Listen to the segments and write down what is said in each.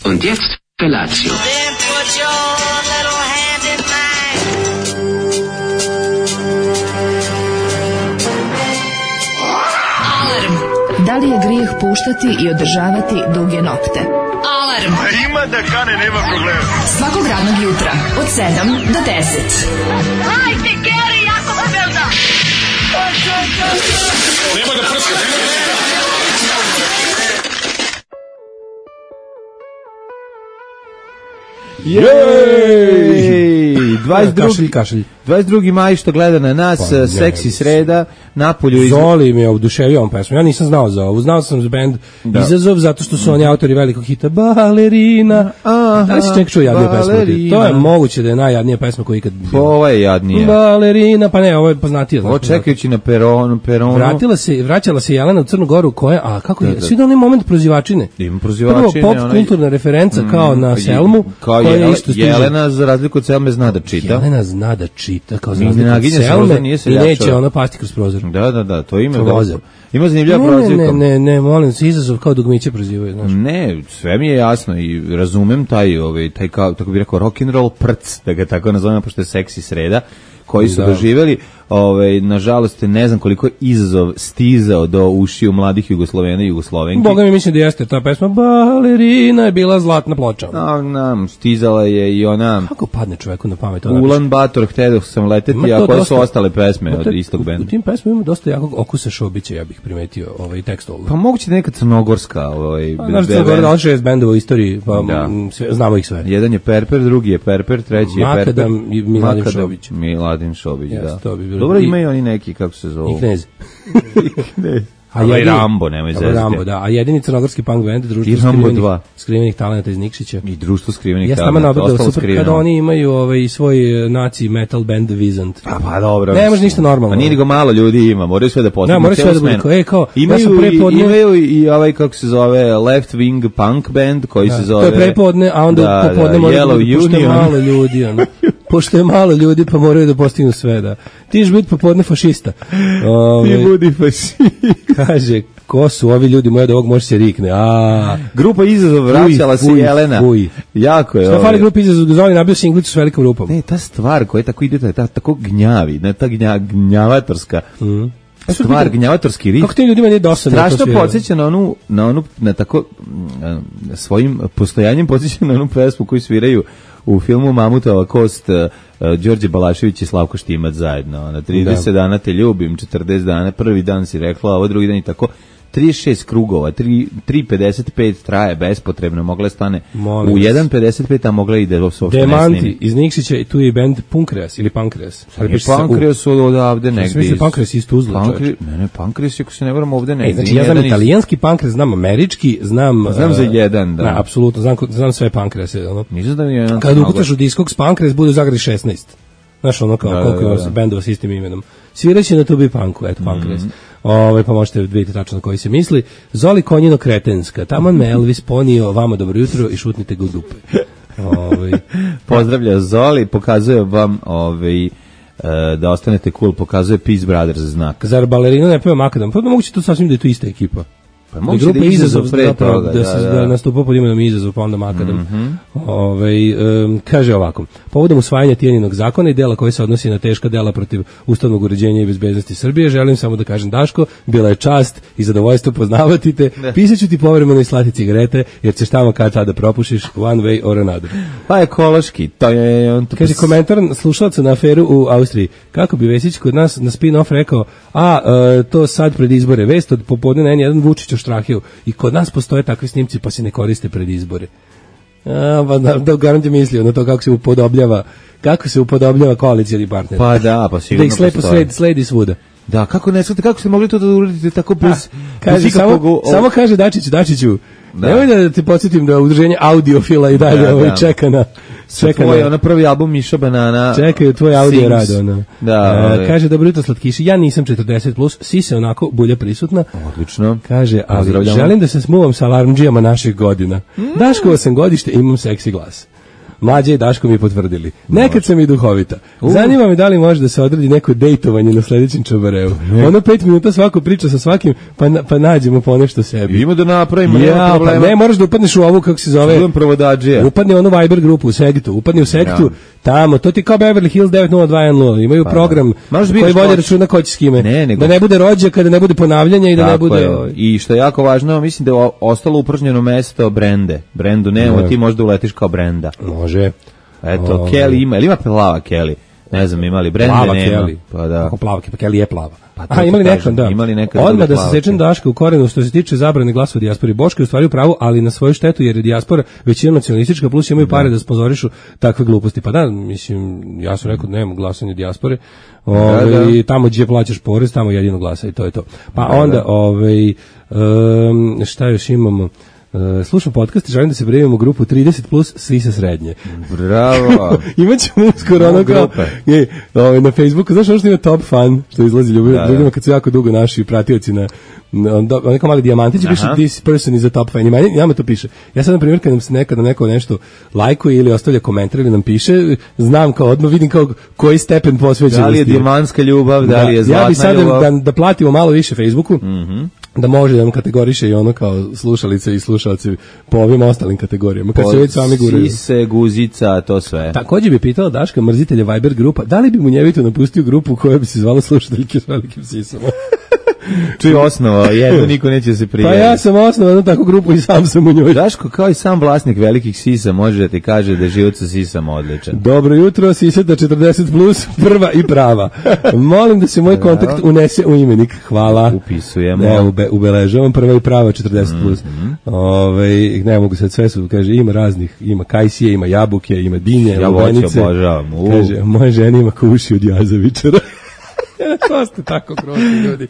Und jetzt Felatio. Then put your little hand in mine. Alarm. Da li je grijeh puštati i održavati duge nokte? Alarm. Ima da kane, nema problema. Svakog radnog jutra od 7 do 10. Hajde, Geri, jako se velda. Nema da prska, Jej! 22. 22. maj što gleda na nas, seksi sreda, napolju... Zoli mi je oduševio ovom pesmom. Ja nisam znao za ovu. Znao sam za band Izazov, zato što su oni autori velikog hita Balerina. Da li si čovjek čuo jadniju pesmu? To je moguće da je najjadnija pesma koja ikad... Ovo je jadnija. Balerina, pa ne, ovo je poznatija. Ovo čekajući na peronu. Vraćala se Jelena u Crnu Goru, koja, a kako je, svi da onaj moment prozivačine. Ima prozivačine. Prvo pop kulturna referenca kao na Selmu. Kao Jelena, za razliku od Selme, zna da čita. Jelena zna da čita, kao za razliku od Selme, i neće ona pasti kroz prozor. Da, to ime. Ima zanimljiva prozivka. Ne, molim se, Izazov kao dugmiće prozivaju, znaš. Ne, sve mi je jasno i razumem taj kao, tako bi rekao, rock'n'roll prc, da ga tako nazovemo, pošto je seksi sreda, koji su doživjeli, nažalost, ne znam koliko Izazov stizao do ušiju mladih Jugoslovena i Jugoslovenki. Boga mi mislim da jeste ta pesma, Balerina je bila zlatna ploča. Stizala je i ona... Kako padne čoveku na pamet? Ulan Bator, htio sam leteti, a koje su ostale pesme od istog benda? U tim pesmama ima dosta jakog okusa Šobića, ja bih primetio tekst ovog. Pa moguće da neka crnogorska... Znaš da je gore 6 bendova u istoriji, pa znamo ih sve. Jedan je Perper, drugi je Perper, treći je Perper. Makadam i Miladin Šobić. Miladin Šobić, da. Dobro, imaju oni neki, kako se zovu? I Knez. Rambo, nemoj zezati. Rambo, da. A jedini crnogorski punk band, društvo skrivenih talenata iz Nikšića. I društvo skrivenih talenata. Ja sam nabrao super kada oni imaju i svoj naci metal band Vizant. Pa dobro. Ne može ništa normalno. A nije nego malo ljudi ima, moraju sve da postavimo. Da, moraju sve da budu. Imaju i kako se zove Left Wing Punk band koji se zove... To je prepodne, a onda popodne moraju da pušte malo ljudi. Pošto je malo ljudi, pa moraju da postignu sve, da. Ti ćeš biti popodne fašista. Ti budi fašista. Kaže, ko su ovi ljudi, moja da ovog može se rikne. Grupa Izazov vraćala se Jelena. Jako je. Šta fali grupa Izazov, da zove nabio singlicu s velikom rupom. Ne, ta stvar koja tako ide, tako gnjavi, ta gnjavatorska. Stvar, gnjavatorski rik. Kako ti ljudima nije dosadno? Strašno podsjeća na tako svojim postojanjem podsjeća na onu pesmu koju sviraju u filmu Mamutova kost, Đorđe Balašević i Slavko Štimac zajedno. Na 30 dana te ljubim, 40 dana, prvi dan si rekla, ovo drugi dan i tako. 36 krugova, 3.55 traje bespotrebno, mogla stane u 1.55, a mogla ide u svoj Demanti iz Nikšića i tu je band Punkreas ili Pankreas. Pankreas su odavde negdje. Mislim Pankreas iz Tuzla. Ne, Pankreas ako se ne varam ovde negdje. Znači ja znam italijanski Pankreas, znam američki, znam za jedan, da. Apsolutno, znam sve Pankrease. Nisam da mi jedan. Kad ukucaš u Discogs Pankreas bude u Zagradi 16. Znaš ono kao koliko ima bendova s istim imenom. Sviraće na Tubi Punku, eto Pankreas. Pa možete vidjeti tačno na koji se misli. Zoli Konjino kretenska, taman me Elvis ponio, vama dobro jutro i šutnite ga u dupe. Pozdravlja Zoli, pokazuje vam da ostanete cool, pokazuje Peace Brothers znak. Zar Balerina ne peva Makadam? Pa moguće to sasvim da je to ista ekipa. Pa moguće da je Izazov pre toga. Da nastupa pod imenom Izazov, pa onda Makadam. Kaže ovako, povodom usvajanja Tijaninog zakona i dela koji se odnosi na teška dela protiv ustavnog uređenja i bezbednosti Srbije, želim samo da kažem, Daško, bila je čast i zadovoljstvo poznavati te, pisaću ti povremeno i slati cigarete, jer ćeš tamo kad tada propušiš one way or another. Pa ekološki, to je... Kaže komentar slušalaca na aferu u Austriji, kako bi Vesić kod nas na spin-off rekao, to sad pred izbore, vest od popodne na N1 Vučić o Štrahiju, i kod nas postoje takvi snimci pa se ne koriste pred izbore. Da garant je mislio na to kako se upodobljava koalicijski partner. Pa da, pa sigurno postoje. Da ih slepo sledi svuda. Da, kako ste mogli to da uradite tako bez samo kaže Dačiću, nemoj da te podsjetim da udruženje audiofila i dalje čeka na tvoj prvi album Miša Banana. Čekaju tvoj audio rad. Kaže, dobro jutro slatkiši, ja nisam 40+, sise onako bulja prisutna. Odlično. Kaže, ali želim da se smuvam sa alarmdžijama naših godina. Daško 8 godište, imam seksi glas. Mlađe i Daško mi potvrdili. Nekad sam i duhovita. Zanima me da li može da se odredi neko dejtovanje na sledećem čabareu. Ono 5 minuta svako priča sa svakim, pa nađemo po nešto sebi. Ima da napravimo, nema problema. Pa ne, moraš da upadneš u ovu, kako se zove. Čujem provodadžija. Upadni u onu Viber grupu u Segtu. Upadni u Segtu, tamo, to ti kao Beverly Hills 90210. Imaju program koji vodi računa ko će s kime. Da ne bude rođaka, da ne bude ponavljanja i da ne bude... I što je jako važno, mislim da je ostalo upržnjeno mesto Brende. Brendu nema, ti možda uletiš kao Brenda. Može. Eto, Kelly ima, ili ima plava Kelly? Ne znam, imali Brende, plava nema. Kelly. Pa da. Kako plava, pa Kelly je plava. Pa imali nekad, da. Odmah da se sečem Kelly. Daška u korenu što se tiče zabrane glasa u dijaspori. Boško je u stvari u pravu, ali na svoju štetu, jer je dijaspora većina nacionalistička, plus imaju pare da sponzorišu takve gluposti. Pa da, mislim, ja sam rekao da nema glasanja dijaspore. Tamo gdje plaćaš porez, tamo jedino glasa i to je to. Pa onda, šta još imamo? Slušam podcast i želim da se prijavimo u grupu 30 plus Sisa srednje. Bravo. Imaćemo uskoro ono kao na Facebooku, znaš ono što ima top fan, što izlazi ljudima kad su jako dugo naši pratioci na neko mali dijamantić, piše this person is a top fan. I nama to piše. Ja sad, na primjer, kad nam se nekada neko nešto lajkuje ili ostavlja komentar ili nam piše, znam kao odmah, vidim kao koji stepen posvećenosti. Da li je dijamantska ljubav, da li je zlatna ljubav. Ja bi sad da platimo malo više Facebooku, da može da nam kategoriše i ono kao slušalice i slušalci po ovim ostalim kategorijama. Kad se već sami guraju. Sise, guzica, to sve. Također bi pitala Daška, mrzitelja Viber grupa, da li bi mu njevito napustio grupu koja bi se zvala slušateljke s velikim sisama? Čuj osnova, jedno niko neće se prijaviti. Pa ja sam osnovao jednu takvu grupu i sam sam u njoj. Daško, kao i sam vlasnik velikih sisa, može da ti kaže da je život sa sisama odličan. Dobro jutro, sisata 40 plus, prva i prava. Molim da se moj kontakt unese u imenik. Hvala. Upisujemo. Ubeležavam prva i prava 40 plus. Ne mogu sad sve su, kaže, ima raznih, ima kajsije, ima jabuke, ima dinje, lubenice. Ja obožavam. Kaže, moje žene ima kuši od jazavičara. To ste tako grozni ljudi.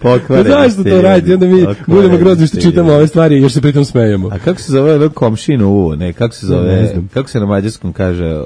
Zašto to radite? Onda mi budemo grozni što čitamo ove stvari i još se pritom smejemo. A kako se zove komšinu? Kako se zove? Kako se na mađarskom kaže?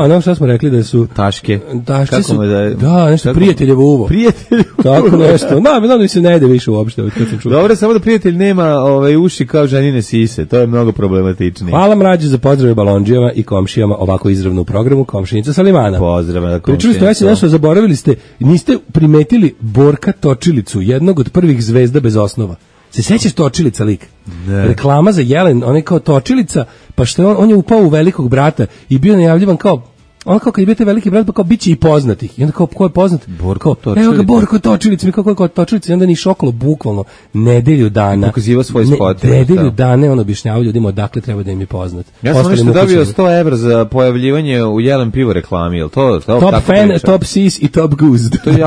No šta smo rekli da su taške. Taške su. Da, nešto prijateljevo uvo. Prijateljevo. Tako nešto. Da mi se ne ide više uopšte. Dobro, samo da prijatelj nema uši kao ženine sise. To je mnogo problematičnije. Hvala mrađe za pozdrave balondžijama i komšijama ovako izravno u programu Komšinica Salimana. Pozdrav na komšinicu. Pričali ste nešto, zaboravili ste, niste primetili Borka Točilicu, jednog od prvih zvezda bez osnova. Se sećaš Točilica lik? Ne. Reklama za Jelen, on je kao Točilica, pa što je on je upao u Velikog brata i bio najavljivan kao on kao kad je bio taj Veliki brat, pa kao biće i poznatih. I onda kao ko je poznat? Borko Točilica. Evo ga Borko Točilica, mi kako je Točilica, i onda ni šokolo bukvalno nedelju dana. Pokaziva svoj spot. Nedelju dana on objašnjavao ljudima odakle treba da im je poznat. Ja sam nešto dobio 100 evra za pojavljivanje u Jelen pivo reklami, jel to? Top fan, priča? Top sis i top goose. To je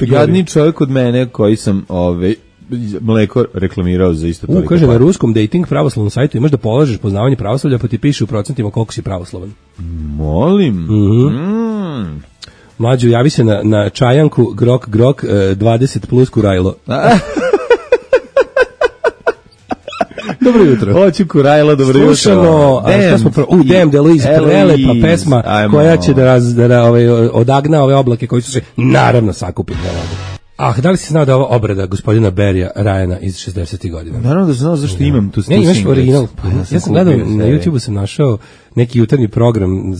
jadni čovjek od mene koji sam mleko reklamirao za isto toliko. Kaže, na ruskom dating pravoslavnom sajtu imaš da polažeš poznavanje pravoslavlja, pa ti piše u procentima koliko si pravoslavan. Molim. Mlađo, javi se na čajanku grok 20 plus kurajlo. Dobro jutro. Hoću kurajlo, dobro jutro. Slušamo, Damn, Deluise, prelepa pesma koja će da odagna ove oblake koji su se naravno sakupili na radu. Da li si znao da je ova obrada gospodina Berija Ryana iz 60. godina? Naravno da sam znao zašto imam tu snimku. Ne, imaš original. Ja sam gledao, na YouTube-u sam našao neki jutarnji program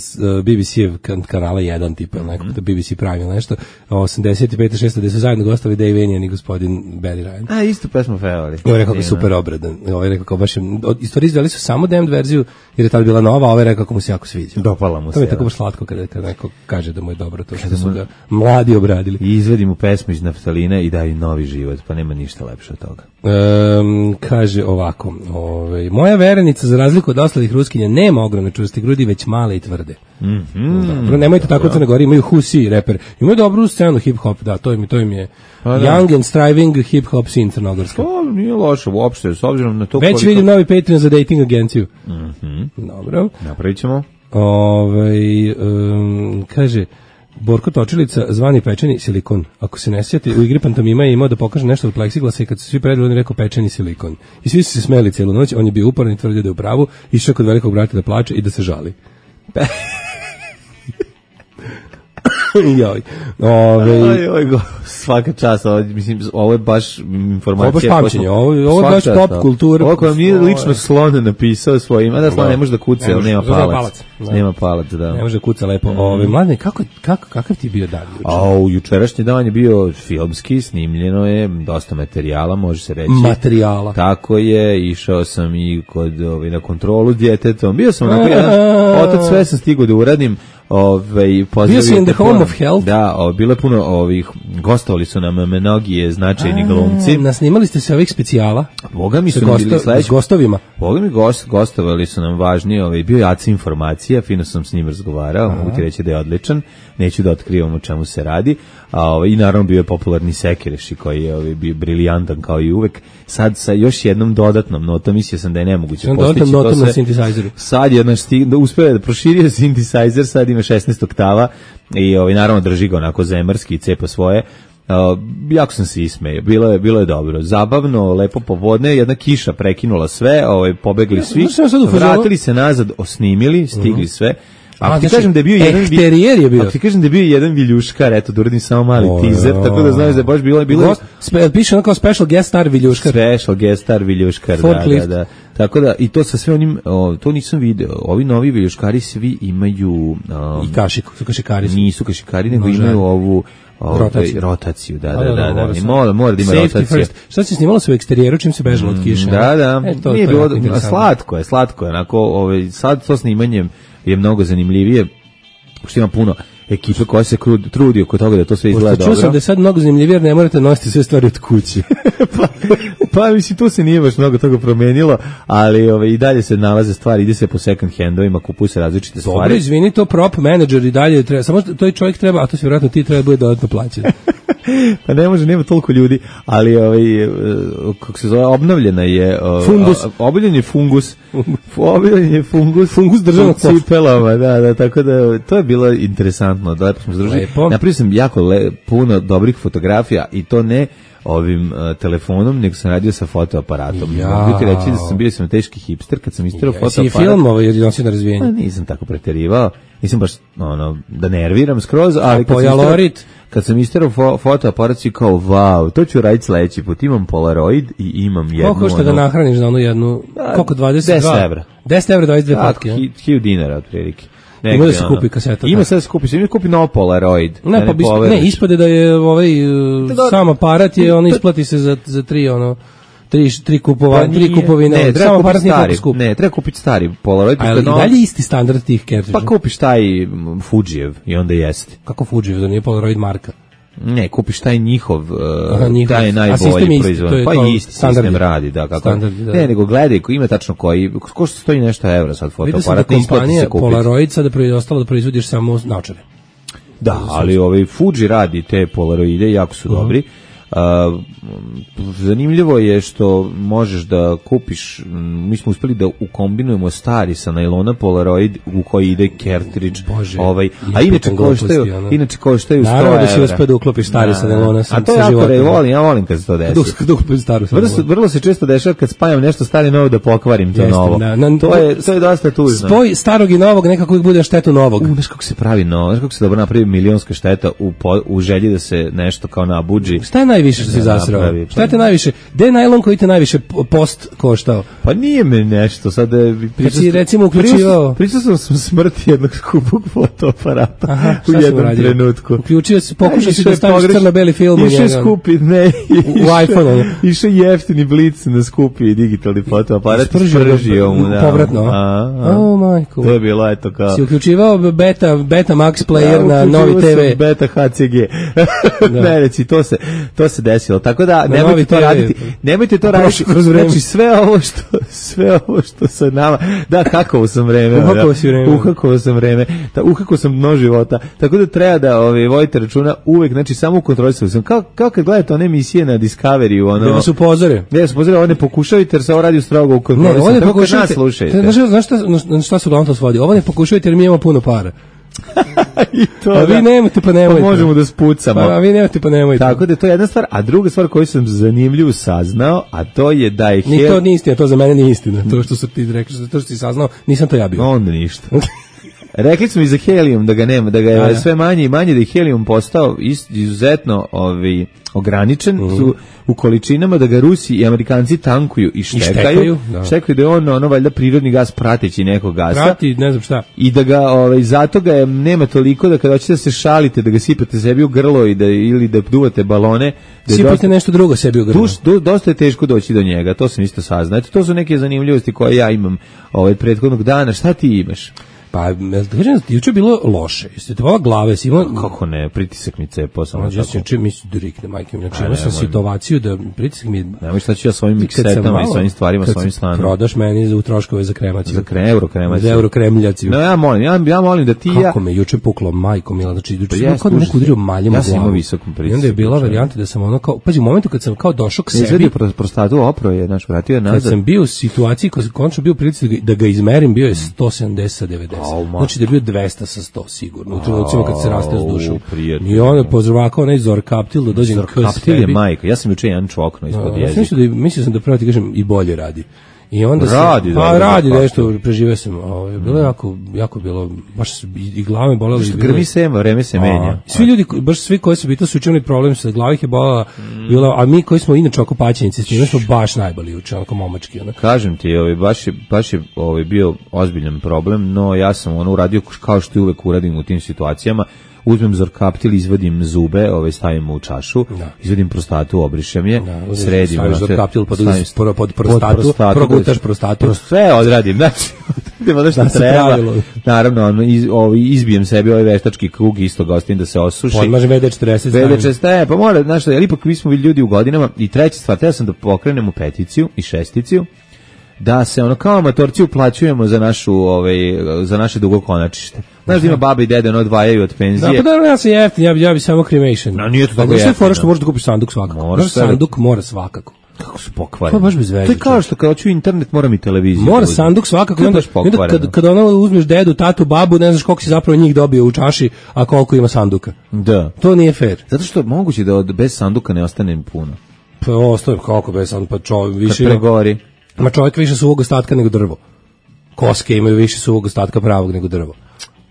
BBC-ev kanala 1 tipa, nekako BBC Prime ili nešto, 85. 6. gde su zajedno gostali Dave Enijan i gospodin Barry Ryan. Isto pesmu pevali. Ovo je rekao kao super obradan. Ovo je rekao kao baš, istoriji izveli su samo Damned verziju, jer je tada bila nova, a ovo je rekao kako mu se jako sviđa. Dopala mu se. To mi je tako baš slatko kada neko kaže da mu je dobro to što smo ga mladi obradili. I izvedi mu pesmu iz naftalina i daju novi život, pa nema ništa lepše od toga. Kaže ovako, moja verenica za razliku od ostalih ruskinja nema ogromne čvrste grudi, već male i tvrde. Nemojte tako Crne Gore, imaju Husi reper. Imaju dobru scenu hip-hop, da, to im je young and striving hip-hop scene crnogorska. To nije loše uopšte, s obzirom na to već vidim novi Patreon za dating agenciju. Dobro. Napravit ćemo. Kaže, Borko Točilica, zvani pečeni silikon. Ako se ne sjeti, u igri Pantomima je imao da pokaže nešto od pleksiglasa i kad su svi predali, on je rekao pečeni silikon. I svi su se smeli cijelu noć, on je bio uporan i tvrdio da je u pravu, išao kod Velikog brata da plače i da se žali. Joj. Svaka čast, mislim, ovo je baš informacija. Ovo je baš pamćenje, ovo je baš pop kultura. Ovo koja mi je lično Slon napisao svojim, a da Slon ne može da kuca, jer nema palac. Nema palac, da. Ne može da kuca lepo. Mladine, kakav ti bio dan juče? Jučerašnji dan je bio filmski, snimljeno je, dosta materijala, može se reći. Materijala. Tako je, išao sam i na kontrolu s djetetom. Bio sam onako jedan, otac, sve sam stigao da uradim. Bio si in the home of health? Da, bilo je puno gostovali su nam mnogi značajni glumci. Nasnimali ste se ovih specijala? Boga mi su bili sledeći. S gostovima? Boga mi gostovali su nam važni, bio je Aca Informacija, fino sam s njim razgovarao, mogu ti reći da je odličan, neću da otkrivam o čemu se radi, i naravno bio je popularni Sekereši koji je bio briljantan kao i uvek. Sad sa još jednom dodatnom notom, mislio sam da je nemoguće postići to sve. Sad je uspeo da proširio synthesizer, sad ima 16 oktava i naravno drži ga onako zemarski i cepa svoje. Jako sam se ismejao, bilo je dobro, zabavno, lepo popodne, jedna kiša prekinula sve, pobegli svi, vratili se nazad, osnimili, stigli sve. Ako ti kažem da je bio jedan viljuškar, eto da uradim samo mali teaser, tako da znaš da je baš bilo piše ono kao special guest star viljuškar. Special guest star viljuškar, da. Tako da, i to sa sve onim, to nisam video, ovi novi viljuškari svi imaju... I kašiku, su kašikari. Nisu kašikari, nego imaju ovu... Rotaciju, da. Mora da ima rotaciju. Šta se snimalo se u eksterijeru čim se bežalo od kiše? Da. Nije bilo, slatko je, onako, sad to snimanje je mnogo zanimljivije, što ima puno ekipe koja se trudi oko toga da to sve izgleda dobro. Čuo sam da je sad mnogo zanimljivije jer ne morate nositi sve stvari od kuće. pa mislim, tu se nije baš mnogo toga promenilo, ali i dalje se nalaze stvari, ide se po second handovima, kupuju se različite stvari. Dobro, izvini, to prop menadžer i dalje treba, samo to čovjek treba, a to se vjerojatno ti treba bude dodatno plaćati. Pa ne može, nema toliko ljudi, ali kako se zove, obnovljena je obnovljen je fungus državnog cipelama, da, tako da to je bilo interesantno, da lepo smo združili. Napravio sam jako puno dobrih fotografija i to ne ovim telefonom, nego sam radio sa fotoaparatom. Mogu ti reći da sam bio teški hipster kad sam istirao fotoaparat. Si film jer je nosio na razvijenje? Nisam tako preterivao, nisam baš da nerviram skroz, ali kad sam istirao fotoaparat si kao, wow, to ću raditi sledeći put, imam Polaroid i imam jednu... Koliko što da nahraniš na onu jednu, koliko, 22? 10 evra. 10 evra, 22 patke. 1000 dinara otprilike. Ima da se kupi kaseta. Ima sad da se kupi, sam kupi novo Polaroid. Ne, ispade da je sam aparat je, isplati se za tri kupovine. Samo aparat nije toliko skup. Ne, treba kupiti stari Polaroid. Ali dalje isti standard tih cartridža? Pa kupiš taj Fujijev i onda jeste. Kako Fujijev, da nije Polaroid marka? Ne, kupiš taj njihov, taj je najbolji proizvod. Pa isti sistem radi, da, kako. Ne, nego gledaj, ima tačno koji, ko što stoji nešto evra sad fotoaparat, ne isplati se kupiti. Polaroid sada je ostalo da proizvodiš samo naočare. Da, ali Fuji radi te Polaroide, jako su dobri. Zanimljivo je što možeš da kupiš, mi smo uspeli da ukombinujemo stari sa najlona Polaroid u koji ide cartridge, a inače koštaju 100 evra. Naravno da si uspeo da uklopiš stari sa najlona. A to je ja volim kad se to desi. Vrlo se često dešava kad spajam nešto stari i novo da pokvarim to novo. To je dosta tužno. Spoj starog i novog nekako uvijek bude štetu novog. Znaš kako se pravi novo, znaš kako se dobro napravi milionska šteta u želji da se nešto kao nabuđi. Šta je najviše što si zasrao? Šta te najviše? Gde je najlon koji te najviše post koštao? Pa nije me nešto sad. Kad si recimo uključivao... Pričao sam smrti jednog skupog fotoaparata u jednom trenutku. Uključio si, pokušao si da staviš crno-beli film. Išao skupi, ne. U iPhone-u. Išao jeftini blic na skupi digitalni fotoaparat. Spržio mu. Povratno. O, majko. To je bilo, eto kao... Si uključivao Beta Max player na Novi TV. Beta HCG. Ne, reci, to se desilo. Tako da nemojte to raditi. Nemojte to raditi. Znači sve ovo što sa nama. Da, hakovo sam vreme. Uhakovo sam vreme. Uhakao sam dno života. Tako da treba da vodite računa uvek, znači samo u kontroli sam. Kao kad gledate one emisije na Discovery, da vas upozore. Ne, vas upozore, ovo ne pokušajte jer se ovo radi strogo u kontroli. Ne, ovo ne pokušajte. Znaš šta se uglavnom to svodi? Ovo ne pokušajte jer mi imamo puno para. A vi nemojte pa nemojte. Pa možemo da spucamo. A vi nemojte pa nemojte. Tako da to je jedna stvar, a druga stvar koju sam zanimljivo saznao, a to je da je... To nije istina, to za mene nije istina. To što su ti rekli, to što si saznao, nisam to ja bio. Onda ništa. Rekli smo i za helijum da ga nema, da ga je sve manje i manje, da je helijum postao izuzetno ograničen su u količinama, da ga Rusi i Amerikanci tankuju i štekaju. Štekaju da je on valjda prirodni gas prateći nekog gasa. Prati, ne znam šta. I da ga, zato ga je, nema toliko da kada hoćete da se šalite, da ga sipate sebi u grlo ili da duvate balone. Sipate nešto drugo sebi u grlo. Dosta je teško doći do njega, to sam isto saznao. Eto, to su neke zanimljivosti koje ja imam prethodnog dana. Šta ti imaš? Pa, kažem, juče je bilo loše. Jeste te glave, si imao... Kako ne, pritisak mi cepo samo tako. Ja sam juče mislim drikne, majke mi. Znači, imao sam situaciju da pritisak mi... Nemoj šta ću ja svojim miksetama i svojim stvarima, svojim stanom. Kad prodaš meni u troškove za kremaciju. Za eurokremaciju. Za eurokremljaciju. No, ja molim da ti ja... Kako me juče puklo, majko mila, znači, juče sam kao da neko udario maljem u glavu. Ja sam imao visokom pritisku. I onda je bila varijanta da sam ono kao... Pađi, u momentu kad sam kao došao k sebi... Izvedio prostatu, opro je, znaš, vratio je nazad. Kad sam bio u situaciji, kad sam končno bio pritisak da ga izmerim, bio je 170 sa 90. Znači da je bio 200 sa 100 sigurno. U trenucima kad se raste s dušom. I onda pozorvakao onaj Zorkaptil da dođem k sebi. Zorkaptil je majka. Ja sam juče jedan čokno ispod jezika. Mislio sam da pravo ti kažem i bolje radi. I onda radi nešto, preživio sam. Bilo je jako bilo, baš i glava me bolela. Grmi sema, vreme se menja. Svi ljudi, baš svi koji su bili, su učinili problem sa glava ih je bolela, a mi koji smo inače oko paćenici, s njima smo baš najbolji uče, onako momački. Kažem ti, baš je bio ozbiljan problem, no ja sam uradio kao što uvek uradim u tim situacijama. Uzmem Zorkaptil, izvadim zube, stavim u čašu, izvadim prostatu, obrišem je, sredim. Staviš Zorkaptil pod prostatu, progutaš prostatu. Sve odradim, znači, da što treba. Naravno, izbijem sebi ovaj veštački krug, isto ga ostavim da se osuši. Podmažem VD40. VD40, pa mora, znaš što, jer ipak mi smo ljudi u godinama. I treća stvar, teo sam da pokrenemo peticiju i šesticiju, da se kao amatorci uplaćujemo za naše dugokonačište. Znaš da ima baba i dede odvajaju od penzije. Da, pa dobro, ja sam jeftin, ja bi samo cremation. No, nije to tako jeftin. Fora što možeš da kupiš sanduk svakako. Sanduk mora svakako. Kako su pokvareni. To je baš bez veze. To je kao što kad hoću internet moram i televiziju. Mora sanduk svakako. Onda kad uzmeš dedu, tatu, babu, ne znaš koliko si zapravo njih dobio u čaši, a koliko ima sanduka. Da. To nije fair. Zato što moguće da bez sanduka ne ostane puno. Pa ostaje kako bez sanduka, pa čovjek više... Kad pregori. Ma čovjek više suvog ostatka nego drvo. Koske imaju više suvog ostatka pravog nego drvo.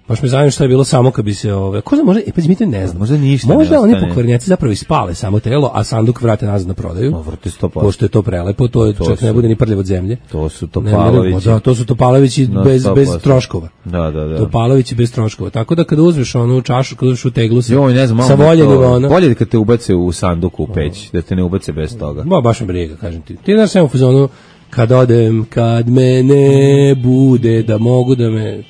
Baš me zanima šta je bilo samo kad bi se ko zna, možda mi to ne znam. Možda ništa. Možda oni pokvarnjaci zapravo ispale samo telo, a sanduk vrate nazad na prodaju. Vrte 100%. Pošto je to prelepo, čak ne bude ni prljav od zemlje. To su Topalovići. Da, to su Topalovići bez troškova. Da. Topalovići bez troškova. Tako da kada uzmeš onu čašu, kada uzmeš u teglu sa voljenima, bolje kad te ubace u sanduku u peć, da te ne ubace bez toga. Baš me briga, kažem ti. Ti znaš samo u fazonu kad odem, kad me ne bude, da mogu da me...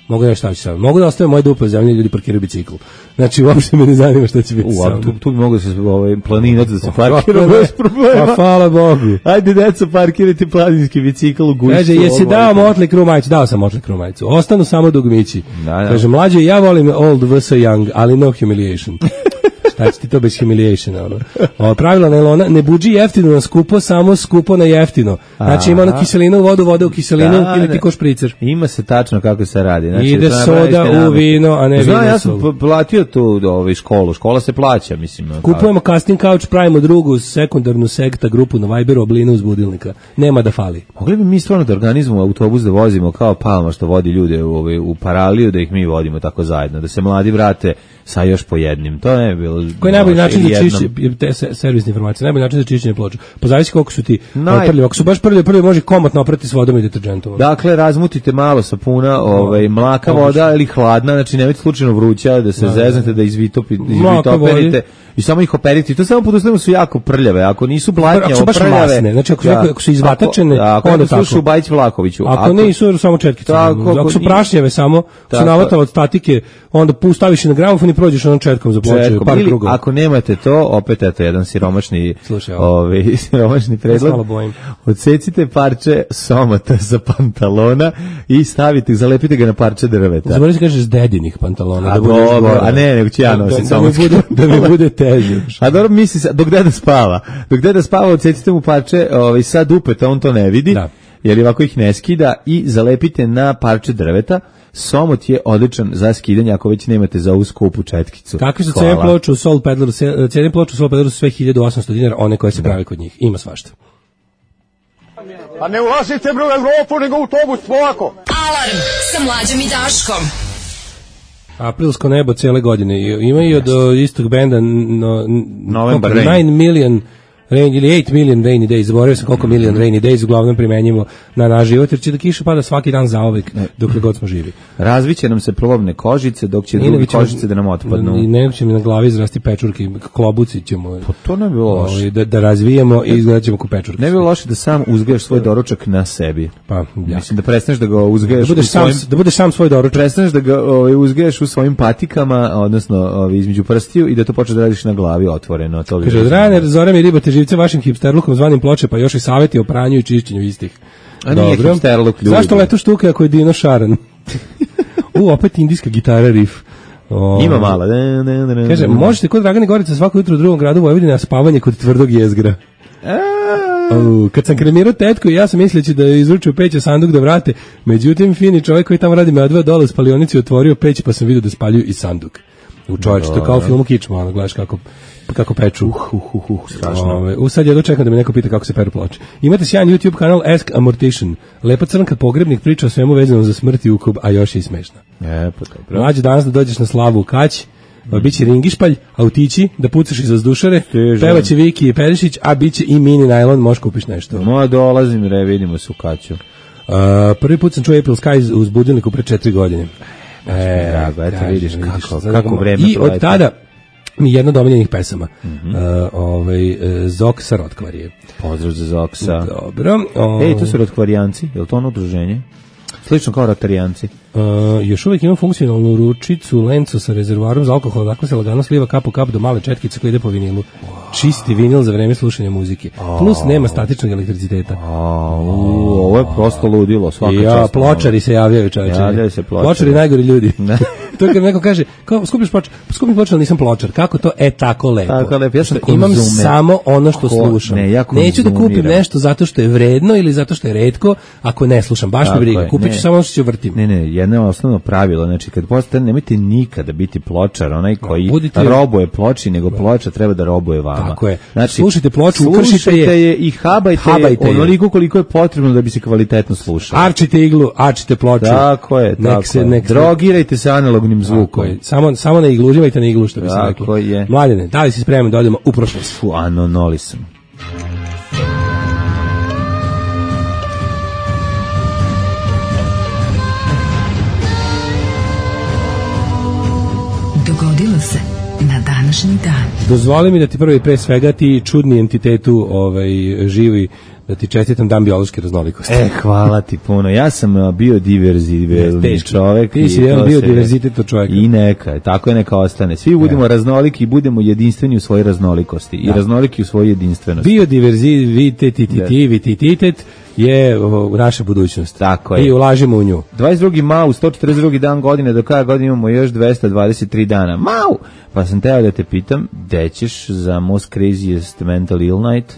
Mogu da šta ću sad. Mogu da ostavim moje dupe u zemlji i ljudi parkiraju bicikl. Znači, uopšte me ne zanima šta će biti sam. Tu bi mogu da se planinac da se parkira bez problema. Pa hvala Bogu. Ajde, deco, parkirajte planinski bicikl u gušću. Kaže, jesi dao Motley Crue majicu? Dao sam Motley Crue majicu. Ostanu samo dugmići. Kaže, mlađe, ja volim old vs. young, ali no humiliation. Šta će ti to bez humiliation? Pravilo nailona, ne buđi jeftino na skupo, samo skupo na jeftino. Znači ima ono kiselinu u vodu, voda u kiselinu ili ti ko špricer. Ima se tačno kako se radi. Znači, ide soda u vino, a ne vino. Ja sam platio tu školu. Škola se plaća, mislim. Kupujemo casting couch, pravimo drugu sekundarnu sekta grupu na Viberu, oblinu uz budilnika. Nema da fali. Mogli bi mi stvarno da organizujemo autobus da vozimo kao Palma što vodi ljude u Paraliju, da ih mi vodimo tako zajedno, da se mladi vrate sa još po jednim. To ne bi bilo. Koji je najbolji način za čišćenje te servisne informacije? Najbolji način za čišćenje ploča. Pa zavisi koliko su ti prljavi. Ako su baš prljavi, može komotno oprati s vodom i deterđentom. Dakle, razmutite malo sapuna, mlaka voda ili hladna, znači nemojte slučajno vruća da se zeznete, da izvitoperite i samo ih operite. To samo pod uslovima su jako prljave. Ako nisu blatnje, prljave, znači ako su izvatačene, onda tako. Slušaju Bajić Vlahoviću. Ako nisu samo četkice. Ako su prašnjave samo, su navatale od statike, onda staviš na gramofon i prođeš onom četkom za ploče, par krugova. Ako nemate to, opet eto jedan siromašni predlog. Odsecite parče somata sa pantalona i stavite, zalepite ga na parče drveta. Zaboravim se kažeš dedinih pantalona. A ne, nego ću ja nositi somatski. Da mi bude teže. A dobro misli se, dok deda spava. Dok deda spava, odsecite mu parče sa dupeta, on to ne vidi, jer ovako ih ne skida i zalepite na parče drveta. Somot je odličan za skidanje ako već nemate za ovu skupu četkicu. Kakve su cene ploče u Soul Pedleru? Cene ploče u Soul Pedleru su sve 1800 dinara, one koje se prave kod njih. Ima svašta. Pa ne ulazite bre u Evropu, nego u autobus, polako. Alarm sa Mlađom i Daškom. Aprilsko nebo cele godine. Ima i od istog benda November Rain. 9 million rain ili 8 million rainy days, zaboravio sam koliko million rainy days uglavnom primenjimo na naš život, jer će da kiša pada svaki dan zauvek dokle god smo živi. Razviće nam se plovne kožice, dok će drugi kožice da nam otpadnu. I nego će mi na glavi izrasti pečurke, klobuci ćemo Pa to ne bi bilo loše. da razvijemo i izgledat ćemo ko pečurke. Ne bi bilo loše da sam uzgajaš svoj doručak na sebi. Pa, ja. Mislim da prestaneš da ga uzgajaš Da budeš sam svoj doručak. Prestaneš da ga uzgajaš u svojim patikama, odnosno između prstiju i da to počneš da radiš na glavi otvoreno. To Kaže, od rane zore mi ribate živce vašim hipsterlukom zvanim Ploče, pa još i savjeti o pranju i čišćenju istih. A nije hipsterluk, ljudi. Zašto leto štuke ako je Dino Šaran? Opet indijska gitara riff. Ima mala. Kaže, možete kod Dragane Gorica svako jutro u drugom gradu Vojvodine na spavanje kod tvrdog jezgra. Kad sam kremirao tetku, ja sam misleći da je izručio peć, a sanduk da vrate. Međutim, fini čovjek koji tamo radi me odveo dole u spalionici, otvorio peć, pa sam vidio da spaljuju i sanduk. U čovječe, to je kao u filmu Kičma, ono, gledaš kako peču. Strašno. Sad ja dočekam da me neko pita kako se peru ploče. Imate sjajan YouTube kanal Ask a Mortician. Lepa crnka pogrebnik priča o svemu vezano za smrt i ukob, a još je i smešna. Mlađe danas da dođeš na slavu u Kać, biće ringišpalj, autići, da pucaš iz vazdušare, pevaće Viki i Perišić, a biće i mini najlon, možeš kupiš nešto. Dolazim, vidimo se u Kaću. Prvi put sam čuo April Skies uz budilniku pre 4 godine. Drago, eto vidiš kako vreme i od tada mi jedna od omiljenih pesama. Zoksa Rotkvarije. Pozdrav za Zoksa. Dobro. To su Rotkvarijanci, je li to ono udruženje? Slično kao Rotarijanci. Još uvijek ima funkcionalnu ručicu lencu sa rezervoarom za alkohol, dakle se lagano sliva kap po kap do male četkice koja ide po vinilu. Čisti vinil za vreme slušanja muzike. Plus nema statičnog elektriciteta. Ovo je prosto ludilo, svaka čast. Pločari se javljaju, čovječe. Javljaju se pločari. Pločari najgori ljudi. To je kad neko kaže, skupiš pločar, ali nisam pločar. Kako to? Tako lepo. Tako lepo, ja sam imam samo ono što slušam. Neću da kupim nešto zato što je vredno ili zato što je retko, ako ne slušam. Baš me briga. Kupit ću samo ono što ću vrtim. Ne, jedno osnovno pravilo, znači kad postane, nemojte nikada biti pločar, onaj koji robuje ploči, nego ploča treba da robuje vama. Tako je. Znači, slušajte ploču, ukršite je i habajte onoliko koliko je potrebno da bi se kvalitetno slušalo. Arčite iglu, arčite ploču. Tako je, drogirajte se analognim zvukom. Samo ne iglu, uživajte na iglu, što bi se reklo. Tako je. Mladene, da li si spreman da odemo u prošlost? Noli sam. Dogodilo se na današnji dan. Dozvoli mi da ti prvi pre svega ti čudni entitetu živi, da ti čestitam dan biološke raznolikosti. Hvala ti puno. Ja sam biodiverzibilni čovek. Ti si jedan biodiverzitet čovjek. I neka, tako je, neka ostane. Svi budemo raznoliki i budemo jedinstveni u svojoj raznolikosti. I raznoliki u svojoj jedinstvenosti. Biodiverzitet je naša budućnost. Tako je. I ulažimo u nju. 22. mau, 142. dan godine, do kada godine imamo još 223 dana. Mau! Pa sam teo da te pitam, gde ćeš za Most Craziest Mental Ill Night?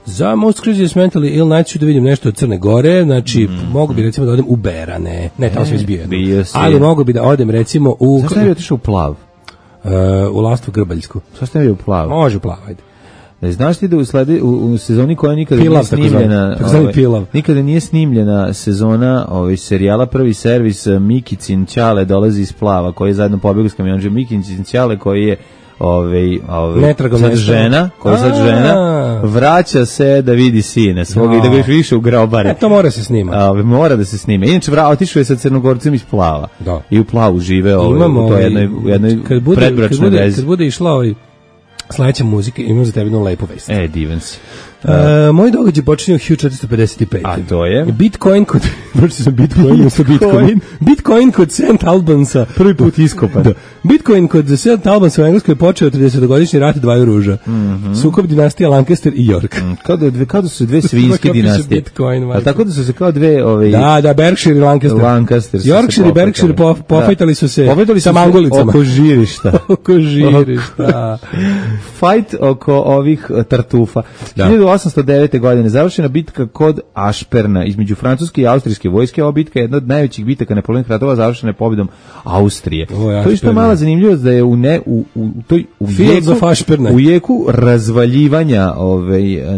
Za Most Craziest Mental Ill Night ću da vidim nešto od Crne Gore, znači mogu bi recimo da odem u Berane. Ne, tamo sam izbio. Ali mogu bi da odem recimo u... Zašto ne bi otišao u Plav? U Lastvu Grbaljsku. Zašto ne bi u Plav? Može u Plav, ajde. Znaš ti da u sezoni koja nikada nije snimljena, nikada nije snimljena sezona serijala Prvi servis, Mikicin Ćale dolazi iz Plava, koji je zajedno pobegao s kamionđem. Mikicin Ćale koji je sad žena, vraća se da vidi sine svoga i da ga još više u grobare. To mora se snima. Mora da se snima. Inače, otišao je sa Crnogorcem iz Plava. I u Plavu žive u jednoj predbračnoj vezi. Kad bude išla sledeća muzika, imam za tebe jednu lepu vest. Divan si. Moj događaj počinje u 1455. A to je? Bitcoin kod... Bitcoin kod St. Albansa. Prvi put iskopan. Bitcoin kod St. Albansa u Engleskoj je počeo 30-godišnji rat dvaju ruža. Sukob dinastija Lancaster i York. Kao da su dve svinjske dinastije. A tako da su se kao dve... Da, Berkshire i Lancaster. Yorkshire i Berkshire pofajtali su se sa mangulicama. Oko žirišta. Oko žirišta. Fight oko ovih tartufa. 1809. godine završena bitka kod Ašperna između francuske i austrijske vojske. Ova bitka je jedna od najvećih bitaka napoleonovih ratova, završena je pobjedom Austrije. To je što mala zanimljivost da je u jeku razvaljivanja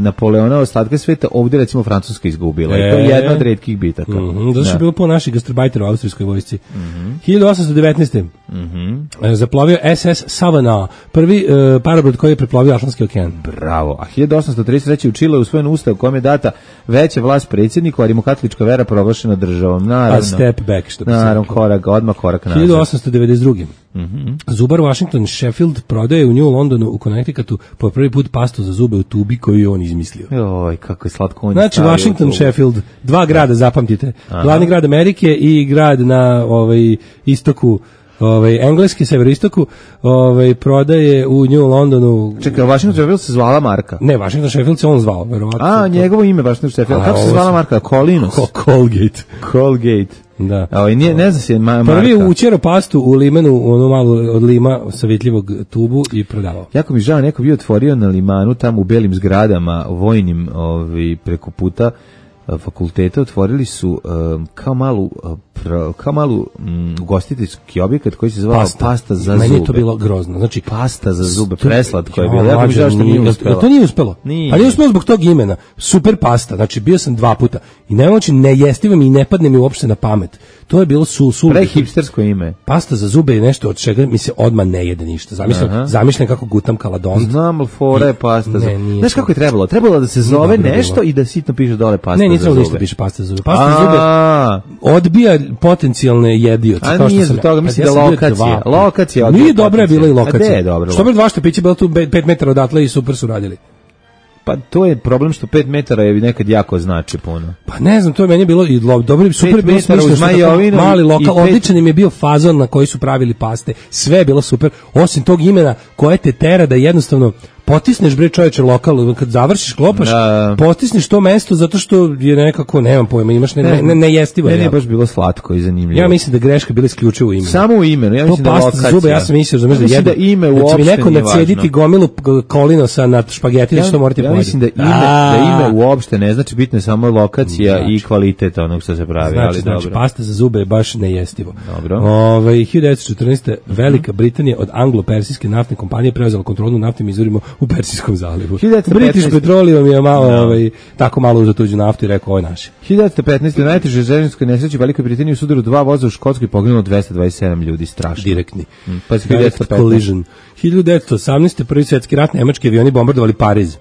Napoleona ostatka sveta ovdje recimo Francuska izgubila. I to je jedna od retkih bitaka. Zato što je bilo po naših gastarbajtera u austrijskoj vojsci. 1819. Zaplovio SS Savannah, prvi parabrod koji je preplovio Atlantski okean. Bravo. A 1833. u Čileu usvojen ustav u kojem je data veća vlast predsjedniku, a rimokatolička vera proglašena državom. Naravno. A step back, što bi se odmah korak nazad. 1892. Zubar Washington Sheffield prodaje u New Londonu u Connecticutu po prvi put pastu za zube u tubi koju je on izmislio. Joj, kako je slatko on. Znači Washington, Sheffield, dva grada, zapamtite. Glavni grad Amerike i grad na istoku engleski, severoistoku, prodaje u New Londonu. Čekaj, Washington Sheffield se zvala marka? Ne, Washington Sheffield se on zvao, verovatno. A, njegovo ime Washington Sheffield. Kako se zvala marka? Colinos? Colgate. Da. Ne zna se marka. Prvi učero pastu u limenu, ono malo od lima savjetljivog tubu i prodavao. Jako mi žao, neko bio otvorio na limanu, tamo u belim zgradama, vojnim, preko puta fakulteta, otvorili su kao malu ugostiteljski objekat koji se zvao pasta za zube. Meni je to bilo grozno. Znači, pasta za zube, preslatko je bilo. Ja mi žao što nije uspelo. To nije uspelo. Nije. Pa nije uspelo zbog tog imena. Super pasta. Znači, bio sam 2 puta. I ne jestivim i ne padne mi uopšte na pamet. To je bilo prehipstersko ime. Pasta za zube je nešto od čega mi se odmah ne jede ništa. Zamišljam kako gutam kaladon. Znam, ali fora je pasta za zube. Znaš kako je trebalo? Trebalo da se zove nešto i da sitno piše dole pasta za zube. Ne, nije trebalo ništa piše pasta za zube. Pasta za zube odbija potencijalne jedioce. A nije zbog toga, mislim da lokacija. Lokacija odbija. Nije dobra je bila i lokacija. A je dobro? Što bi 2 štapića bilo tu 5 metara odatle i super su radili. Pa to je problem što 5 metara je nekad jako znači puno. Pa ne znam, to je meni bilo i dobro, super bilo smišljeno, mali lokal, odličan im je bio fazon na koji su pravili paste, sve je bilo super, osim tog imena koje te tera da jednostavno potisneš bre čoveče lokal, kad završiš klopaš, potisneš to mesto zato što je nekako, nemam pojma, imaš nejestivo. Ne, baš bilo slatko i zanimljivo. Ja mislim da greška bila isključivo u imenu. Samo u imenu, ja mislim da lokacija. Zube, ja sam mislio, da ime uopšte nije važno. Neko nacediti gomilu kolinosa na špageti, da što morate pojeti. Ja mislim da ime uopšte ne znači, bitno je samo lokacija i kvalitet onog što se pravi. Znači, pasta za zube je baš nejestivo. Dobro. 1914. Velika Britanija od anglo-persijske naftne kompanije preuzela kontrolu nad naftnim izvorima u Persijskom zalivu. British Petroleum je tako malo uzeo tuđu naftu i rekao, ovo je naše. 1915. u najtežoj željezničkoj nesreći u Velikoj Britaniji u sudaru 2 voza u Škotskoj poginulo 227 ljudi, strašno. Direktni. Pa 1915. Collision. 1918. prvi svjetski rat, nemački avioni bombardovali Pariz.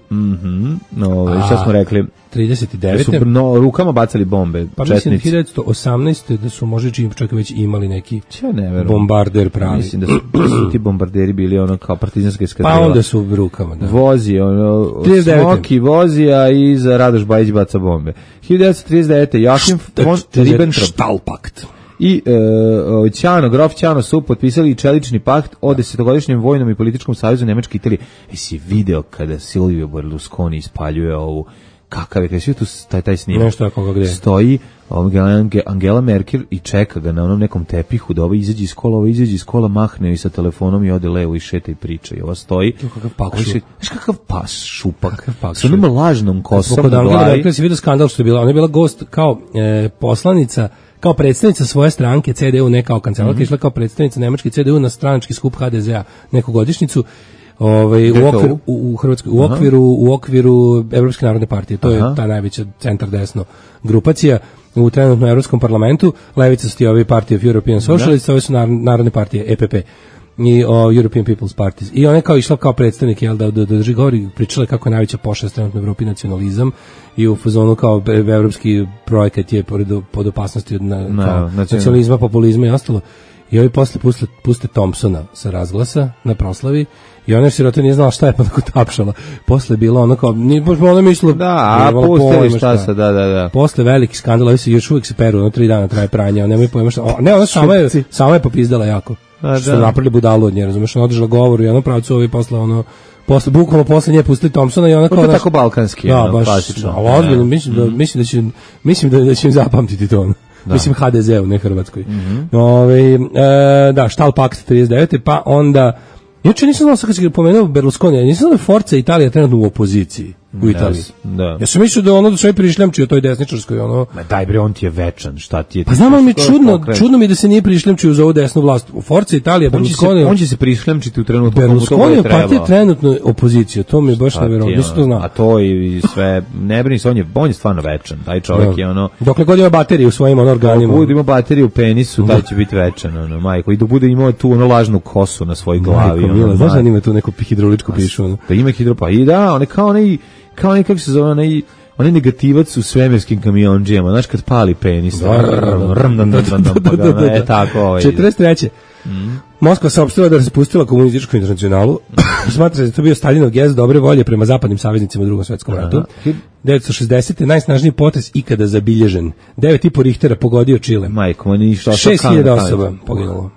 Šta smo rekli? 39. Su rukama bacali bombe. Pa mislim 1918. da su možda čak već imali neki bombarder pravi. Mislim da su ti bombarderi bili ono kao partizanske eskadrile. Pa onda su rukama, da. Vozi, Smoki vozi, a iza Radoš Bajić baca bombe. 1939. Joachim von Ribbentrop. Štalpakt. I grof Ćano su potpisali čelični pakt o 10-godišnjem vojnom i političkom savezu Nemačke i Italije. Jesi video kada Silvio Berlusconi ispaljuje ovu, kakav je, kada si tu taj snimak? Nešto ako ga gde. Stoji Angela Merkel i čeka ga na onom nekom tepihu da ovo izađe iz kola, mahne i sa telefonom i ode levo i šeta i priča. I ova stoji. Znaš kakav pas šupak? Sa onom lažnom kosom na glavi. Angela Merkel si vidio skandal što je bila. Ona je bila gost kao poslanica, kao predstavnica svoje stranke CDU, ne kao kancelarka, išla kao predstavnica nemačke CDU na stranački skup HDZ-a neku godišnjicu u okviru Evropske narodne partije. To je ta najveća centar desno grupacija u trenutnom Evropskom parlamentu. Levica su ti ovi Party of European Socialists, ove su narodne partije EPP i European People's Parties. I ona je kao išla kao predstavnik, da drži govor i pričala kako je najveća pošast trenutno u Evropi nacionalizam i u fazonu kao evropski projekat je pod opasnosti od nacionalizma, populizma i ostalo. I ovi posle puste Thompsona sa razglasa na proslavi i ona sirota nije znala šta je, pa tako tapšala. Posle je bilo ono kao, ona mislila... Da, pustili šta se, da. Posle veliki skandal, ovi se još uvijek se peru, 3 dana traje pranje, nemoj pojma šta... Ne, ona sama je popizdala jako. Što napravili budalu od nje, razumiješ, ona održala govor u jednom pravcu, ovi posle bukvalno posle nje pustili Thompsona i ona kao... To tako balkanski, klasično. Ali ozbiljno, mislim da će im zapamtiti to ono. Mislim HDZ-u, ne Hrvatskoj. Štalpakt 39. Pa onda... Juče nisam znao, sad kad si pomenuo Berlusconi, nisam znao da je Forza Italija trenutno u opoziciji. u Italiji. Da. Ja sam mislio da ono da sve prišljamčio toj desničarskoj, ono... Ma daj bre, on ti je večan, šta ti je? Pa znam, ali mi je čudno mi da se nije prišljamčio za ovu desnu vlast. U Forza Italija, Berlusconi... On će se prišljamčiti u trenutku Berlusconi je partija trenutno opozicija, to mi je baš nevjerovatno, nisam to znao. A to i sve, ne brini se, on je stvarno večan, taj čovjek je ono... Dokle god ima baterije u svojim organima. Dok bude imao bateriju u penisu, taj će biti večan, ono, majko. I dok bude imao tu ono lažnu kosu na svojoj glavi. Majko, mila, znaš da ima tu neku hidrauličku pišu, ono? Da ima hidropa, i da, on je kao onaj, kako se zove, onaj negativac u svemirskim kamionđijama, znaš kad pali penis. Tako ovaj. 43. Moskva saopštila da je raspustila komunističku internacionalu. Smatra da je to bio Staljinov gest dobre volje prema zapadnim saveznicima u Drugom svetskom ratu. 1960. najsnažniji potres ikada zabilježen. 9,5 Richtera pogodio Čile. Majko, on je išao 6.000 osoba poginulo.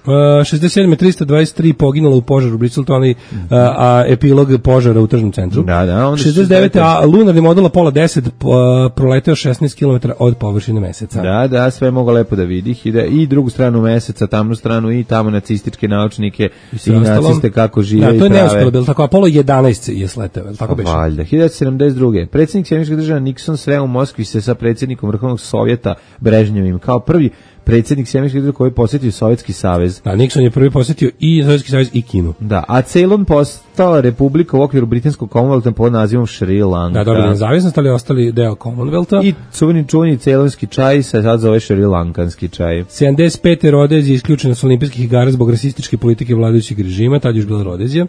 67. 323 poginulo u požaru u Bristoltonu, a epilog požara u tržnom centru. Da, 69. lunarni modul Apollo 10 proleteo 16 km od površine meseca. Da, sve mogu lepo da vidi. I drugu stranu meseca, tamnu stranu i tamo nacističke naučnike i naciste kako žive i prave. To je neuspjelo, bilo tako. Apollo 11 je sleteo, tako beše? Valjda. 1972. Predsjednik Sjedinjenih Država Nixon sreo u Moskvi se sa predsjednikom Vrhovnog Sovjeta Brežnjevim kao prvi predsjednik Sjedinjenih Država koji je posjetio Sovjetski savez. Da, Nixon je prvi posjetio i Sovjetski savez i Kinu. Da, a Ceylon postao republika u okviru britanskog Commonwealtha pod nazivom Šri Lanka. Da, dobili nezavisnost, ali ostali deo Commonwealtha. I čuveni ceylonski čaj se sad zove Šri Lankanski čaj. 75. Rodezija isključena s olimpijskih igara zbog rasističke politike vladajućeg režima, tad još bila Rodezija.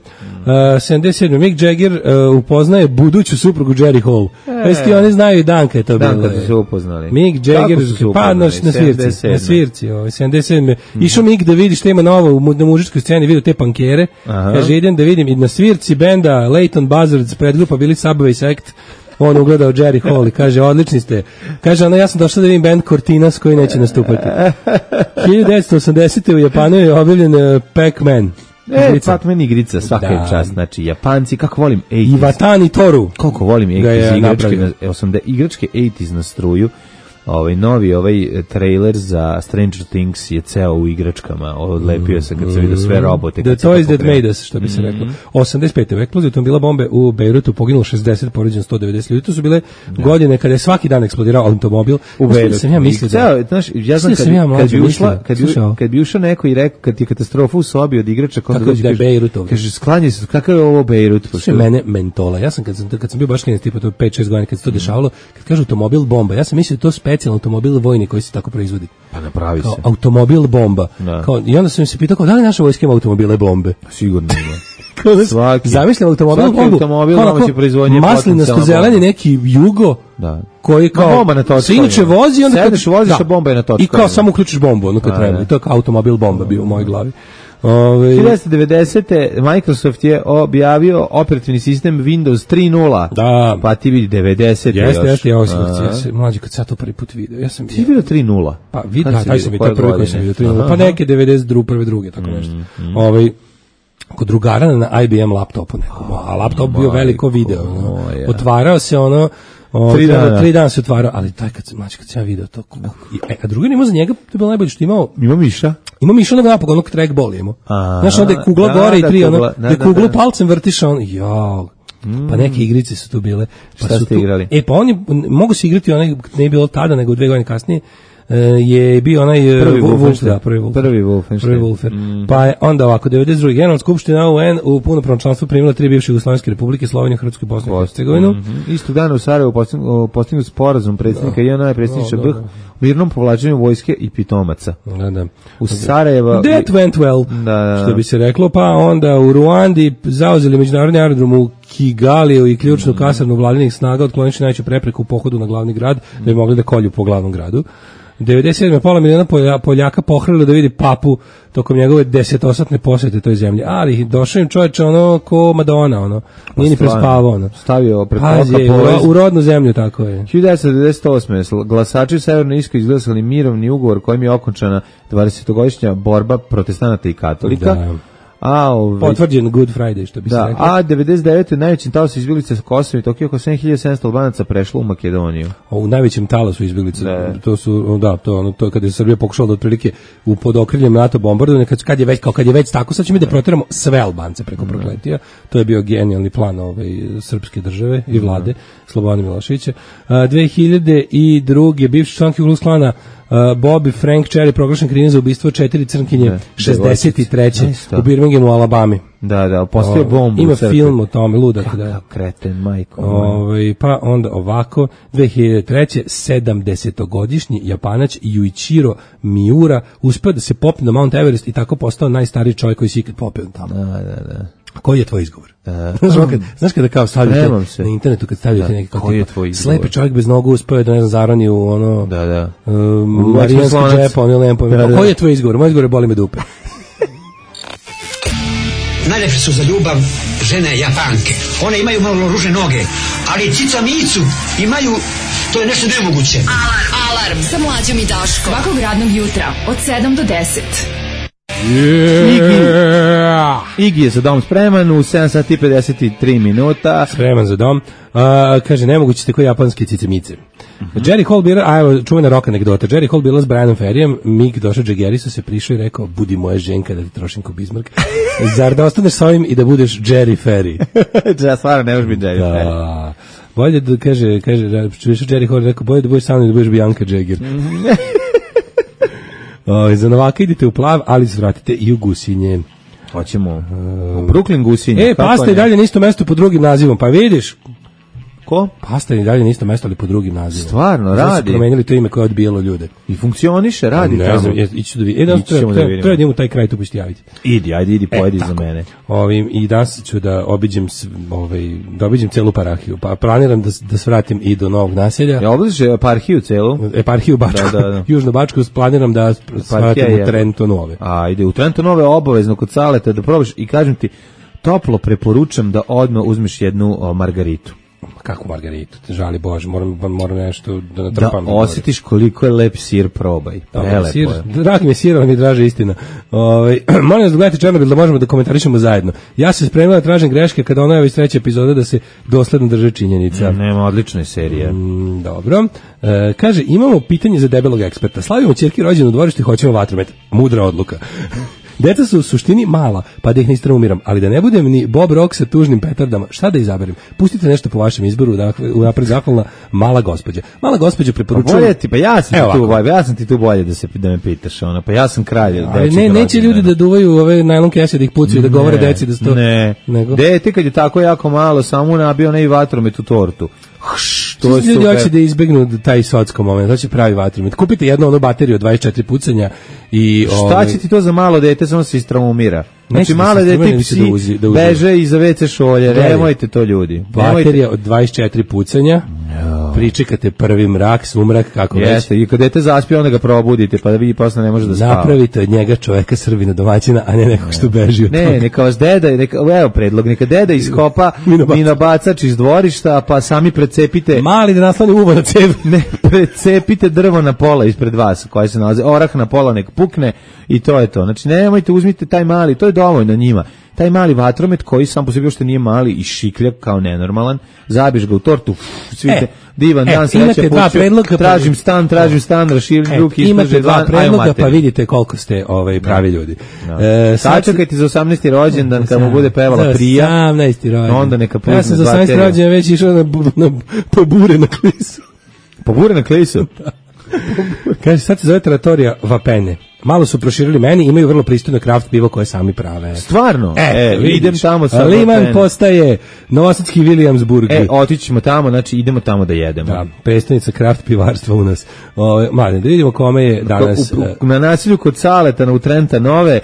77. Mick Jagger upoznaje buduću suprugu Jerry Hall. Jesi oni znaju i dan kad je to bilo? Dan kad su se upoznali. Mick Jagger, pa na svirci, 77. Išao Mick da vidi šta ima novo na mužičkoj sceni, vidio te pankere. Kaže, idem da vidim, i na svirci benda Leighton Buzzards, predgrupa bili Subway Sect, on ugledao Jerry Hall i kaže, odlični ste. Kaže, ja sam došao da vidim band Cortinas koji neće nastupati. 1980. u Japanu je objavljen Pac-Man. Pac-Man igrica, svaka je čast. Znači, Japanci, kako volim 80s. Iwatani Toru. Koliko volim 80s igračke 80s na struju. Novi trailer za Stranger Things je ceo u igračkama. Odlepio se kad se vidio sve robote. The Toys That Made Us, što bi se reklo. 85. u eksploziji automobila bombe u Bejrutu poginulo 60, povređeno 190 ljudi. To su bile godine kada je svaki dan eksplodirao automobil. U Bejrutu. Sam ja mislio ja znam kad bi ušao neko i rekao kad je katastrofa u sobi od igrača, kaže, sklanjaj se, kakav je ovo Bejrut? Sve mene mentola. Ja sam kad sam bio baš klinac, tipa to 5-6 godina kad se to dešavalo, kad kažu automobil bomba, ja sam mislio to specijalno automobil vojni koji se tako proizvodi. Pa napravi kao se. Automobil bomba. I onda sam se pitao, da li naša vojska ima automobile bombe? Sigurno ima. Zamišljam automobil bombu. Maslinasto zeleni neki Jugo. Da. Koji kao se inače vozi, onda kad voziš, bomba je na točku. I kao samo uključiš bombu, ono kad treba. I to je kao automobil bomba bio u mojoj glavi. 1990. Microsoft je objavio operativni sistem Windows 3.0. Da. Pa ti vidi 90. Jeste, ja sam mlađi kad sad to prvi put vidio. Ti vidio 3.0? Pa vidi, taj sam vidio, prvi koji sam vidio 3.0. Pa neke 92. druge, tako nešto. Kod drugara na IBM laptopu nekom, a laptop bio veliko video. Otvarao se ono, 3 dana se otvarao, ali taj kad sam ja vidio to. A drugi imao za njega, to je bilo najbolje što imao. Ima miša? Ima miša onog napog, onog trackball imao. Znaš, onda je kugla gore i 3, ono, da kuglu palcem vrtiš, on, jao. Pa neke igrice su tu bile. Šta ste igrali? Pa oni mogu se igrati, onaj, ne je bilo tada, nego 2 godine kasnije, je bio onaj prvi Wolfenstein. Pa je onda ovako 92. Generalna skupština UN u punopravnom članstvu primila 3 bivše Jugoslovenske republike, Sloveniju, Hrvatsku i Bosnu i Hercegovinu. Isto dana u Sarajevu postignut sporazum predsjednika JNA i predsjedniče BiH u mirnom povlačenju vojske i pitomaca. Da. U Sarajevo That went well, što bi se reklo. Pa onda u Ruandi zauzeli međunarodni aerodrom u Kigaliju i ključnu kasarnu vladinih snaga, otklonivši najveću prepreku u pohodu na glavni grad, da bi mogli da kolju po glavnom gradu. 97. pola miliona Poljaka pohrlilo da vidi papu tokom njegove 10-osatne posjete toj zemlji. Ali došao im čovječe ono ko Madonna, ono. Nije ni prespavao, ono. Stavio pred u rodnu zemlju, tako je. 1998. glasači u Severnoj Irskoj izglasali mirovni ugovor kojim je okončana 20-godišnja borba protestanata i katolika. Potvrđen Good Friday, što bi se reklo. A 99. najvećim talasom izbjeglica sa Kosova i Tokio, oko 7700 Albanaca prešlo u Makedoniju. U najvećim talasu izbjeglica. To kada je Srbija pokušala da otprilike pod okriljem NATO bombardovanja, kad je već tako, sad ćemo da proteramo sve Albance preko prokletija. To je bio genijalni plan srpske države i vlade Slobodana Miloševića. 2002. bivši član Ku Klux Klana Bobby Frank Cherry proglašen krivim za ubistvo 4 crnkinje 63. u Birminghamu, u Alabami. Da, postoje bombu. Ima film o tome, ludak. Kakav kreten, majko. Pa onda ovako, 2003. 70-godišnji Japanac Yuichiro Miura uspeo da se popne na Mount Everest i tako postao najstariji čovjek koji se ikad popeo tamo. Da. Koji je tvoj izgovor? Znaš kada kao stavljate na internetu, kad stavljate neki kao koji je tvoj izgovor? Slepi čovjek bez nogu uspeo da, ne znam, zarani u ono marijanski džep, on je lempo. Koji je tvoj izgovor? Moj izgovor je boli me dupe. Najlepše su za ljubav žene Japanke. One imaju malo ružne noge, ali cica micu imaju, to je nešto nemoguće. Alarm sa Mlađom i Daškom. Svakog radnog jutra od 7 do 10. Iggy je za dom spreman u 7 sati i 53 minuta. Spreman za dom. Kaže, nemoguće ste koji japanski cicemice. Jerry Hall bila, evo čuvena rock anegdota. Jerry Hall bila s Brianom Ferryem, Mick došao Jaggerisa, se prišao i rekao, budi moja ženka da ti trošim ko Bismarck. Zar da ostaneš s ovim i da budeš Jerry Ferry? Ja stvarno ne možeš biti Jerry Ferry. Bolje da kaže, Jerry Hall rekao, bolje da budeš sa mnom i da budeš Bianca Jagger. Za Novaka idite u Plav, ali zvratite i u Gusinje. Hoćemo u Brooklyn Gusinje. Pasta i dalje na isto mesto pod drugim nazivom, pa vidiš. Ko? Pasta i dalje na isto mesto, ali pod drugim nazivom. Stvarno, radi. Su promenili to ime koje je odbijalo ljude. I funkcioniše, radi tamo. Ne znam, ići da vidim. Treba da imamo taj kraj, tu pušti javiti. Idi, pojedi za mene. I danas ću da obiđem celu Parahiju. Pa planiram da svratim i do Novog naselja. Ja obiđeš Eparhiju celu? Eparhiju Bačku. Da. Južnu Bačku planiram da svratim u Trento Nove. Ide u Trento Nove obavezno kod Saleta da probaš i kažem ti, toplo preporučam da odmah uzmeš jednu margaritu. Kako margaritu? Žali Bože, moram nešto da natrpam. Da osjetiš koliko je lep sir, probaj. Prelepo je. Dragi mi sir, ali mi draže istina. Molim vas da gledate Černobil da možemo da komentarišemo zajedno. Ja se spremila da tražim greške kada ona je iz 3. epizoda da se dosledno drže činjenica. Nema, odlična je serija. Dobro. Kaže, imamo pitanje za debelog eksperta. Slavimo ćerki rođenu u dvorištu i hoćemo vatromet. Mudra odluka. Deca su u suštini mala, pa da ih ne istraumiram, ali da ne budem ni Bob Rock sa tužnim petardama, šta da izaberem? Pustite nešto po vašem izboru, dakle, unapred zahvalna Mala gospođa. Mala gospođa preporučujem... Ja sam ti tu bolje da me pitaš, pa ja sam kralj. Neće ljudi da duvaju ove najlon kese, da ih pucaju, da govore deci da sto... Ne, dete kad je tako jako malo, samo nabio ne i vatromet u tortu. To ljudi hoće da izbegnu taj socko moment, to će pravi vatromet. Kupite jednu onu bateriju od 24 pucanja i... Šta će ti to za malo dete, samo se istraumira? Znači male dete psi beže iza WC šolje, nemojte to ljudi. Baterija od 24 pucanja, pričekate prvi mrak, sumrak, kako već. Jeste, i kad dete zaspije, onda ga probudite, pa da vi posle ne može da spava. Napravite od njega čoveka Srbina domaćina, a ne nekog što beži od toga. Ne, neka vas deda, evo predlog, neka deda iskopa minobacač iz dvorišta, pa sami precepite... Mali da nasloni uvo na cev. Ne, precepite drvo na pola ispred vas, koje se nalaze, orah na pola nek pukne i to je to. Znači, nemojte, uzmite taj mali, to je dovoljno njima. Taj mali vatromet koji sam po sebi uopšte nije mali i šiklja kao nenormalan, zabiješ ga u tortu, svite, divan dan, sreća puću, tražim stan, raširim ruki, imate dva predloga, pa vidite koliko ste pravi ljudi. Sačekajte za 18. rođendan, kad mu bude pevala Prija, 18. rođendan. Onda neka puzne. Ja sam za 18. rođendan već išao po bure na klisu. Po bure na klisu? Kaže, sad se zove Trattoria Vapene. Malo su proširili meni, imaju vrlo pristojno kraft pivo koje sami prave. Stvarno? Idem tamo sa Liman postaje Novosadski Williamsburg. Otićemo tamo, znači idemo tamo da jedemo. Da, predstavnica kraft pivarstva u nas. Mladen, da vidimo kome je danas... Na nasilju kod Saleta, u Trenta Nove,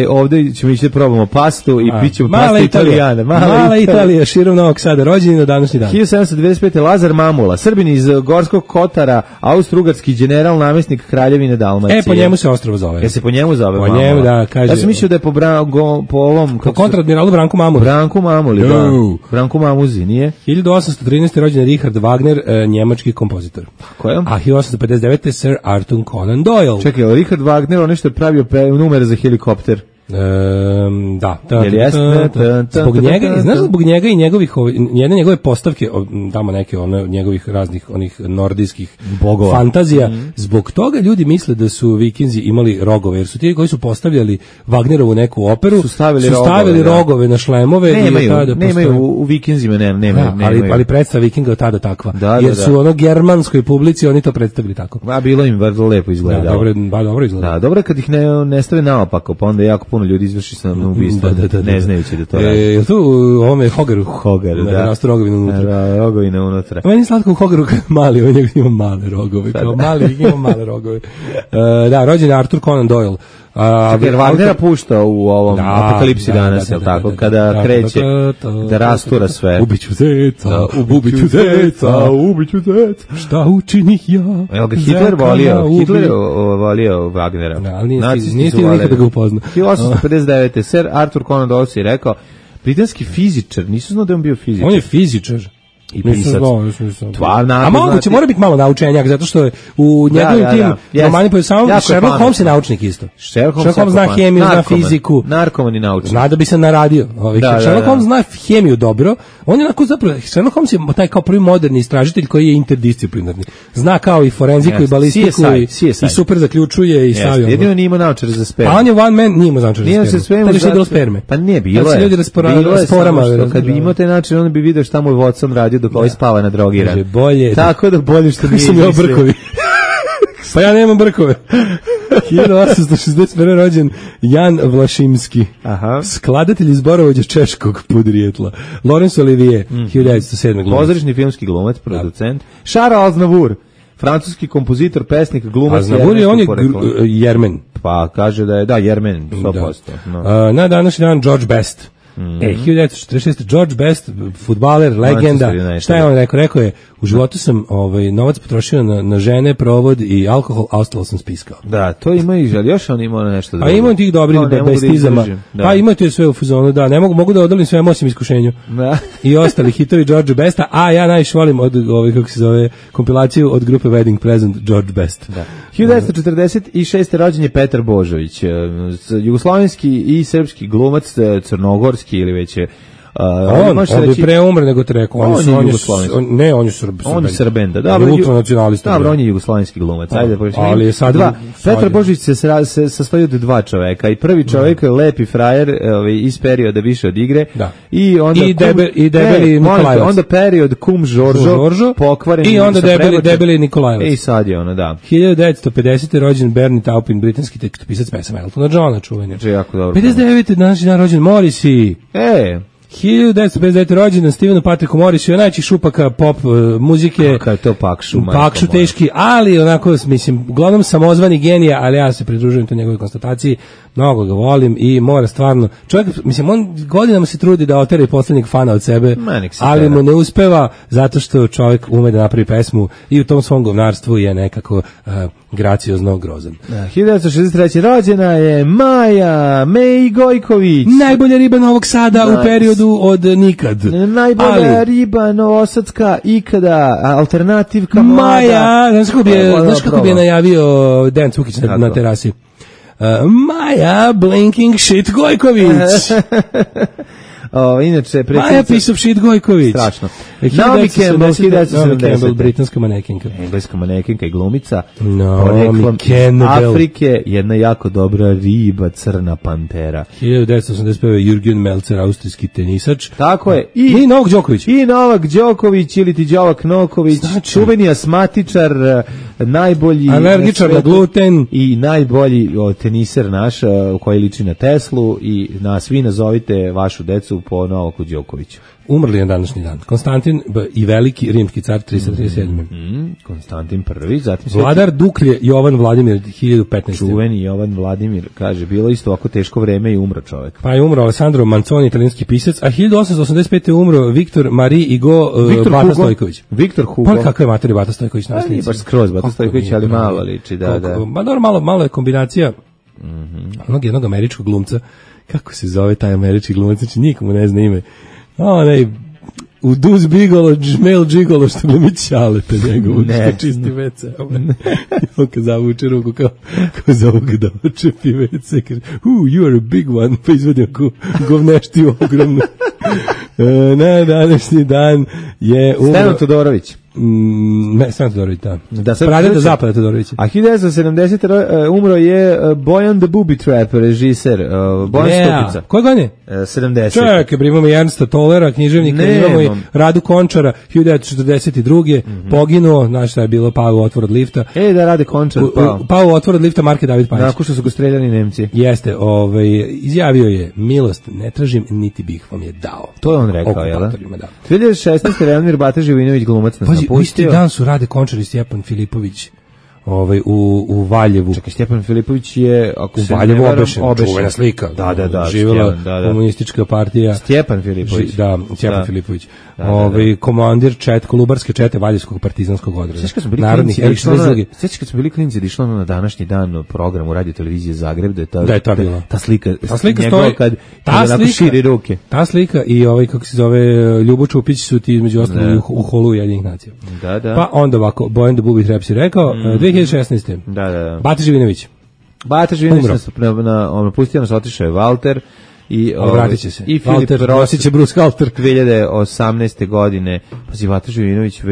ovdje ćemo ići da probamo pastu i pićemo pasta Italijana. Mala Italija, širom Novog Sada, rođeni na današnji dan. 1795. Lazar Mamula, Srbin iz Gorskog Kotara, austrougarski general, namjesnik Kraljevine Dalmacije. Po njemu se ostrvo zove. Se po njemu zove Mamula? Po njemu, da, kaže. Ja sam mislio da je po ovom... Po kontradmiralu Branku Mamuli. Branku Mamuli, da. Branku Mamuzi, nije? 1813. rođen Richard Wagner, njemački kompozitor. Ko je? A 1859. Sir Arthur Conan Doyle. Čekaj, Richard Wagner, on nešto je pravio numer za helikopter. Jel jeste? Zbog njega, znaš da zbog njega i njegovih, jedne njegove postavke, tamo neke njegovih raznih onih nordijskih bogova, fantazija, zbog toga ljudi misle da su Vikinzi imali rogove, jer su ti koji su postavljali Wagnerovu neku operu, su stavili rogove na šlemove. Nemaju u Vikinzima, nema. Ali predstava Vikinga od tada takva, jer su ono germanskoj publici oni to predstavili tako. Bilo im vrlo lepo izgleda. Dobro izgleda. Dobro kad ih ne stave naopako, pa onda jako puno ljudi izvrši samoubistvo, ne znajući da to radi. Je tu u ovome Hogaru? Hogar, da. Rastu rogovina unutra. Rogovina unutra. Meni je slatko u Hogaru kad mali, on ima male rogove. Kao mali ima male rogove. Da, rođen je Arthur Conan Doyle. Jer Wagnera pušta u ovom Apokalipsi danas, je li tako? Kada kreće da rastura sve. Ubiću zeca, ubiću zeca, ubiću zeca. Šta učinih ja? Evo ga Hitler volio Wagnera. Ali nije stigao nikada ga upozna. 1859. Sir Arthur Conan Doyle je rekao, britanski fizičar, nisu znao da je on bio fizičar. On je fizičar. I pisac. A moguće, mora biti malo naučenjak, zato što je u njegovim tim romanima po samom Sherlock Holmes je naučnik isto. Sherlock Holmes zna hemiju, zna fiziku. Narkoman i naučnik. Zna da bi se naradio. Sherlock Holmes zna hemiju dobro. On je onako zapravo, Sherlock Holmes je taj kao prvi moderni istražitelj koji je interdisciplinarni. Zna kao i forenziku i balistiku i super zaključuje i stavio. Jedino nije imao naočare za spermu. A on je one man, nije imao naočare za spermu. To je bilo sperme. Pa nije, bilo je. Kad bi imao taj način, on bi video šta mu je Watson radio dok ovaj spava na drogiran. Tako da bolje što nisam imao brkovi. Pa ja nemam brkove. 1861. rođen Jan Vlašimski. Skladatelj i zborovođa češkog podrijetla. Laurence Olivier, 1907. glumac. Pozorišni filmski glumac, producent. Charles Aznavour, francuski kompozitor, pesnik, glumac. Aznavour je on je Jermen. Pa kaže da je, Jermen, 100%. Na današnji dan George Best. 1946. George Best, fudbaler, legenda. Šta je on rekao? Rekao je, u životu sam novac potrošio na žene, provod i alkohol, a ostalo sam spiskao. Da, to ima i žel. Još on ima nešto drugo. A ima tih dobrih bestizama. Pa ima to sve u fazonu, da. Ne mogu da odolim svem osim iskušenju. I ostali hitovi George Besta, a ja najviše volim od kako se zove, kompilaciju od grupe Wedding Present George Best. 1946. rođen je Petar Božović, jugoslovenski i srpski glumac, crnogorski ili već je on bi pre umre nego te rekao. On je Srben, da. On je ultranacionalista. Dobro, on je jugoslovenski glumac. Ali je sad Petar Božović se sastoji od dva čoveka. I prvi čovek je lepi frajer iz perioda više od igre. I debeli Nikolajevac. Onda period kum Žoržo, pokvaren. I onda debeli Nikolajevac. I sad je ono, da. 1950. rođen Bernie Taupin, britanski tekstopisac pesama Eltona Johna, čuveni. 59. današnji dan rođen Morrissey. 1959. rođendan Stevenu Patricku Morrisu, najčih šupaka pop muzike. Kako je to Pakšu? Pakšu teški, ali onako, mislim, uglavnom samozvani genija, ali ja se pridružujem to njegovoj konstataciji, mnogo ga volim i mora stvarno, čovjek, mislim, on godinama se trudi da otera i poslednjeg fana od sebe, ali mu ne uspeva zato što čovjek ume da napravi pesmu i u tom svom govnarstvu je nekako graciozno grozan. 1963. rođena je Maja Gojković. Najbolja riba Novog Sada u periodu od nikad. Najbolja riba novosadska ikada, alternativka mlada. Maja, znaš kako bi je najavio Dejan Cukić na terasi? Maja Blinking Shit Gojković. Inače, Maja piece of shit Gojković. Strašno. Naomi Campbell, britanska manekinka. Engleska manekinka i glumica. Naomi Campbell. Afrike, jedna jako dobra riba, crna pantera. 1985. Jürgen Melzer, austrijski tenisač. Tako je. I Novak Đoković. I Novak Đoković, ili ti Đovak Noković, čuveni asmatičar, najbolji alergičar na gluten i najbolji teniser naš, koji liči na Teslu, i svi nazovite vašu decu po Novaku Đokoviću. Umrli je današnji dan. Konstantin i veliki rimski car 337. Konstantin I, zatim vladar Duklje Jovan Vladimir 1015. Čuveni Jovan Vladimir, kaže, bilo isto ovako teško vreme i umro čovjek. Pa je umro Alessandro Manzoni, italijanski pisac, a 1885. je umro Viktor Marie Hugo Bata Stojković. Viktor Hugo. Pa kakva je mater Bata Stojković na slici? Baš skroz Bata Stojković, ali malo liči, da. Ma dobro, malo je kombinacija jednog američkog glumca. Kako se zove taj američki glumac? Znači, nikomu ne zna ime. u Duz Bigolo, Žmel Džigolo, što glumi Ćaleta njegovu, Ne. što čisti WC. On kad zavuče ruku, kao za ovog da očepi WC, kaže, you are a big one, pa izvedi ako govneštiju ogromnu. Na današnji dan je umro... Stevan Todorović. Ne, Stevan Todorović, da. Da, sad Pradeda pričam. Zapada Todorovića. A 1970. Umro je Bojan the Booby Trap, režiser, Bojan Stupica. Koje godine? 70. Čekaj, imamo i Ernsta Tollera, književnika, imamo i Radu Končara, 1942. Poginuo, znaš šta je bilo, pao u otvor od lifta. Da rade Končar, Pao u otvor od lifta Marke David Pajić. Nakon što su go streljani Nemci. Jeste, izjavio je, milost ne tražim, niti bih vam je dao. To je on rekao, jel da? Okupatorima, da. 2016. Reanmir Bata Živinović, glumac nas Pazi, napustio. u isti dan su Rade Končar i Stjepan Filipović u Valjevu. Čekaj, Stjepan Filipović je, ako U se Valjevu ne varam, obešen, čuvena slika. Da, živjela Stjepan, komunistička partija. Stjepan Filipović. Stjepan Filipović. Komandir Kolubarske čete Valjevskog partizanskog odreda. Sjećaš kad smo bili Narodnih klinci, kad smo bili klinci da išlo na današnji dan programu Radio Televizije Zagreb, da je ta bila. Ta slika stoji, kad onako širi ruke. Ta slika i kako se zove, Ljubo Čupić su ti između ostalog u holu Ujedinjenih nacija. Da. Pa onda ovako, Bojan the Booby Trap si rekao, 2016. Da. Bata Živinović. Bata Živinović napustio nas, otišao je Walter. Vratit će se. I Filip Rosić je Bruce Halter. 2018. godine. Pazi, Bata Živinović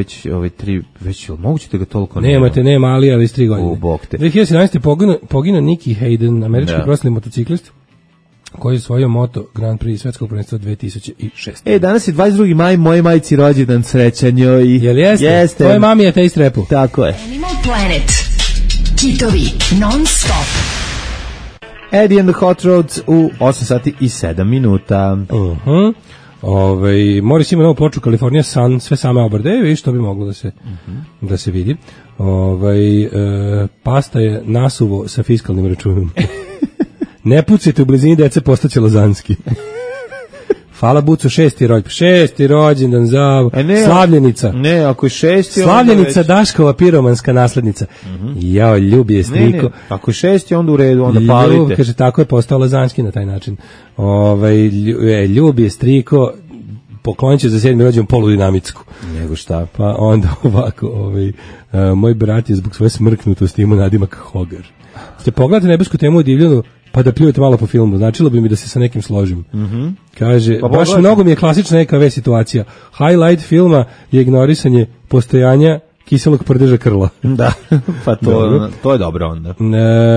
već moguće da ga toliko nema, ali iz 3 godine. U bok te. 2017. poginuo Nicky Hayden, američki profesionalni motociklist, koji je osvojio moto Grand Prix svetskog prvenstva 2006. Danas je 22. maj, moje majci rođendan, srećan joj. Jel jeste? Jeste. Tvoje mami je taste repu. Tako je. Animal Planet. Hitovi non stop. Eddie and the Hot Rods u 8 sati i 7 minuta. Morris ima novu ploču California Sun, sve same obrade, vidiš, to bi moglo da se vidi. Pasta je nasuvo sa fiskalnim računom. Ne pucajte u blizini dece, postaće lazanski. Hvala Bucu, šesti rođendan za Slavljenica. Ne, ako je 6. Slavljenica, Daškova piromanska naslednica. Jao, ljubi je striko. Ne, ako je 6. onda u redu, onda palite. Kaže, tako je postao lazanski na taj način. Ljubi je striko, poklonit će za 7. rođendan poludinamitsku. Nego šta? Pa onda ovako, moj brat je zbog svoje smrknutosti imao nadimak Hogar. Ste pogledate nebesku temu o divljanu, pa da pljujete malo po filmu, značilo bi mi da se sa nekim složim. Kaže, baš mnogo mi je klasična EKV situacija. Highlight filma je ignorisanje postojanja kiselog prdeža krla. Da, pa to je dobro onda.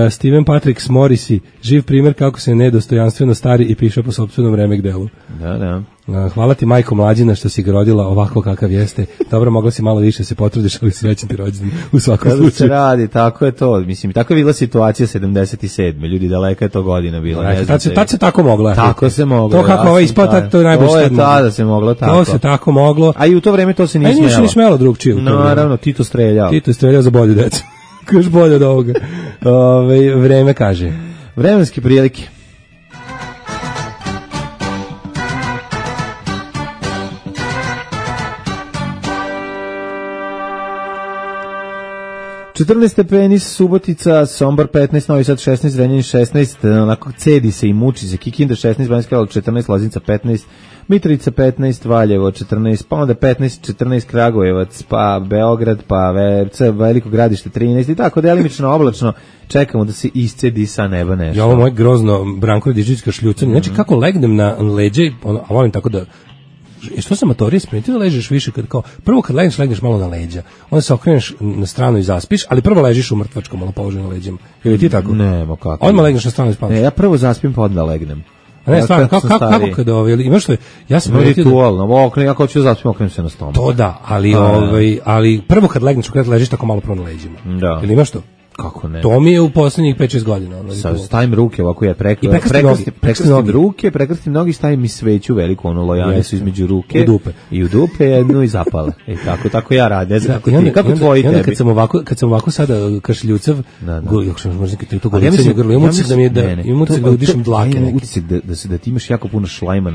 Steven Patrick Morrissey, živ primjer kako se nedostojanstveno stari i piše po sopstvenom remek delu. Da. Hvala ti, majko mlađina, što si ga rodila ovako kakav jeste. Dobro, mogla si malo više se potrudiš, ali srećan ti rođendan u svakom slučaju. Kada se radi, tako je to. Mislim, tako je bila situacija 77. Ljudi, daleka je to godina bila. Tad se tako moglo. Tako se moglo. To kako ovaj ispao, to je najbolje što je tada se moglo tako. To se tako moglo. A i u to vreme to se nije smelo. Nije ni smelo drugčije. Naravno, Tito streljao. Tito je streljao za bolju decu. Još bolje od ovoga. Vreme kaže. Vremenske prilike. stepeni, Subotica, Sombor 15, Novi Sad 16, Zrenjanin 16, onako cedi se i muči se, Kikinda 16, Banjska Karlovac 14, Loznica 15, Mitrovica 15, Valjevo 14, pa onda 15, 14 Kragujevac, pa Beograd, pa Veliko Gradište 13 i tako delimično oblačno, čekamo da se iscedi sa neba nešto. Ja, ovo moje grozno Branko Radičevićka šljucanje, znači kako legnem na leđe, a volim tako da što sam amatorije spremiti da ležeš više prvo kad legneš malo na leđa, onda se okreneš na stranu i zaspiš, ali prvo ležiš u mrtvačkom malo položaju na leđima. Ili ti tako? Nemo kako. Odmah legneš na stranu i spavaš. Ne, ja prvo zaspim pa onda legnem. A ne, stvarno, kako kad imaš što ja sam ritualno, ja kao ću da zaspim, okrenem se na stomak. To da, ali prvo kad legneš, kad ležiš tako malo prvo na leđima. Da. Ili imaš to? Kako ne? To mi je u poslednjih 5-6 godina. Stavim ruke ovako, ja prekrstim ruke, prekrstim nogi, stavim i sveću veliku, lojane su između ruke i u dupe jednu i zapale. Tako ja radim. Kako tvoji tebi? Kad sam ovako sada kašljucav, možda kad to golicanje grlo, imam utisak da udišem dlake neke. Utisak da ti imaš jako puno šlajma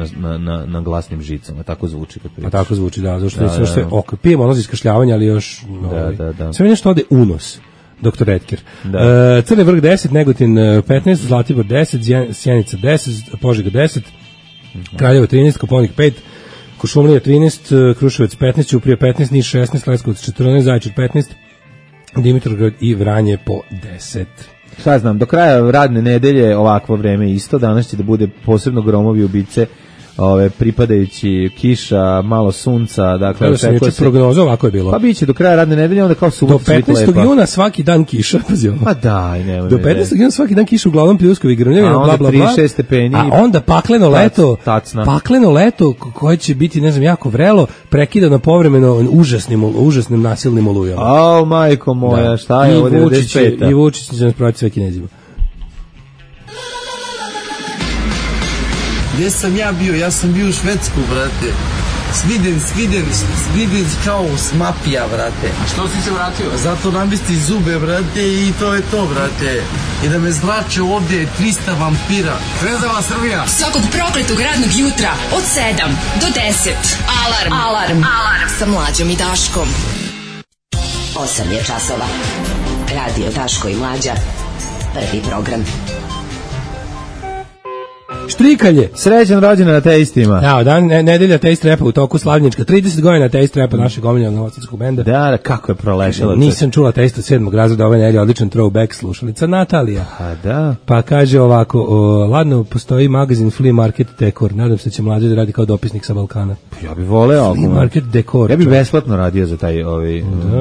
na glasnim žicama, tako zvuči kad pričaš. A tako zvuči, da, zašto sve pijem ono za iskašljavanje, ali još sve mi nešto ode u nos. Dr. Redker. Crni vrh 10, Negotin 15, Zlatibor 10, Sjenica 10, Požega 10, Kraljevo 13, Koponik 5, Kuršumlija 13, Kruševac 15, Ćuprija 15, Niš 16, Leskovac 14, Zaječar 15, Dimitrovgrad i Vranje po 10. Šta znam, do kraja radne nedelje ovakvo vreme isto, danas će da bude posebno gromovi ubice, pripadajući kiša, malo sunca, dakle očekuje se prognoza, ovako je bilo. Pa biće do kraja radne nedelje, onda kao subota do 15. juna svaki dan kiša, pazi ovo. Pa daj, nemoj. Do 15. juna svaki dan kiša, uglavnom pljuskovi, grmljavina, bla bla bla. 36 stepeni. A onda pakleno leto, pakleno leto koje će biti, ne znam, jako vrelo, prekidano povremeno užasnim nasilnim olujama. Au, majko moja, šta je ovo 95. I Vučić će nas provati sve Kinezima. Gdje sam ja bio? Ja sam bio u Švedsku, brate. Sviden kao smapija, brate. A što si se vratio? Zato namesti zube, brate, i to je to, brate. I da me zrače ovdje 300 vampira. Zvezdava Srbija. Svakog prokletog radnog jutra od 7 do 10. Alarm. Sa Mlađom i Daškom. 8 je časova. Radio Daško i Mlađa. Prvi program. Štrikalje. Srećan rođendan ateistima. Da, dan nedelja ateist repa u toku slavljenička. 30 godina ateist repa našeg omiljenog novosadskog benda. Da, kako je prolešalo. Nisam čula ateista 7. razreda ove nedelje, odličan throwback slušalica Natalija. A da. Pa kaže ovako, ladno postoji magazin Flea Market Dekor. Nadam se da će Mlađe da radi kao dopisnik sa Balkana. Ja bih voleo. Flea Market Dekor. Ja bih besplatno radio za taj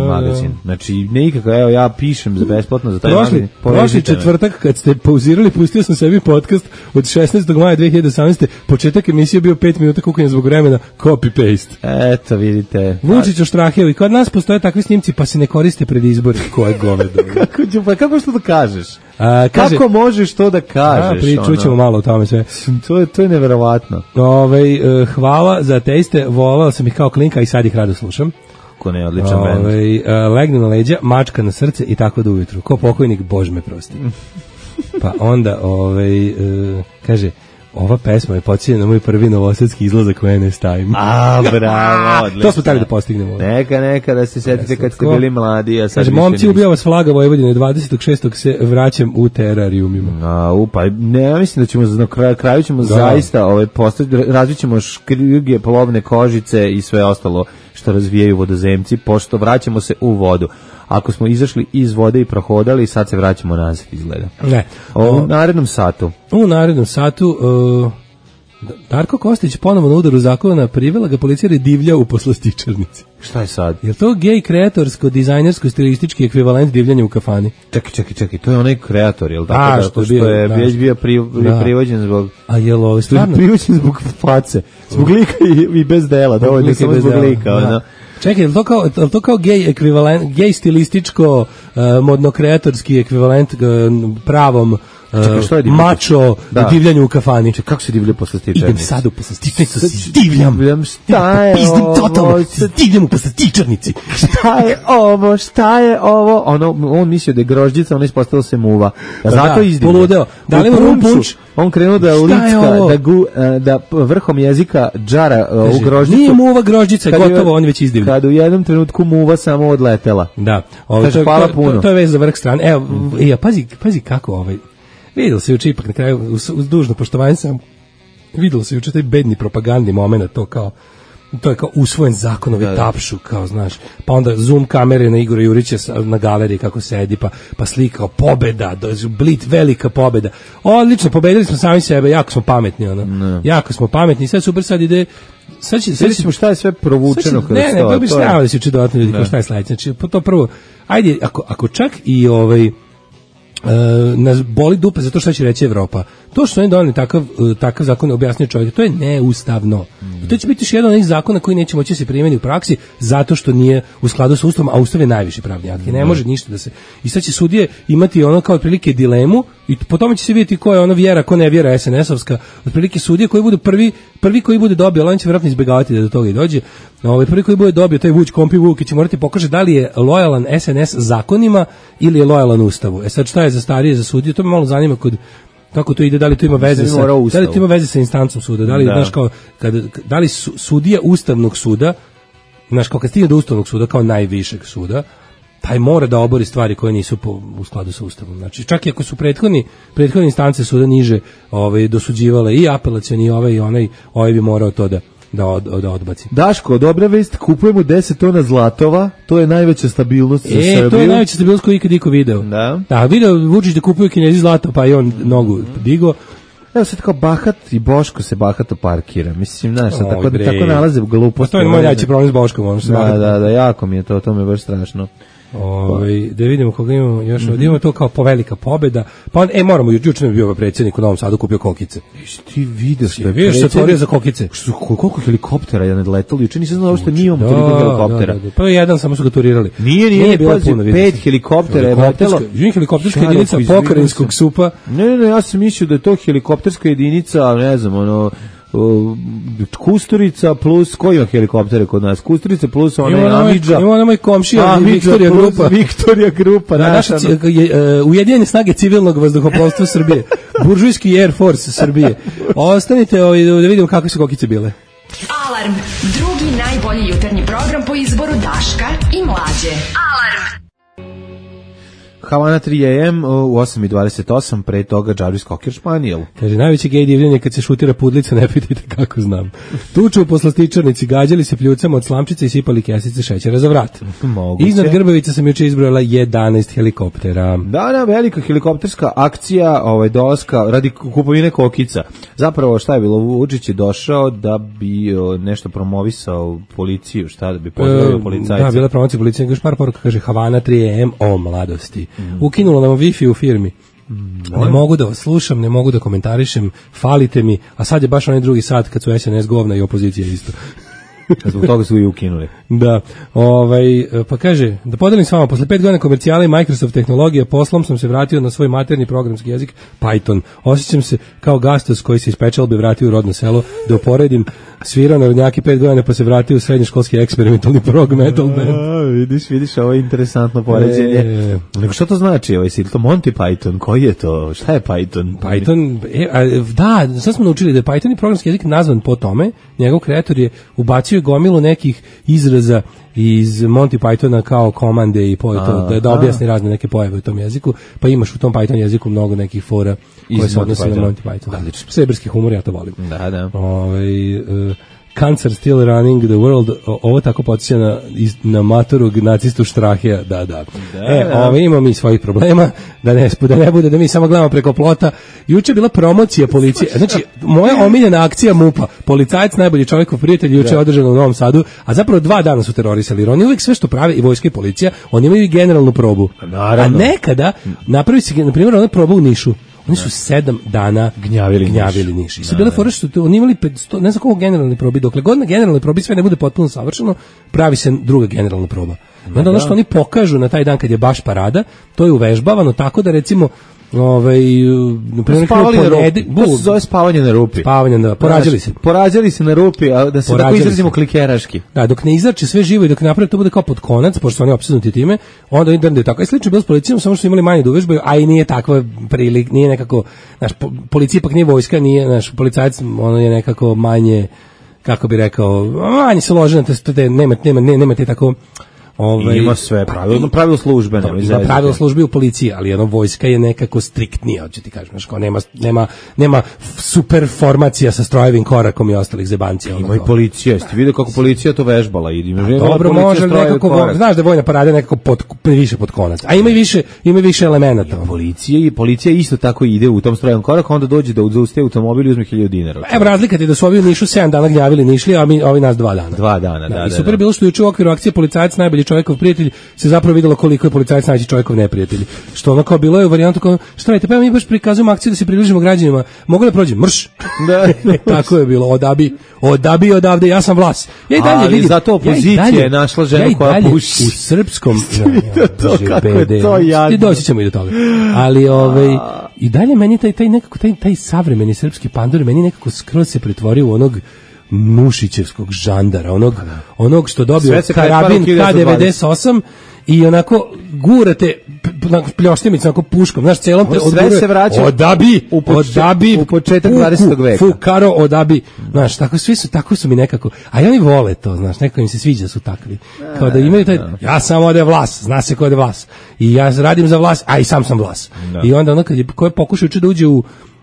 magazin. Znači, nikako, evo ja pišem za besplatno za taj magazin. Prošli četvrtak kad ste pauzirali, pustio sam sebi podcast od 16. maja 2018. Početak emisije bio 5 minuta kukanja zbog vremena, copy-paste. Eto, vidite. Vučić oštrahio i kod nas postoje takvi snimci pa se ne koriste pred izbori. Koje govedo. Kako što da kažeš? Kaže, kako možeš to da kažeš? Čućemo malo o tome sve. To je neverovatno. Hvala za ateiste, volao sam ih kao klinka i sad ih rado slušam. Kako ne, odličan bend. Legnu na leđa, mačka na srce i tako do ujutru. Ko pokojnik, Bož me prosti. Pa onda, kaže, ova pesma je podsjeća na moj prvi novosadski izlazak u NS Time. A, bravo, odlično. To smo tali da postignemo. Neka da se setite kad ste bili mladi. A sad kaže, momci, ubija vas flaga Vojvodine, 26. se vraćam u terarijumima. Pa ne, ja mislim da ćemo na kraju ćemo zaista razvit ćemo škrge, polovne kožice i sve ostalo što razvijaju vodozemci, pošto vraćamo se u vodu. Ako smo izašli iz vode i prohodali, sad se vraćamo nazad, izgleda. Ne. U narednom satu. Darko Kostić ponovo na udaru zakona, privela ga policija jer divlja u poslastičarnici. Šta je sad? Je li to gej kreatorsko, dizajnersko, stilistički ekvivalent divljanja u kafani? Čekaj, to je onaj kreator, je li tako? Što je već bio privođen zbog... A je li ovo stvarno? Privođen zbog face, zbog lika i bez dela, dovoljno samo zbog lika, Čekaj, je li to kao gej ekvivalent, gej stilističko, modno-kreatorski ekvivalent pravom mačo divljanju u kafani? Kako se divlja poslastičarnici? Idem sad u poslastičarnici, divljam. Šta je ovo? Divljam u poslastičarnici. Šta je ovo? On mislio da je grožđica, ono ispostavilo se muva. Zato izdivlja. Poludeo. Da li imamo punč? On krenuo da licka, da vrhom jezika džara u grožđicu. Nije muva grožđica, gotovo, on već izdivlja. Kad u jednom trenutku muva samo odletela. Da. Kaže, hvala puno. To je vez za vrh strane. Evo, pazi kako vidjelo se juče ipak na kraju, uz dužno poštovanje sam, vidjelo se juče taj bedni propagandni moment, to je kao usvojen zakonovi tapšu, kao znaš, pa onda zoom kamere na Igora Jurića na galeriji kako sedi, pa slika pobeda, Blit, velika pobeda. Odlično, pobedili smo sami sebe, jako smo pametni, jako smo pametni, sad super, sad ide, sad ćemo šta je sve provučeno kroz to. Ne, to bi snavali da se uči dodatno ljudi, kao šta je sledeće, znači, to prvo, ajde, ako čak i nas boli dupe zato što će reći Evropa. To što oni doneli takav zakon, objasnio čovjek, to je neustavno. To će biti još jedan od onih zakona koji neće moći se primjeni u praksi zato što nije u skladu sa Ustavom, a Ustav je najviši pravni akt. Ne može ništa da se... I sad će sudije imati ono kao otprilike dilemu i po tome će se vidjeti ko je ono vjera, ko ne vjera SNS-ovska. Otprilike sudije koji budu prvi koji bude dobio, ali on će vjerojatno izbjegavati da do toga i dođe. Prvi koji bude dobio, taj Vuč Kompi Vuk, će morati pokaže da li je lojalan SNS zakonima ili je lojalan Ustavu. Sad šta je za starije, za sudije, to me malo zanima kako to ide, da li to ima veze sa instancom suda, da li znaš kao da li sudija Ustavnog suda, znaš kao kad stigne do Ustavnog suda kao najvišeg suda, taj mora da obori stvari koje nisu u skladu sa Ustavom. Znači čak i ako su prethodne instance suda niže dosuđivale i apelacioni i ovaj bi morao to da odbaci. Daško, dobra vest, kupujemo 10 tona zlatova, to je najveća stabilnost za Srbiju. To je najveća stabilnost koju ikad iko video. Da, video Vučić da kupuju Kinezi zlato, pa i on nogu digo. Evo sad kao Bahat i Boško se bahato parkira. Mislim, znaš, tako nalaze gluposti. To je moj najveći problem s Boškom. Da, jako mi je to mi je baš strašno. Da vidimo koga imamo još. Imamo to kao povelika pobeda. Pa moramo, juče nam je bio predsjednik u Novom Sadu kupio kokice. Ti vidiš da je se otvorio za kokice. Koliko helikoptera je nadletalo? Juče nisam znao što nije toliko helikoptera. Pa jedan samo su ga turirali. Nije bilo puno. 5 helikoptera je letelo. Helikopterska jedinica pokrajinskog SUP-a. Ne, ja sam mislio da je to helikopterska jedinica, ne znam, Kusturica plus, koji ima helikoptere kod nas? Kusturica plus Amidža. Ima moj komšija Viktorija Grupa. Naša Ujedinjene snage civilnog vazduhoplovstva Srbije. Buržujski Air Force Srbije. Ostanite da vidimo kakve su kokice bile. Alarm, drugi najbolji jutarnji program po izboru Daška i Mlađe. Alarm. Havana 3 AM u 8:28, pre toga Jarvis Cocker Spaniel. Kaže, najveći gej divljenje kad se šutira pudlica, ne pitajte kako znam. Tuču u poslastičarnici, gađali se pljucama od slamčice i sipali kesice šećera za vrat. Moguće. Iznad Grbavica sam juče izbrojala 11 helikoptera. Da, velika helikopterska akcija dolaska radi kupovine kokica. Zapravo šta je bilo? Vučić je došao da bi nešto promovisao policiju, šta da bi pozdravio policajce. Da, bila promocija policije, još par poruka, kaže Havana 3 AM o mladosti. Ukinulo nam Wi-Fi u firmi. Ne mogu da vas slušam, ne mogu da komentarišem, falite mi, a sad je baš onaj drugi sat kad su SNS govna i opozicija isto. Zbog toga su i ukinuli. Da, pa kaže, da podelim s vama, posle 5 godina komercijala i Microsoft tehnologije, poslom sam se vratio na svoj materni programski jezik, Python. Osjećam se kao gastos koji se iz Pečalbe vratio u rodno selo, da uporedim, svirao narodnjaki 5 godina pa se vratio u srednjoškolski eksperimentalni prog metal band. Vidiš, ovo je interesantno poređenje. Nego što to znači? Je to Monty Python? Koji je to? Šta je Python? Python, da, sad smo naučili da je Python i programski jezik nazvan po tome, njegov kreator je ubacio gomilu nekih izraza iz Monty Pythona kao komande i da objasni razne neke pojave u tom jeziku, pa imaš u tom Python jeziku mnogo nekih fora koje se odnose na Monty Python. Seberski humor, ja to volim. Da. Cancer still running the world, ovo tako podsjeća na matorog nacistu Štrahija, da. Imamo mi svojih problema, da ne bude da mi samo gledamo preko plota. Juče je bila promocija policije, znači moja omiljena akcija MUP-a, policajac najbolji čovjekov prijatelj, juče je održano u Novom Sadu, a zapravo 2 dana su terorisali, jer oni uvijek sve što prave, i vojska i policija, oni imaju i generalnu probu. A nekada napravi se, na primjer, ona proba u Nišu. Oni su 7 dana gnjavili Niš. I su bile fore što oni imali, ne znam koliko generalne probi, dokle god na generalnoj probi sve ne bude potpuno savršeno, pravi se druga generalna proba. I onda ono što oni pokažu na taj dan kad je baš parada, to je uvežbavano tako da recimo to se zove spavanje na rupi. Porađali se na rupi, a da se tako izrazimo klikeraški. Da, dok ne izrače sve živo i dok naprave to bude kao pod konac, pošto su oni opsednuti time, onda internet je tako. I slično bilo s policijom, samo što su imali manje da uvežbaju, a i nije takva prilik, nije nekako, znaš, policija ipak nije vojska, nije, znaš, policajac, ono je nekako manje, kako bi rekao, manje se lože na te, nema te tako. Ima sve pravilo službe. Ima pravilo službe u policiji, ali jedno vojska je nekako striktnija, hoće ti kažem, znači nema super formacija sa strojevim korakom i ostalih zebancija. Ima i policija, jeste vidio kako policija to vežbala. Dobro, može nekako, znaš da je vojna parada nekako više pod konac, a ima više elemenata. Policija isto tako ide u tom strojevom koraku, onda dođe da zaustavi automobil i uzme 1000 dinara. Evo razlika je da su ovi u Nišu 7 dana gnjavili, nišli, a ovi nas 2 dana. 2 dana, da. I super je bilo što juče u okviru akcije policajac najbolji čovjekov prijatelj se zapravo vidjelo koliko je policajac najbolji čovjekov neprijatelj. Što ono kao bilo je u varijantu kao, šta radite, pa mi baš prikazujemo akciju da se približimo građanima, mogu da prođem, mrš. Tako je bilo, odabi odavde, ja sam Vlas. Ali zato opozicija je našla ženu koja puši. U srpskom, kako je to jadno. Doći ćemo i do toga. Ali i dalje meni taj savremeni srpski pandor meni nekako skroz se pretvorio u onog Nušićevskog žandara, onog što dobio karabin K98 i onako gurate pljoštimicu onako puškom, znaš, celom te sve se vraća odabi u početak 20. veka. Fukaro odabi, znaš, tako su mi nekako, a i oni vole to, znaš, nekako im se sviđa su takvi, kao da imaju taj, ja sam ode Vlas, zna se ko je Vlas, i ja radim za Vlas, a i sam Vlas. I onda ono ko je pokušao da uđe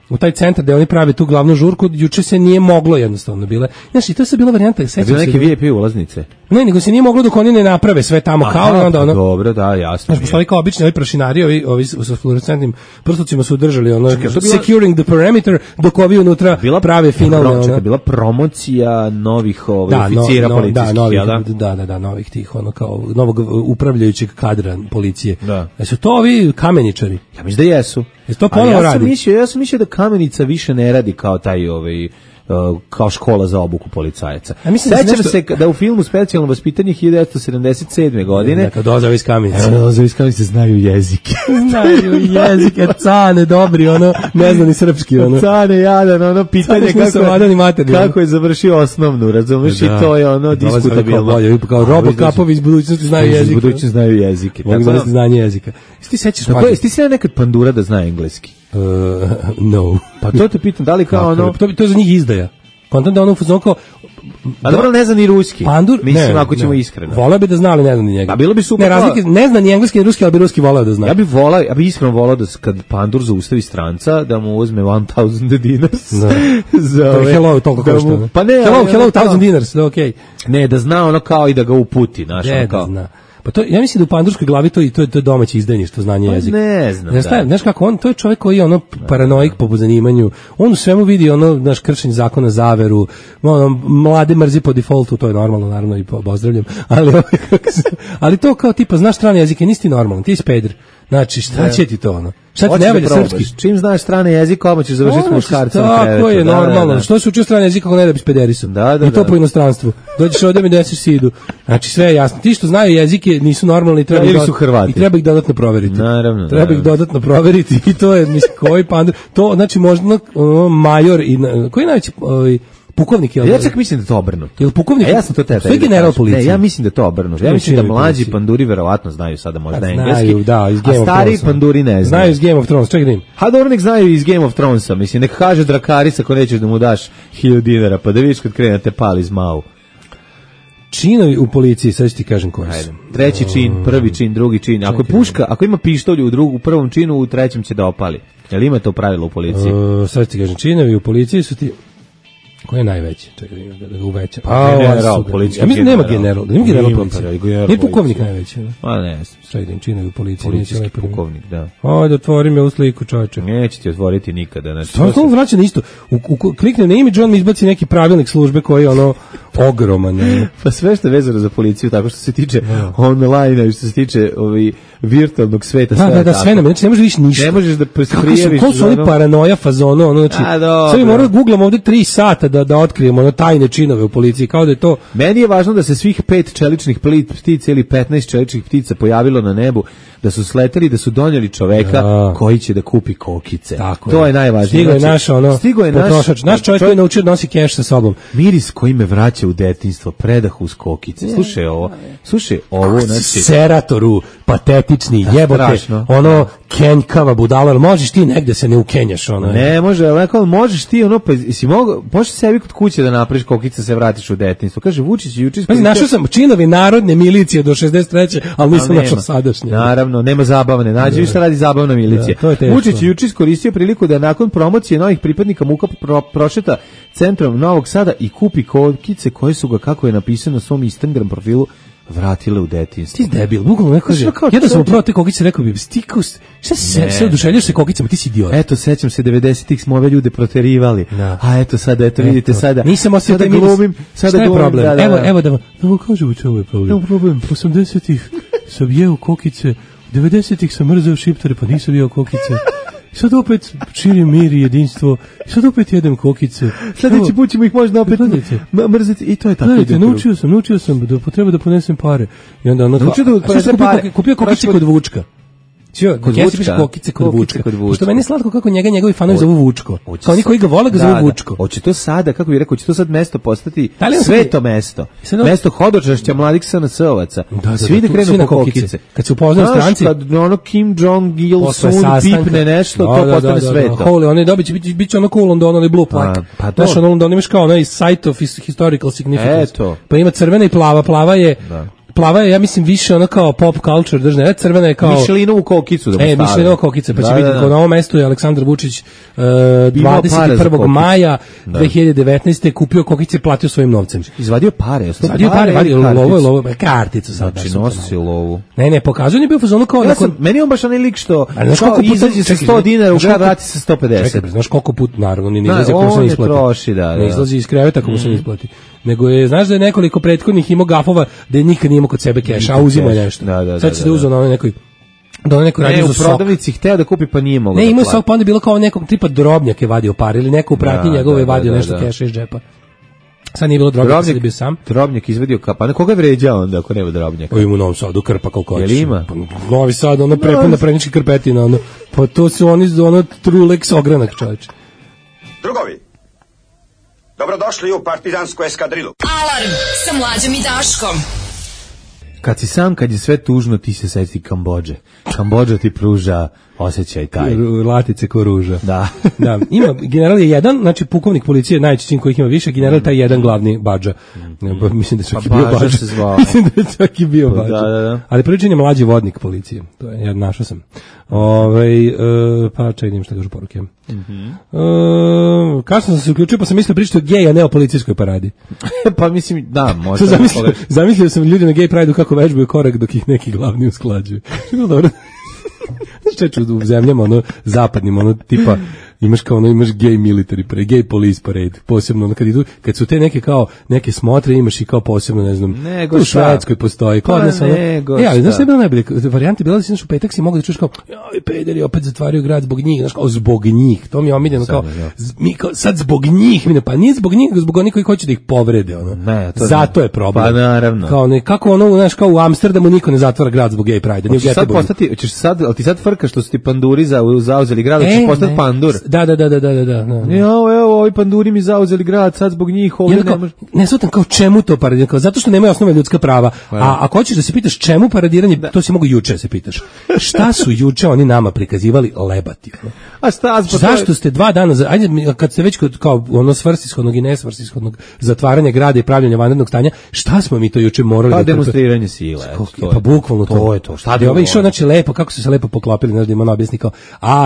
u taj centar gde oni prave tu glavnu žurku, juče se nije moglo jednostavno bile. Znaš, i to je bila varijanta, sećam se. Neke VIP ulaznice. Ne, nego se nije moglo dok oni ne naprave sve tamo. Aha, kao i onda ono. Dobro, da, jasno. Znaš, pošto kao obični ovi prašinari, ovi sa fluorescentnim prslucima su držali ono securing the perimeter, dok ovi unutra prave finalne ono. Bila promocija novih oficira policijskih, da, novih tih ono kao novog upravljajućeg kadra policije. Jesu to ovi kameničari? Ja mislim da jesu. Jesu to ponovo radi? Ja sam mislio da Kamenica više ne radi kao taj kao škola za obuku policajaca. Sećam se da u filmu Specijalno vaspitanje 1977. godine kad dolaze iz Kamenice. Dolaze iz Kamenice znaju jezike. Znaju jezike, cane dobri, ono, ne zna ni srpski. Ono. Cane jadan, ono, pitanje kako je završio osnovnu, razumiješ, i to je ono diskutabilno. Kao Robocapovi iz budućnosti znaju jezike. Iz budućnosti znaju jezike. Mogu da znanje jezika. Ti sećaš ti si nekad Pandura da zna engleski? No. Pa to te pitam, da li kao ono... To je za njih izdaja. Kontam da ono fuzon kao... A dobro, ne zna ni ruski. Pandur? Mislim, ako ćemo iskreno. Voleo bi da znali, ne zna ni njega. A bilo bi super. Ne zna ni engleski ni ruski, ali bi ruski voleo da zna. Ja bi iskreno voleo da kad Pandur zaustavi stranca, da mu uzme 1000 dinars. Hello, toliko košta. Pa ne. Hello, 1000 dinars, da okej. Ne, da zna ono kao i da ga uputi, znaš, ono kao. Zna. Pa to, ja mislim da u pandurskoj glavi to je domaće izdajništvo, znanje jezika. Ne znam. Znaš kako on, to je čovjek koji je ono paranoik po zanimanju. On u svemu vidi ono naš kršenje zakona, zaveru, ono mlade mrzi po defaultu, to je normalno naravno i pozdravljam, ali to kao tipa znaš strane jezike, nisi ti normalan, ti si peder. Znači, šta će ti to ono? Šta ti ne valja srpski? Čim znaš strane jezika, odmah ćeš završiti s muškarcem na krevetu. Tako je, normalno. Što se učio strane jezika ako ne da bi s pederisom? I to po inostranstvu. Dođeš ovdje mi desiš sidu. Znači, sve je jasno. Ti što znaju jezike nisu normalni i treba ih dodatno proveriti. Naravno. Treba ih dodatno proveriti i to je, mislim, koji pandur. To, znači, možda major i... Koji je najveći... Pukovnik je. Ja čak mislim da je to obrnuto. Jel pukovnik? Ja sam to tebe. To je general policije. Ne, ja mislim da je to obrnuto. Ja mislim da mlađi panduri verovatno znaju sada možda engleski. Znaju, da, iz Game of Thrones. A stari panduri ne znaju. Znaju iz Game of Thrones. Čekaj da im. Ha, dobro, nek znaju iz Game of Thronesa. Mislim, nek kaže Drakaris ako nećeš da mu daš 1000 dinara, pa da vidiš kad krene te pali zmau. Činovi u policiji, sad ću ti kažem koji su. Treći čin, prvi čin, drugi čin. Ako je puška, ako ima pištolj u prvom činu, u trećem će da opali. Jel ima to pravilo u policiji? Sad ću ti kažem, činovi u policiji su ti... Ko je najveći? Čekaj, da ga uveća. General, policijski. Ja mislim nema general. Nema general policije. Nije pukovnik najveći. Pa ne. Čekaj, da im činovi u policiji. Policijski pukovnik, da. Ajde, otvori me u sliku, čovječe. Neće ti otvoriti nikada. To vraća na isto. Klikne na imidž, on mi izbaci neki pravilnik službe koji je ono ogroman. Pa sve što je vezano za policiju, tako što se tiče online, što se tiče virtualnog sveta. Da, sve nam. Znači, ne možeš više ništa. Ne možeš da prijaviš. Kako su oni paranoja fazonu, ono, znači, sve mi moramo da googlamo ovde 3 sata da otkrijemo ono tajne činove u policiji, kao da je to... Meni je važno da se svih 5 čeličnih ptica ili 15 čeličnih ptica pojavilo na nebu, da su sleteli, da su donijeli čoveka koji će da kupi kokice. Tako to je najvažnije. Stigo je naš potrošač. Naš čovjek koji je naučio da nosi keš sa sobom. Miris koji me vraća u detinjstvo, predah uz kokice. Slušaj ovo, znači... Seratoru, patetični, jebote, ono, kenjkava budala, možeš ti negde se ne ukenjaš, ono. Ne, možeš ti, ono, pa si možeš sebi kod kuće da napraviš kokice, se vratiš u detinjstvo. Kaže, Vučić juče... Našao sam činovi narodne milicije do 63. ali nisam našao sadašnje. Naravno, nema zabavne. Nađi vi šta radi zabavna milicija. Vučić je juče iskoristio priliku da nakon promocije novih pripadnika MUK-a prošeta centrom Novog Sada i kupi kokice koje su ga, kako je napisano na svom Instagram profilu, vratile u detinjstvo. Ti debil, bukvalno neko kaže. Ja da sam upravo te kokice rekao bi, stikus, šta se oduševljaš sa kokicama, ti si idiot. Eto, sećam se 90-ih smo ove ljude proterivali. A eto sada, vidite sada. Nisam osjetio taj glumim, sada je problem. Evo da vam kažem u čemu je problem. Evo problem. 80-ih sam jeo kokice, 90-ih sam mrzeo šiptare, pa nisam jeo kokice. Sad opet širim mir i jedinstvo. Sad opet jedem kokice. Sljedeći put ćemo ih možda opet mrziti. I to je tako. Gledajte, naučio sam da potreba da ponesem pare. I onda ono... Kupio kokice kod Vučka. Kokice kod Vučka. Što meni je slatko kako njegovi fanovi zovu Vučko. Kao oni koji ga vole ga zovu Vučko. Hoće to sada, kako bih rekao, hoće to sad mesto postati sveto mesto. Mesto hodočašća mladih SNS-ovaca. Svi da krenu po kokice. Kad se upoznaju stranci. Kad ono Kim Jong-il pipne nešto, to postane sveto. Holy, oni bit će ono cool onda ono blue plaque. Znaš, ono onda imaš kao onaj site of historical significance. Pa ima crvena i plava. Plava je plava je, ja mislim, više ono kao pop culture, držne, crvena je kao... Mišelinovu kokicu da mu stavio. Mišelinovu kokicu, pa će vidjeti, na ovom mestu je Aleksandar Vučić 21. maja 2019. kupio kokice i platio svojim novcem. Izvadio pare. Izvadio pare, lovo, karticu. Znači, nosi lovu. Ne, pokazuje je bio fazonu kao... Meni on baš onaj lik što izađe sa 100 dinara u grad, vrati se 150. Čekaj, znaš koliko put, naravno, ne izlazi ako mu se ne isplati. Troši, da. Ne izlazi iz kreveta ako mu se ne isplati. Nego je, znaš da je nekoliko prethodnih imao gafova da je nikad nije imao kod sebe keša, a uzima je nešto. Sad se da uzeo na onoj nekoj radio za sok. U prodavnici hteo da kupi pa nije mogao. Ne, imao sok, pa onda je bilo kao nekog tipa Drobnjak je vadio par ili neko u pratnji njegove je vadio nešto keša iz džepa. Sad nije bilo Drobnjak, sad je bio sam. Drobnjak izvadio pa na koga je vređao onda ako nema Drobnjaka? Ima u Novom Sadu krpa koliko hoćeš. Jel ima? Novi Sad, ono prepuna prednički krpetina, ono. Pa to su oni Trulex ogranak, čoveče. Drugovi, dobrodošli u partizansku eskadrilu. Alarm sa Mlađom i Daškom. Kad si sam, kad je sve tužno, ti se seti Kambodže. Kambodža ti pruža osjećaj taj. Latice ko ruža. Da. Da. Ima, general je jedan, znači pukovnik policije, najčešćim kojih ima više, general taj jedan glavni Badža. Mislim da čak i bio Badža. Se zvao. Mislim da čak i bio Badža. Da. Ali priličan je mlađi vodnik policije. To je, ja našao sam. Pa čekaj, šta kažu poruke. Kasno sam se uključio, pa sam mislio pričati o gej, a ne o policijskoj paradi. Pa mislim, da, možda. Zamislio sam ljudi na gej prideu kako vežbaju korak dok ih neki glavni usklađuju. Što je dobro. Čeče u zemljama, ono, zapadnim, ono, tipa, imaš kao ono, imaš gay military parade, gay police parade, posebno, ono, kad su te neke kao, neke smotre, imaš i kao posebno, ne znam, u Švedskoj postoji, kao odnos, ono, ali znaš šta je bilo najbolje, varijante bila da si naš u petak si mogu da čuješ kao, joj, pederi, opet zatvaraju grad zbog njih, znaš, kao, zbog njih, to mi je omiljeno, kao, mi kao, sad zbog njih, pa nije zbog njih, zbog onih koji hoće da ih povrede, ono, zato je problem. Pa naravno. Kao, kako ono, znaš, kao u Amsterdamu niko ne zatvara grad zbog gay pride, ni u Göteborgu. Hoćeš sad frka što su ti panduri zauzeli grad, hoćeš postati pandur. Da. Evo, ovi panduri mi zauzeli grad, sad zbog njih ovdje ne može. Ne shvatam kao čemu to paradiranje, kao zato što nemaju osnovne ljudska prava. A ako hoćeš da se pitaš čemu paradiranje, to si mogu juče se pitaš. Šta su juče oni nama prikazivali lebati? A šta? Zašto ste 2 dana, ajde kad ste već kao ono svrsishodnog i nesvrsishodnog zatvaranja grada i pravljenja vanrednog stanja, šta smo mi to juče morali da demonstriranje sile. Pa bukvalno to je to. Šta je ovo išao, znači lepo, kako su se lepo poklopili, znači da ima objasni kao,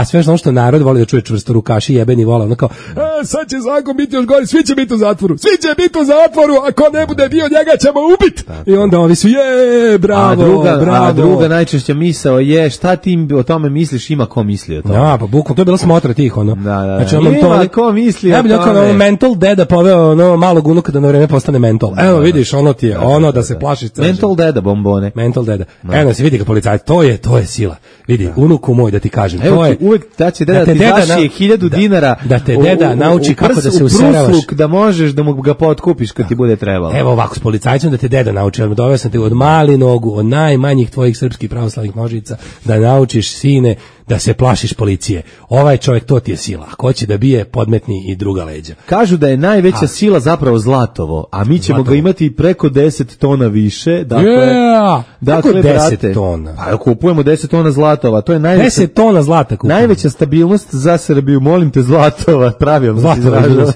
sve što narod voli da čuje čvrsto rukaši jebeni vola, ono kao, sad će zakon biti još gori, svi će biti u zatvoru, ako ne bude dio njega ćemo ubiti. I onda ovi su, bravo. A druga najčešća misao je, šta ti o tome misliš, ima ko misli o tome. Ja, pa bukvalno, to je bila smotra tih, ono. Znači, ima ko misli o tome. Ja bih mental deda poveo ono malog unuka da na vreme postane mental. Evo vidiš, ono ti je, ono da se plašiš. Mental deda bombone. Mental deda. Evo se vidi kao policajac, to je sila. Vidi, unuku moj da ti kažem, evo to je uvek da će deda ti daši 1000 dinara da te deda nauči kako da se useravaš, da možeš da mu ga potkupiš kad ti bude trebalo. Evo ovako s policajcem da te deda nauči, ali doveo sam te od mali nogu, od najmanjih tvojih srpskih pravoslavnih nožica, da naučiš sine da se plašiš policije. Ovaj čovjek, to ti je sila. Ako hoće da bije, podmetni i druga leđa. Kažu da je najveća sila zapravo zlatovo, a mi ćemo ga imati preko 10 tona više. Dakle 10 tona. Pa kupujemo 10 tona zlatova. To je 10 tona zlata kupujemo. Najveća stabilnost za Srbiju. Molim te, zlatova. Pravilno se izražavaš.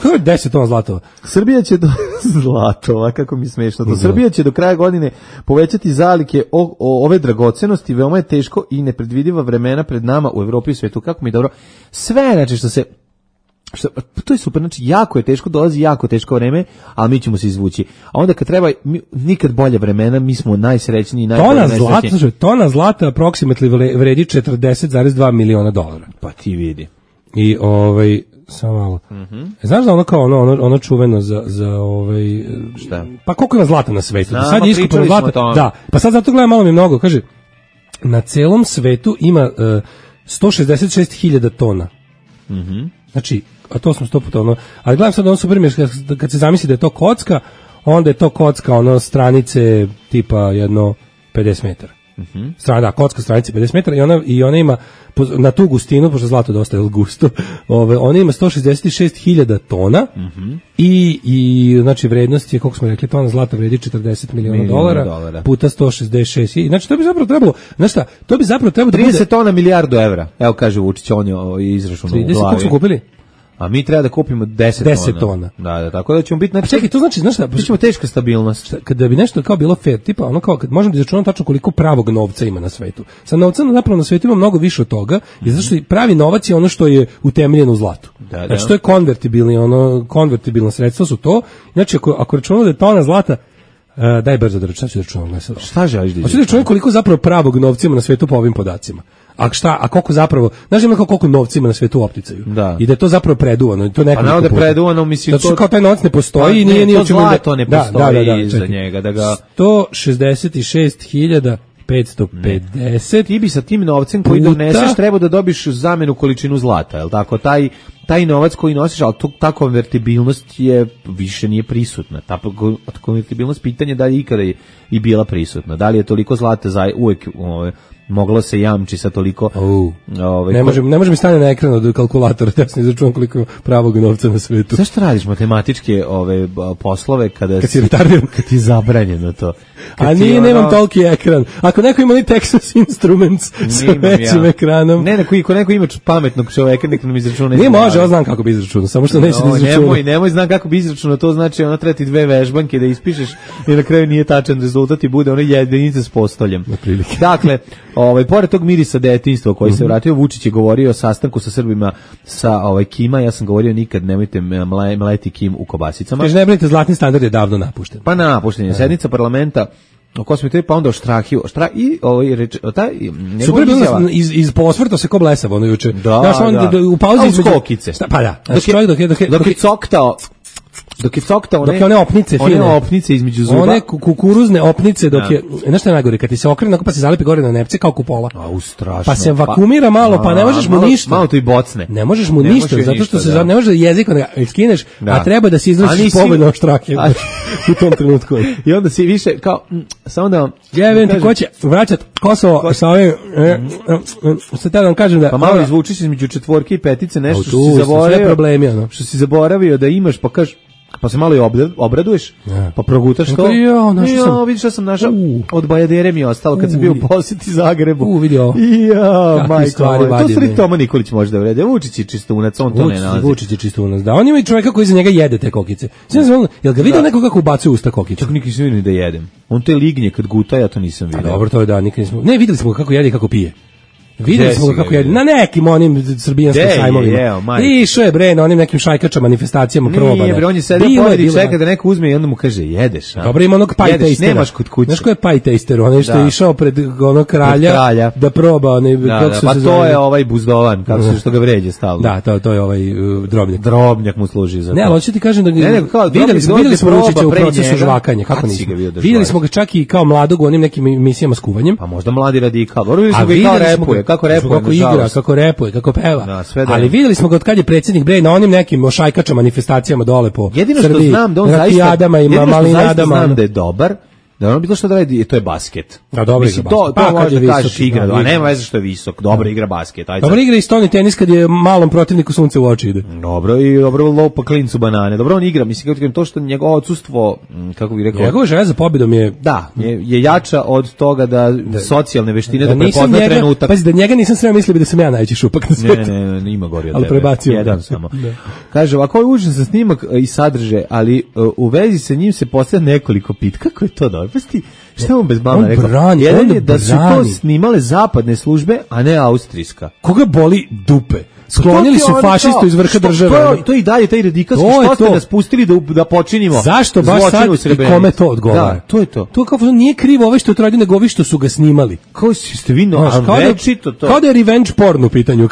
10 tona zlatova. Srbija će zlatova, kako mi smešno to. Srbija će do kraja godine povećati zalihe ove dragocenosti. Veoma je teško i nepredvidiva vremena pred nama u Evropi i svijetu. Kako mi je dobro. Sve, znači to je super, znači jako je teško, dolazi jako teško vreme, ali mi ćemo se izvući. A onda kad treba nikad bolje vremena, mi smo najsrećniji, tona zlata approximately vredi $40,2 miliona. Pa ti vidi. I samo malo. Znaš da ono kao ono čuveno za šta? Pa koliko ima zlata na svetu? Sad je iskopano zlata. Da. Pa sad zato gledam, malo mi mnogo, kaže na celom svetu ima 166.000 tona. Znači, a to smo 100 puta ali gledam sad ono super mi kad se zamisli da je to kocka, onda je to kocka stranice tipa jedno 50 metara. Kocka stranice 50 metara i ona ima na tu gustinu, pošto zlato dosta je gusto, ona ima 166.000 tona i znači vrednost je, koliko smo rekli, tona zlata vredi $40 miliona puta 166. Znači to bi zapravo trebalo, znaš šta, da 30 tona milijardu evra. Evo kaže Vučić, on je izračunao u glavi. 30, koliko smo kupili? A mi treba da kupimo 10 tona. Da, tako da ćemo biti... A čekaj, to znači, znaš šta? Bićemo teška stabilnost. Kada bi nešto kao bilo fair, tipa ono kao, kad možemo da izračunamo tačno koliko pravog novca ima na svetu. Sa novca zapravo na svetu ima mnogo više od toga, jer zato što pravi novac je ono što je utemeljeno u zlatu. Znači, to je konvertibilno sredstvo su to. Znači, ako računamo da je tona zlata, daj brzo da računam. Šta želiš da izračunam? Hoću da računam koliko zapravo pravog novca ima na svetu po ovim podacima. A koliko zapravo, znaš ima koliko novca ima na svetu u opticaju. Da. I da je to zapravo preduvano. To pa naravno da je preduvano, mislim... Zato što kao taj novac ne postoji i nije to zlato ne postoji za njega. Da ga... 166.550. Ti bi sa tim novcem koji doneseš treba da dobiš zamenu količinu zlata, je li tako? Taj novac koji nosiš, ali ta konvertibilnost je više nije prisutna. Ta konvertibilnost pitanje da li ikada je i bila prisutna. Da li je toliko zlata uvek moglo se jamči sa toliko... Ne može mi stane na ekran od kalkulatora, da sam izračunam koliko pravog novca na svetu. Zašto radiš matematičke poslove kad si retardiran? Kad ti je zabranjeno to? A nije, nemam toliki ekran. Ako neko ima Texas Instruments sa većim ekranom... Ako neko ima pametnog čoveka, nek nam izračuna... Nije može, ja znam kako bi izračunao, samo što neće da izračuna. Nemoj, znam kako bi izračunao, to znači ona treba ti 2 vežbanke da ispišeš i na kraju nije tačan rezultat i bude ona jedinica s postoljem. Dakle, pored tog mirisa detinjstva koji se vratio, Vučić je govorio o sastanku sa Srbima sa Kima, ja sam govorio nikad nemojte mleti Kim u kobasicama. Kaže, ne brinite, zlatni standard je davno napušten. Pa napušten je, sednica parlamenta o kosmetologiji, pa onda o Štrahiju. Super bilo iz posvrto se ko blesavo ono juče. Da. U pauzi između skokice. Pa da. Dok je coktao one opnice fine. One opnice između zuba. One kukuruzne opnice dok je, znaš šta je najgore, kad ti se okrene pa se zalepi gore na nepce kao kupola. Strašno. Pa se vakumira malo, pa ne možeš mu ništa. Malo to i bocne. Ne možeš mu ništa, zato što se ne može da jezikom skineš, a treba da se izvršiš pobedno Štrahiju u tom trenutku. I onda si više kao, samo da vam... Jevim ti ko će vraćat Kosovo sa ovim... Sad da vam kažem da... Pa malo izvučiš između 4 i 5 nešto što si zaboravio da imaš, pa kažeš, pa se malo i obraduješ, pa progutaš to. Vidiš što sam našao, od Bajadere mi je ostalo kad sam bio u posjeti Zagrebu. Vidio. To stvari Toma Nikolić može da vrede. Vučić je čistunac, on to ne nalazi. Vučić je čistunac, da. On ima i čovjeka koji za njega jede te kokice. Jel ga vidio neko kako ubacuje usta kokice? Čak nikad nisam vidio da jedem. On te lignje kad guta, ja to nisam vidio. Dobro, to je da, nikad nismo. Ne, videli smo kako jede i kako pije. Videli smo kako je na nekim onim srbijanskim sajmovima. Išao je bre na onim nekim šajkačama, manifestacijama probane. Nije bre, on je sedio pored i čeka da neko uzme i onda mu kaže jedeš. Dobro, ima onog pie tastera. Nemaš kod kuće. Znaš ko je pie taster? On što je išao pred onog kralja da proba. Pa to je ovaj buzdovan, kako se što ga vređe stalno. Da, to je ovaj drobnjak. Drobnjak mu služi za to. Ne, ali hoću ti kažem da videli smo Vučića u procesu žvakanja, kako nismo. Videli smo ga čak i kao mladog u onim nekim emisijama s kuvanjem. Pa možda mladi radikal. Videli smo ga kako repuje. Kako repuje, kako peva. Ali videli smo ga od kad je predsjednik bre na onim nekim šajkačama manifestacijama dole po Srbiji. Jedino što znam da on zaista znam da je dobar, da ono bilo što da radi, to je basket. Da, dobro igra basket. To može da kažeš igra, a nema veze što je visok, dobro igra basket. Dobro igra i stoni tenis kad je malom protivniku sunce u oči ide. Dobro lopa klincu banane. Dobro on igra, mislim kako to što njegovo odsustvo, kako bih rekao. Njegova želja za pobedom je je jača od toga da socijalne veštine da prepozna trenutak. Pazi, da njega nisam sve mislio da sam ja najveći šupak na svijetu. Ne, ima gori od tebe. Ali prebacio jedan samo. Kaže, ovako je užasan snimak i sadrže, ali u vezi sa njim se postavlja nekoliko pit. Kako je to dobro? Šta on bez mama rekao? Jedan je da su to snimale zapadne službe, a ne austrijska. Koga boli dupe? Sklonili su fašistu iz vrha države. To i dalje, taj radikalski, što ste nas pustili da počinimo. Zašto baš sad i kome to odgovara? Da, to je to. To kao nije krivo ove što je to radio, nego ovi što su ga snimali. Kao ste vi večito to. Kao da je revenge porn u pitanju.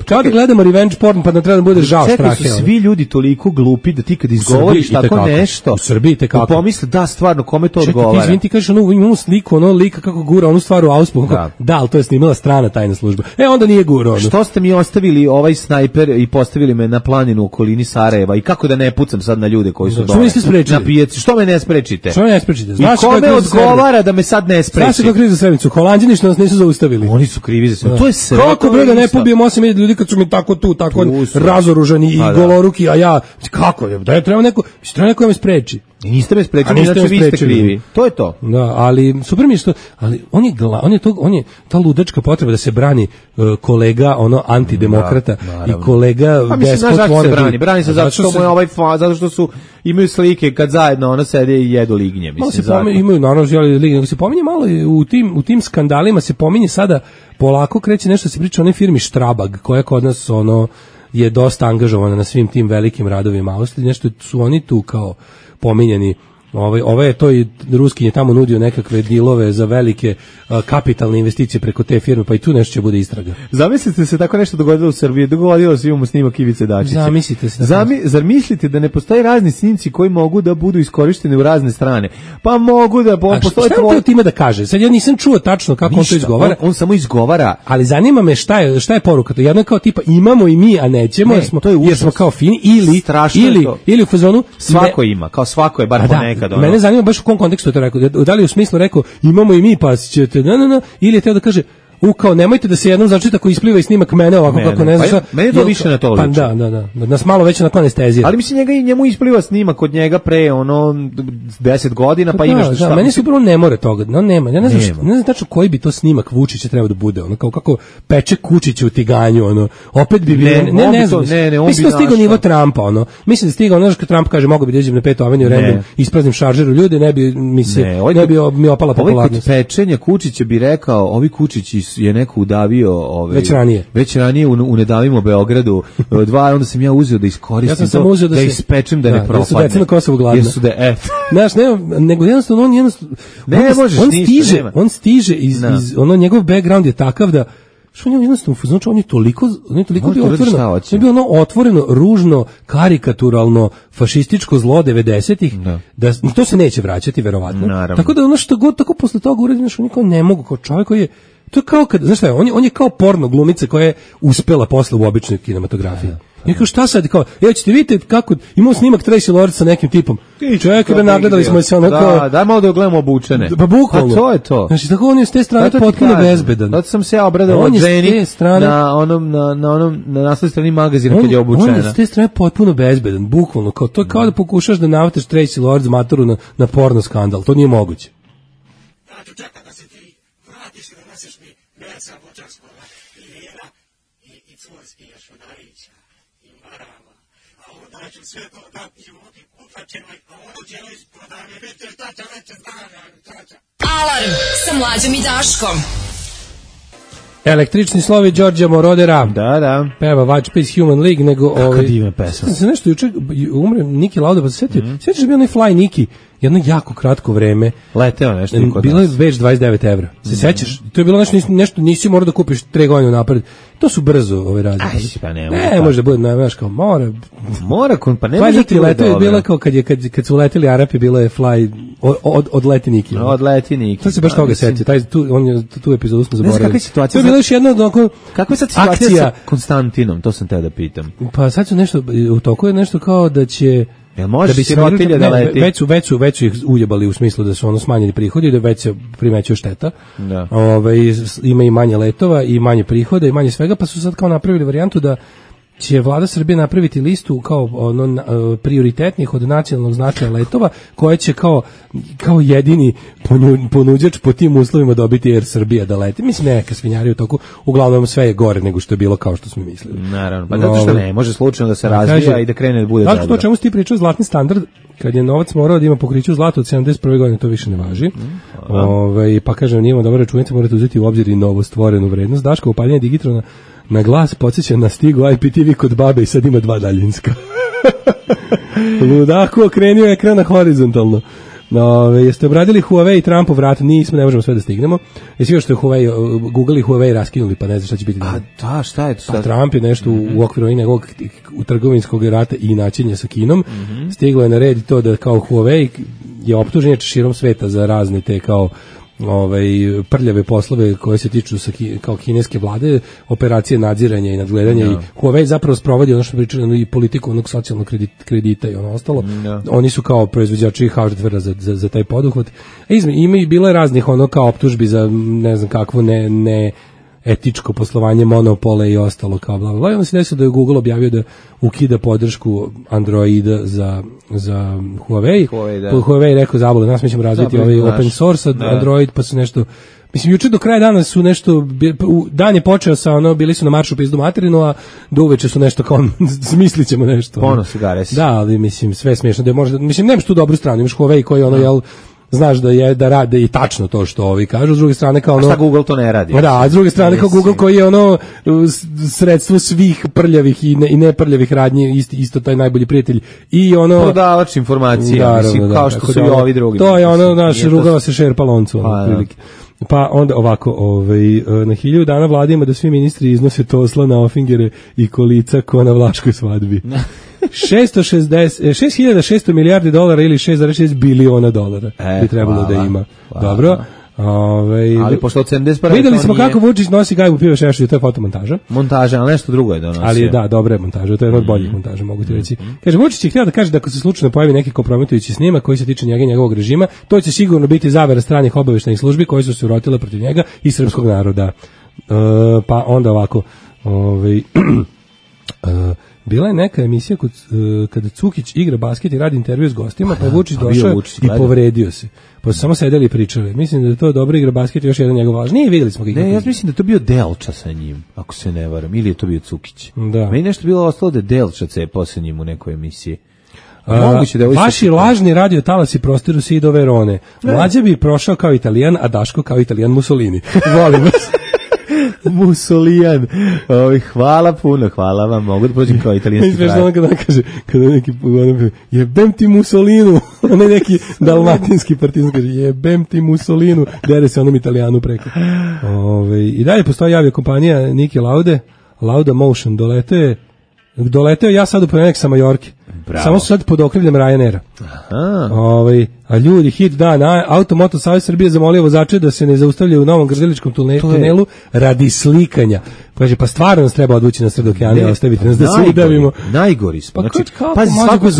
Kao da gledamo revenge porn pa da treba da bude žao Strahe. Čekaj, su svi ljudi toliko glupi da ti kad izgovoriš tako nešto. U Srbiji te kako. Pomisle da stvarno kome to odgovara. Čekaj, ti kažeš imamo sliku, lika kako gura onu stvar u Auspu. Da, ali to je snimala strana tajna služba. Onda nije gura. Što ste mi ostavili ovaj snajper i postavili me na planinu u okolini Sarajeva i kako da ne pucam sad na ljude koji su dole na pijaci? Što me ne sprečite? Znaš i kome odgovara da me sad ne spreči? Znaš kako krivi za Srebrenicu? Holanđani što nas nisu zaustavili. Oni su krivi za sve. To je sve. Kako bre da ne pobijem 8.000 ljudi kad su mi tako razoružani i goloruki, a ja kako je? Da treba neko da me spreči. Niste me sprečili, znači vi ste krivi. To je to. Da, ali super mi je što, ali on je ta ludačka potreba da se brani kolega antidemokrata i kolega despot wannabe. Brani se zato što mu je zato što su imaju slike kad zajedno sede i jedu lignje, mislim. Imaju naravno lignje, se pominje malo u tim skandalima se pominje sada polako kreće nešto se priča o onoj firmi Strabag koja kod nas je dosta angažovana na svim tim velikim radovima Austrije, nešto su oni tu kao pominjeni. Ovaj je to i Ruskin je tamo nudio nekakve dilove za velike kapitalne investicije preko te firme, pa i tu nešto će bude istraga. Zamislite se tako nešto dogodilo u Srbiji, dogodilo se imamo snimak Ivice Dačića. Zamislite se. Zar mislite da ne postoje razni snimci koji mogu da budu iskorišteni u razne strane? Pa mogu da postoje šta je time da kaže? Sad ja nisam čuo tačno kako on to izgovara. On samo izgovara. Ali zanima me šta je poruka. To jedno kao tipa imamo i mi, a nećemo jer smo kao fini ili u fazonu svako ima, kao svako je bar ponekad. Mene zanima baš u kom kontekstu je to rekao. Da li u smislu rekao imamo i mi pa ćete ili je teo da kaže kao nemojte da se jednom začita ako ispliva i snimak mene ovako kako ne znaš. Meni to više na to liči. Pa da. Nas malo već onako anestezira. Ali mislim njemu ispliva snimak od njega pre 10 godina pa imaš šta. Meni se upravo ne more toga. No nema. Ja ne znam tačno koji bi to snimak Vučića trebao da bude. Kao kako peče kučić u tiganju opet bi bilo ne znam. Mislim da stigao nivo Trumpa Mislim da stigao kad Trump kaže mogu bi da idem na 5. aveniju random ispraznim šaržeru ljude ne bi mi opala popularnost. Pečenja Kučića bi rekao ovi Kučići je neko udavio već ranije u Nedavimo Beogradu onda sam ja uzeo da iskoristim da ispečem da ne propadne. Ja su deca na Kosovu gladna. Znaš, nego jednostavno on stiže iz njegov background je takav da što on jednostavno, znači on je toliko bio otvoreno, on je bio otvoreno, ružno, karikaturalno, fašističko zlo 90-ih, da to se neće vraćati, verovatno. Tako da što god tako posle toga uradi, on niko ne mogu, kao čovjek koji je, to je kao kad, znaš šta je, on je kao porno glumica koja je uspela posle u običnoj kinematografiji. I kao šta sad, kao, ćete vidjeti kako, imamo snimak Tracy Lords sa nekim tipom. Čovjek, nagledali smo se kao... Da, malo da gledamo obučene. Pa bukvalno. Pa to je to. Znači, tako on je s te strane potpuno bezbedan. Zato sam se ja obradao od ženi na naslovnoj strani magazina kad je obučena. On je s te strane potpuno bezbedan, bukvalno. To je kao da pokušaš da navataš Tracy Lords matoru na porno skandal. To nije moguće. Čeka da se ti vratiš i da nosiš mi mesa voćarskova i vina i cvorski jašunarića i marama. A onda ću sve to dati ljudi uplaćenoj, a onda će li isprodavlje, vidite šta će veće zdravlja. Alarm sa Mlađom i Daškom. Električni slovi Đorđa Morodera. Da. Peva Watch Peace Human League, nego kako divna pesma. Se nešto juče umre Niki Lauda, pa se setio. Sjećaš da bi onaj Fly Niki jedno jako kratko vreme. Leteo nešto i kod bilo je već 29 evra. Se sećaš? To je bilo nešto nisi morao da kupiš 3 godine napred. To su brzo ove razlike. Pa ne može da bude, znaš, kao mora, pa ne može ti leteo je bila kao kad su leteli Arapi, bila je Fly od leti Niki. Od leti Niki. To se baš toga setio. Tu epizodu smo zaboravili. To je bila još jedna kakva je sad situacija sa Konstantinom, to sam te da pitam. Pa sad su nešto, u toku je nešto kao da će da bi sirotilja da leti. Već ih ujebali u smislu da su smanjeni prihodi i da već se primećuje šteta. Da. Ima i manje letova i manje prihoda i manje svega, pa su sad kao napravili varijantu da će vlada Srbije napraviti listu kao prioritetnih od nacionalnog značaja letova koje će kao jedini ponuđač po tim uslovima dobiti Air Srbija da leti. Mislim, neka svinjarija u toku, uglavnom sve je gore nego što je bilo kao što smo mislili. Naravno, pa zato što ne može slučajno da se razvija i da krene da bude dobro. To o čemu si ti pričao, zlatni standard, kad je novac morao da ima pokriće u zlatu od 71. godine, to više ne važi. Pa kažem, nije dobro računica, morate uzeti u obzir i novo stvorenu vrednost. Daško, upaljenje digitrona na glas podsjeća na stigu IPTV kod babe i sad ima 2 daljinska. Ludako okrenio ekran na horizontalno. Jeste obradili Huawei i Trumpov vrat? Nismo, ne možemo sve da stignemo. Jesi još što je Huawei, Google i Huawei raskinuli, pa ne znam šta će biti. A šta je to sad? Trump je nešto u okviru njegovog trgovinskog rata i načinja sa Kinom. Stiglo je na red to da kao Huawei je optužen širom sveta za razne te kao prljave poslove koje se tiču kao kineske vlade, operacije nadziranja i nadgledanja i Huawei zapravo sprovodi ono što pričali i politiku onog socijalnog kredita i ono ostalo. Oni su kao proizvođači hardvera za taj poduhvat. Ima i bilo je raznih kao optužbi za ne znam kakvo etičko poslovanje, monopole i ostalo kao bla bla. I onda se desilo da je Google objavio da ukida podršku Androida za Huawei. Huawei rekao zabole, nas mi ćemo razviti ovaj open source Android, pa su nešto. Mislim, juče do kraja dana su nešto, dan je počeo sa bili su na maršu pizdu materinu, a do uveče su nešto kao, smislit ćemo nešto. Ponos igare si. Da, ali mislim, sve smiješno, da možda, mislim, nemaš tu dobru stranu, imaš Huawei koji jel, znaš da rade i tačno to što ovi kažu, s druge strane kao a šta Google to ne radi? Da, a s druge strane kao Google koji je sredstvo svih prljavih i neprljavih radnji, isto taj najbolji prijatelj i prodavač informacija, mislim, kao što su i ovi drugi. To je naš rugava se šerpa loncu, otprilike. Pa onda ovako, na 1000 dana vlada ima da svi ministri iznose tosla na ofingere i kolica ko na vlaškoj svadbi. 6.600 milijardi dolara ili 6,6 biliona dolara bi trebalo da ima. Dobro. Ali pošto od 71. Videli smo kako Vučić nosi gajbu piva šešelju, to je fotomontaža. Montaža, ali nešto drugo je donosio. Ali da, dobra je montaža, to je jedna od boljih montaža, mogu ti reći. Kaže, Vučić je htio da kaže da ako se slučajno pojavi neki kompromitujući snimak koji se tiče njega i njegovog režima, to će sigurno biti zavera stranih obaveštajnih službi koje su se urotile protiv njega i srpskog naroda. Pa onda ovako, bila je neka emisija kada Cukić igra basket i radi intervju s gostima, pa je Vučić došao i povredio se. Pa su samo sedeli i pričali. Mislim da je to dobro igra basket i još jedan njegov važ. Nije, vidjeli smo ga. Ne, ja mislim da je to bio Delča sa njim, ako se ne varam. Ili je to bio Cukić. Da. Meni nešto bilo ostalo da je Delča cepao sa njim u nekoj emisiji. Vaši lažni radio talasi prostiru se i do Verone. Mlađa bi prošao kao Italijan, a Daško kao Italijan Mussolini. Volim vas. Musolijan. Hvala puno, hvala vam. Mogu da prođem kao italijanski kraj. Sve što kaže, kada neki jebem ti Mussolinu, ne neki dalmatinski partizan kaže jebem ti Mussolinu, dere se onom Italijanu preko. I dalje postoji aviokompanija Niki Lauda Motion, doleteo ja sad u ponedeljak sa Majorke. Bravo. Samo su sad pod okriljem Ryanaira. A ljudi, hit dan, Automoto Savez Srbije zamolio vozače da se ne zaustavljaju u Novom Grdeličkom tunelu radi slikanja. Kaže, pa stvarno nas treba odvući na sred okeana i ostaviti nas da se udavimo. Najgori smo. Znači, svako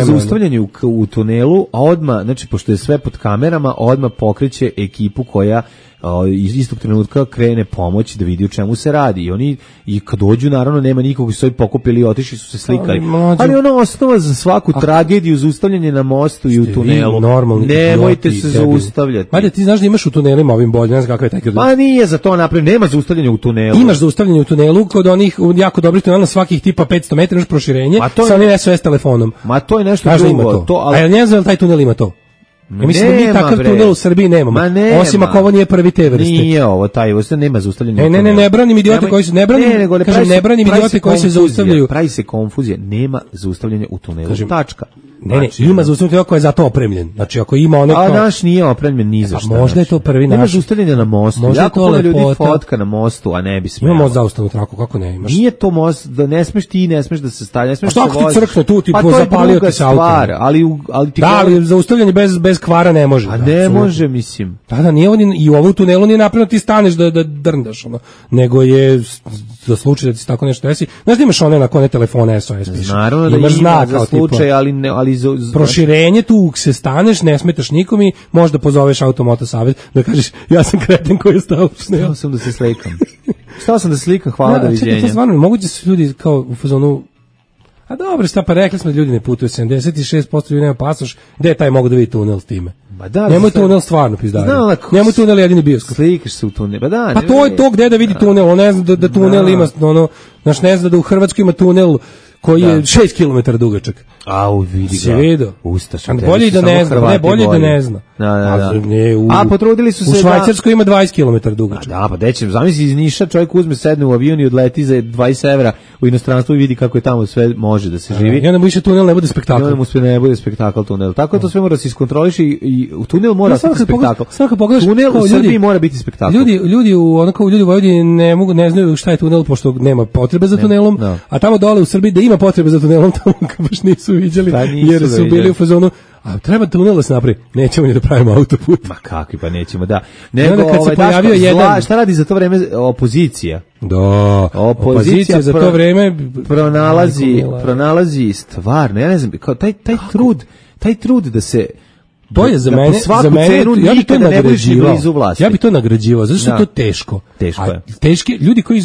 zaustavljanje u tunelu, a odmah, znači, pošto je sve pod kamerama, odmah pokreće ekipu koja iz istog trenutka krene pomoć da vidi o čemu se radi. I oni, i kad dođu, naravno, nema nikog, su se pokupili i otišli su se slikali. Ali osnova za svaku tragediju, zaustavljanje na mostu i u tunelu. Nemojte se zaustavljati. Ajde, ti znaš da imaš u tunelima ovim bolje, ne znam kakav je taj kredit. Pa nije za to napravljeno, nema zaustavljanja u tunelu. Imaš zaustavljanje u tunelu, kod onih jako dobrih tunela svakih tipa 500 metara, imaš proširenje, sa onim SOS telefonom. Ma to je nešto drugo. A ja ne znam da taj tunel ima to. Ja mislim da mi takav tunel u Srbiji nemamo. Osim ako ovo nije prvi te vrste. Nije ovo, taj vrste nema zaustavljanja. Ne branim idiote koji se ne branim idiote koji se zaustavljaju. Pravi se konfuzija, nema zaustavljanja u tunelu. Tačka. Ne, ima zaustavljanje koji je za to opremljen. Znači ako ima ono a naš nije opremljen ni za šta. Možda je to prvi naš. Nema zaustavljanja na mostu. Jako puno ljudi fotka na mostu, a ne bi smelo. Imamo zaustavnu traku, kako ne imaš? Nije to most, da ne smeš ti, ne smeš da se stavlja, ne smeš da se voziš. Šta ako ti crkne tu, ti zapalio ti se auto. Ali ti ali zaustavljanje bez kvara ne može. A ne može, mislim. Da, nije on i u ovom tunelu nije napravljeno ti staneš da drndaš, nego je za slučaj da ti se tako nešto desi. Znaš da imaš one na kone telefone SOS piše. Naravno da ima za slučaj, ali proširenje tu se staneš, ne smetaš nikom i možda pozoveš Automoto Savez da kažeš ja sam kreten koji je stao u tunelu. Stao sam da se slikam. Stao sam da se slikam, hvala, doviđenja. To stvarno, moguće su ljudi kao u fazonu. A dobro, šta pa rekli smo da ljudi ne putuju, 76% ljudi nema pasoš, gde je taj mogu da vidi tunel s time? Nemoj tunel stvarno pizdari. Nemoj tunel jedini bioskop. Slikaš se u tunel. Pa to je to gde da vidi tunel, on ne zna da tunel ima, znaš ne zna da u Hrvatskoj ima tunel koji je 6 km dugačak. Au, vidi ga. Vidio. Ustaš. Bolje da ne zna, ne bolje da ne zna. Da. A potrudili su se u Švajcarskoj ima 20 km dugačak. Da, pa dećem, zamisli iz Niša čovjek uzme, sedne u avion i odleti za 20 evra u inostranstvo i vidi kako je tamo sve može da se živi. I onda mu više tunel ne bude spektakl. I onda mu sve ne bude spektakl tunel. Tako to sve mora da se iskontroliši i u tunel mora biti spektakl. Tunel u Srbiji mora biti spektakl. Ljudi u Vojvodini ne znaju šta je tunel pošto nema potrebe za tunelom, a tamo dole u Srbiji da ima potrebe za tunelom tamo baš nisu viđali jer su bili u fazonu a treba tunel da se napravi, nećemo ni da pravimo autoput. Ma kakvi, pa nećemo, da. Nego, kad se pojavio jedan... Šta radi za to vreme opozicija? Da, opozicija za to vreme pronalazi stvarno, ja ne znam, kao taj trud da se To je za mene, po svaku za mene, cenu ja bi to nikada ne budeš ni nagrađivao. blizu vlasti. Ja bi to nagrađivao, zato što je to teško. Teško je. Teški, ljudi koji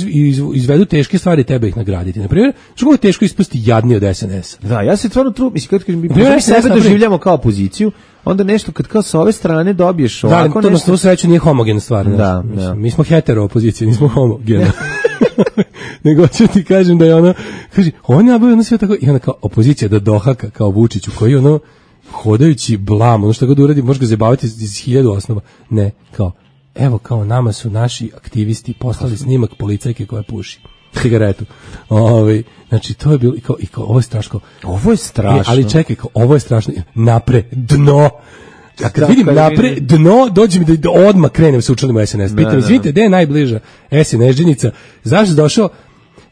izvedu teške stvari treba ih nagraditi. Na primjer, što je teško ispasti jadni od SNS-a. Da, ja se stvarno mislim, kad mi SNS sebe doživljamo kao opoziciju, onda nešto kad kao sa ove strane dobiješ ovako to nešto. To sreću nije homogena stvar. Da, mi smo hetero opozicija, nismo homogena. Nego ću ti kažem da je ono, kaže, on je nabavio sve tako, i onda kao opozicija da dohaka kao Vučiću, koji ono, hodajući blam, ono što god uradi, može ga zabaviti iz 1000 osnova. Ne, kao, evo, kao nama su naši aktivisti poslali snimak policajke koja puši cigaretu. Znači, to je bilo, i kao, ovo je strašno. Ovo je strašno. Ali čekaj, kao, ovo je strašno. Napre, dno. A kad vidim napre, dno, dođe mi da odmah krenem se učlanim u SNS. Pitam, izvinite, gde je najbliža SNS-đenica? Zašto došao?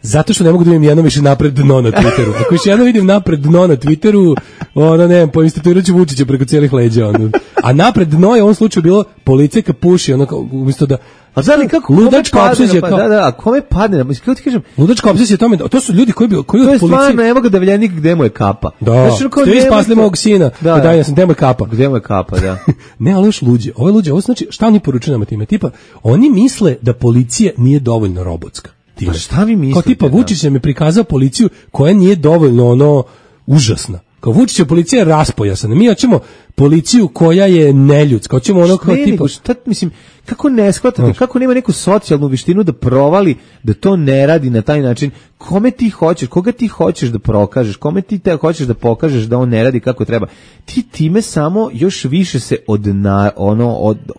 Zato što ne mogu da vidim jedno više napred dno na Twitteru. Ako još jedno vidim napred dno na Twitteru, ono ne, poinstatuirat ću Vučića preko cijelih leđa. Ono. A napred dno je u ovom slučaju bilo policajka puši, ono kao, umjesto da... A znači kako ludačka opsesija kao... Da, kome padne, kako ti kažem? Ludačka opsesija tome, to su ljudi koji od policije... To je stvarno, evo ga davljenik, gde mu je kapa. Da, ste vi spasli mog sina, da, ja sam, gde mu je kapa. Gde mu je kapa, da. Ne, ali još luđe, ovo znači, šta oni poručuju nama time? Tipa, oni misle da policija nije dovoljno robotska. Pa šta vi mislite? Kao tipa Vučić nam je prikazao policiju koja nije dovoljno ono užasna. Kao Vučić je policija raspojasana. Mi hoćemo policiju koja je neljudska. Hoćemo ono kao tipa... Šta, mislim, kako ne shvatate, kako nema neku socijalnu vištinu da provali, da to ne radi na taj način? Kome ti hoćeš, koga ti hoćeš da prokažeš, kome ti te hoćeš da pokažeš da on ne radi kako treba? Ti time samo još više se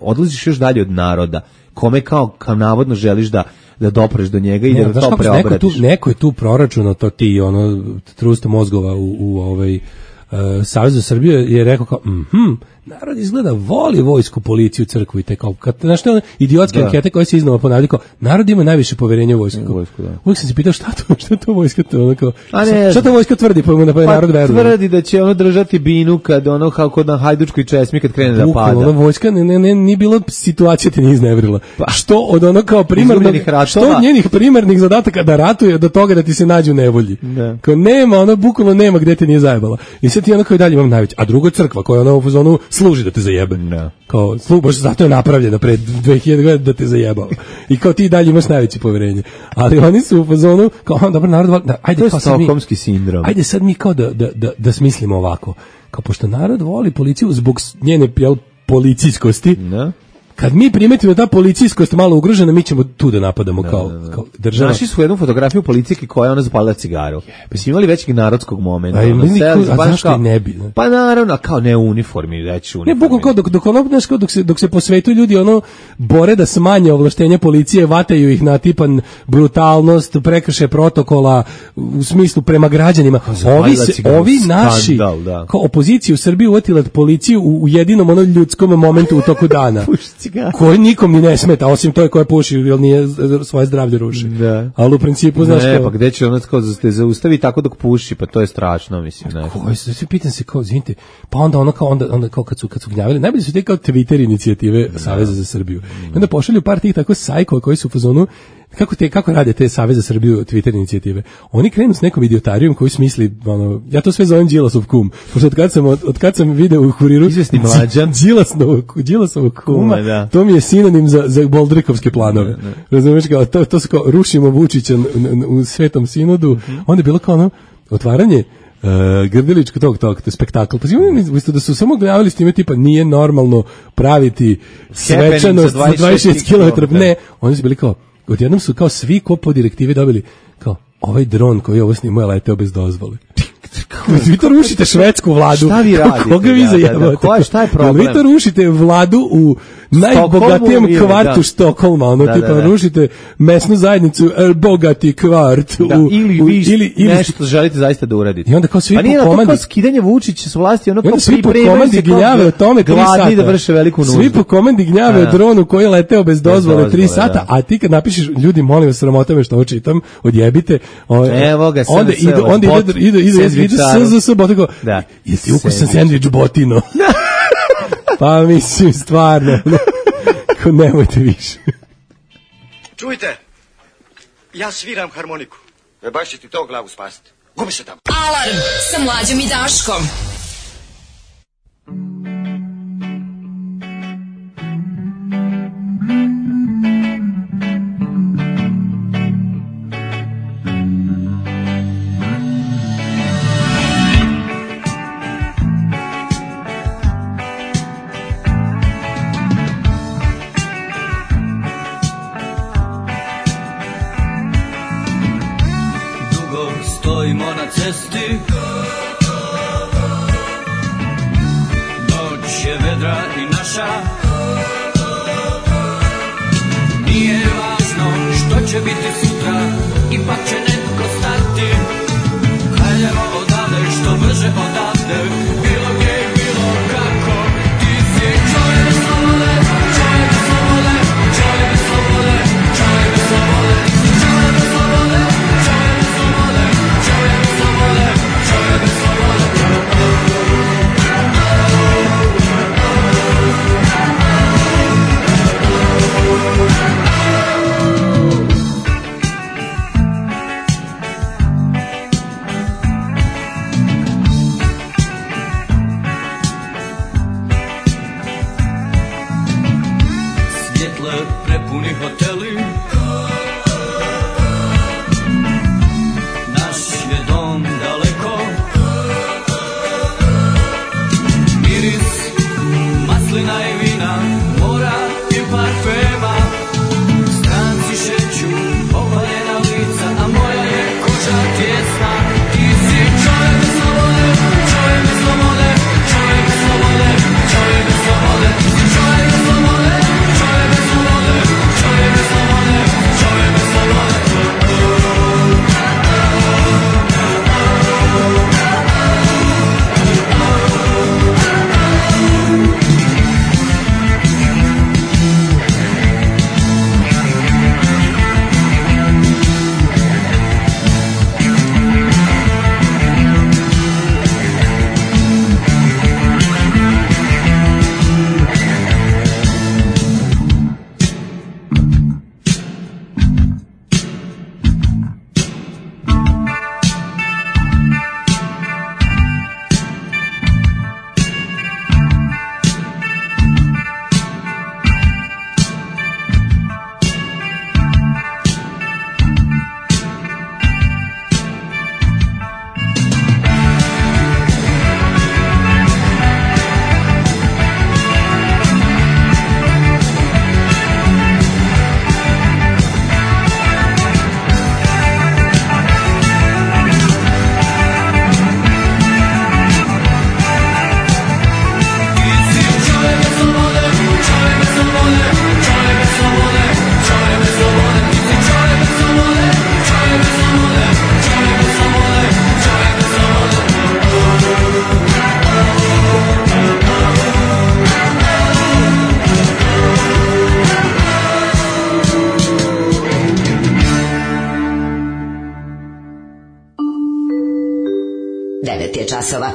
odlaziš još dalje od naroda. Kome kao navodno želiš da dopreš do njega i da to preobratiš. Neko je tu proračunao to ti ono trusta mozgova u Savez za Srbiju je rekao kao narod izgleda voli vojsku, policiju, crkvu i te kao znaš te idiotske ankete koje se iznova ponavljaju kao narod ima najviše poverenja u vojsku. Uvijek sam se pitao šta to vojska to ono kao šta to vojska tvrdi pa narod veruje. Tvrdi da će ono držati binu kad ono kako na Hajdučkoj česmi kad krene da pada. Ono vojska nije bilo situacija te nije iznevrila. Što od ono kao primarnog što od njenih primarnih zadataka da ratuje do toga da ti se nađu u nevolji. Kao nema ono bukvalno nema gde te nije zajebala. I sad ti ono kao i dalje imam najveće. A drugo je crkva koja ono u zonu služi da te zajebe. Kao baš zato je napravljena pre 2000 godina da te zajebao. I kao ti dalje imaš najveće poverenje. Ali oni su u fazonu kao dobro narod ajde kao stokholmski sindrom. Ajde sad mi kao da smislimo ovako. Kao pošto narod voli policiju zbog njene policijskosti. Kad mi primetimo da ta policijskost malo ugrožena, mi ćemo tu da napadamo kao država. Našli su jednu fotografiju policijke koja je ona zapalila cigaru. Pa su imali većeg narodskog momenta. A zašto i ne bi? Pa naravno, kao ne u uniformi, reći u uniformi. Ne, bukvalno kao dok se po svetu ljudi ono bore da smanje ovlaštenja policije, vataju ih na tipan brutalnost, prekrše protokola u smislu prema građanima. Ovi naši, kao opozicija u Srbiji uvatila policiju u jedinom ono ljudskom momentu u toku dana. Koji nikom ni ne smeta, osim to je koja puši, jer nije svoje zdravlje ruši. Ali u principu, znaš ne, pa gde će ono kao da te zaustavi tako dok puši, pa to je strašno, mislim. Svi pitan se kao, izvinite, pa onda kao kad su gnjavili, najbolje su te kao Twitter inicijative Saveza za Srbiju. I onda pošalju par tih tako sajkova koji su u fazonu, kako rade te Savez za Srbiju Twitter inicijative? Oni krenu s nekom idiotarijom koji smisli, ja to sve zovem Đilasov kum. Pošto od kad sam video u Kuriru izvesni Mlađan Đilasovog kuma, to mi je sinonim za boldrikovske planove. Razumeš kao, to su kao rušimo Vučića u Svetom sinodu, onda je bilo kao ono otvaranje Grdeličko tog spektakl. Pa umjesto da su samo gledali s time tipa nije normalno praviti svečanost za 26 km. Ne, oni su bili kao odjednom su kao svi ko po direktivi dobili kao ovaj dron koji ovo snimuje leteo bez dozvole. Vi to rušite švedsku vladu. Šta vi radite? Koga vi zajebate? Šta je problem? Vi to rušite vladu u najbogatijem kvartu Štokholma, tipa rušite mesnu zajednicu bogati kvart. Ili nešto želite zaista da uradite. I onda kao svi po komandi. Pa nije to kao skidanje Vučića s vlasti, ono kao svi po komandi gnjave o tome 3 sata. Da vrše veliku nuždu. Svi po komandi gnjave o dronu koji je leteo bez dozvole 3 sata, a ti kad napišeš, ljudi molim vas, sramota me što ovo čitam, odjebite. Evo ga, onda ide SZS botiko. Jesi ukusan sendvič botino? Pa mislim, stvarno. Nemojte više. Čujte, ja sviram harmoniku. Baš će ti to glavu spasiti. Gubi se tamo. Alarm sa Mlađom i Daškom. stojimo na cesti. Noć je vedra i naša. Nije važno što će biti sutra, ipak će netko stati. Hajdemo odavde, što brže odavde, bilo gdje i bilo kako. Ti si čovjek slobode, čovjek slobode, čovjek slobode, čovjek slobode. Ti si čovjek slobode, čovjek slobode, čovjek slobode, čovjek slobode. Prepuni hoteli, naš je dom daleko, miris maslina i vina, mora i parfema, stranci šeću opaljena lica, a moja je koža tjesna. Ti si čovjek slobode, čovjek slobode, čovjek slobode, čovjek slobode. Ti si čovjek slobode, čovjek slobode, čovjek slobode, čovjek slobode. Časova.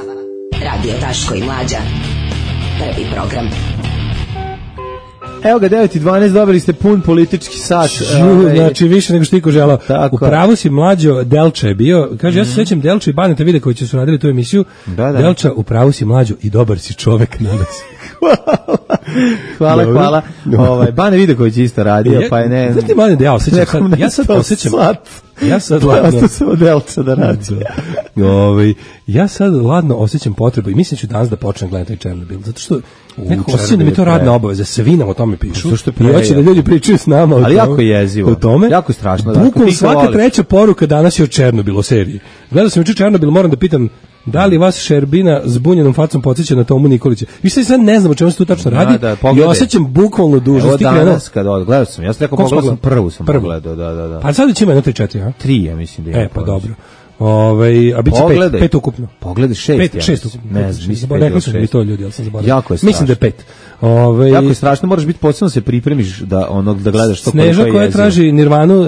Radio Daško i Mlađa. Prvi program. Evo ga, 9:12, dobili ste pun politički sat. Znači, više nego što iko želao. U pravu si, Mlađo, Delča je bio. Kaže, ja se sećam Delča i Baneta Vidakovića su radili tu emisiju. Da. Delča, u pravu si, Mlađo, i dobar si čovek, nadam se. Hvala. Bane Vidaković je isto radio, pa je ne... Znaš ti, Bane, da ja sad osjećam... Ja sad ladno samo Delča da radi. Ja sad ladno osjećam potrebu i mislim ću danas da počnem gledati taj Černobil, zato što nekako osjećam da mi to radna obaveza, svi nam o tome pišu. I hoće da ljudi pričaju s nama o tome. Ali jako je jezivo. O tome. Jako strašno. Bukvalno svaka treća poruka danas je o Černobilu, o seriji. Gledao sam juče Černobil, moram da pitam da li vas Šerbina s bunjenom facom podsjeća na Tomu Nikolića. Vi sad ne znam o čemu se tu tačno radi i osjećam bukvalno dužnost. Evo danas kad gledao sam, ja sam rekao pogledao sam prvu sam pogledao, da. Pa sad će ima 1-3-4, a? 3, ja mislim da je. Pa dobro. A biće 5 ukupno. Pogledaj 6 ukupno. Ne znam, mislim rekao sam mi to ljudi, ali sam zaboravio. Jako je strašno. Mislim da je 5. Jako je strašno, moraš biti posebno se pripremiš da gledaš to. Sneža koja traži Nirvanu,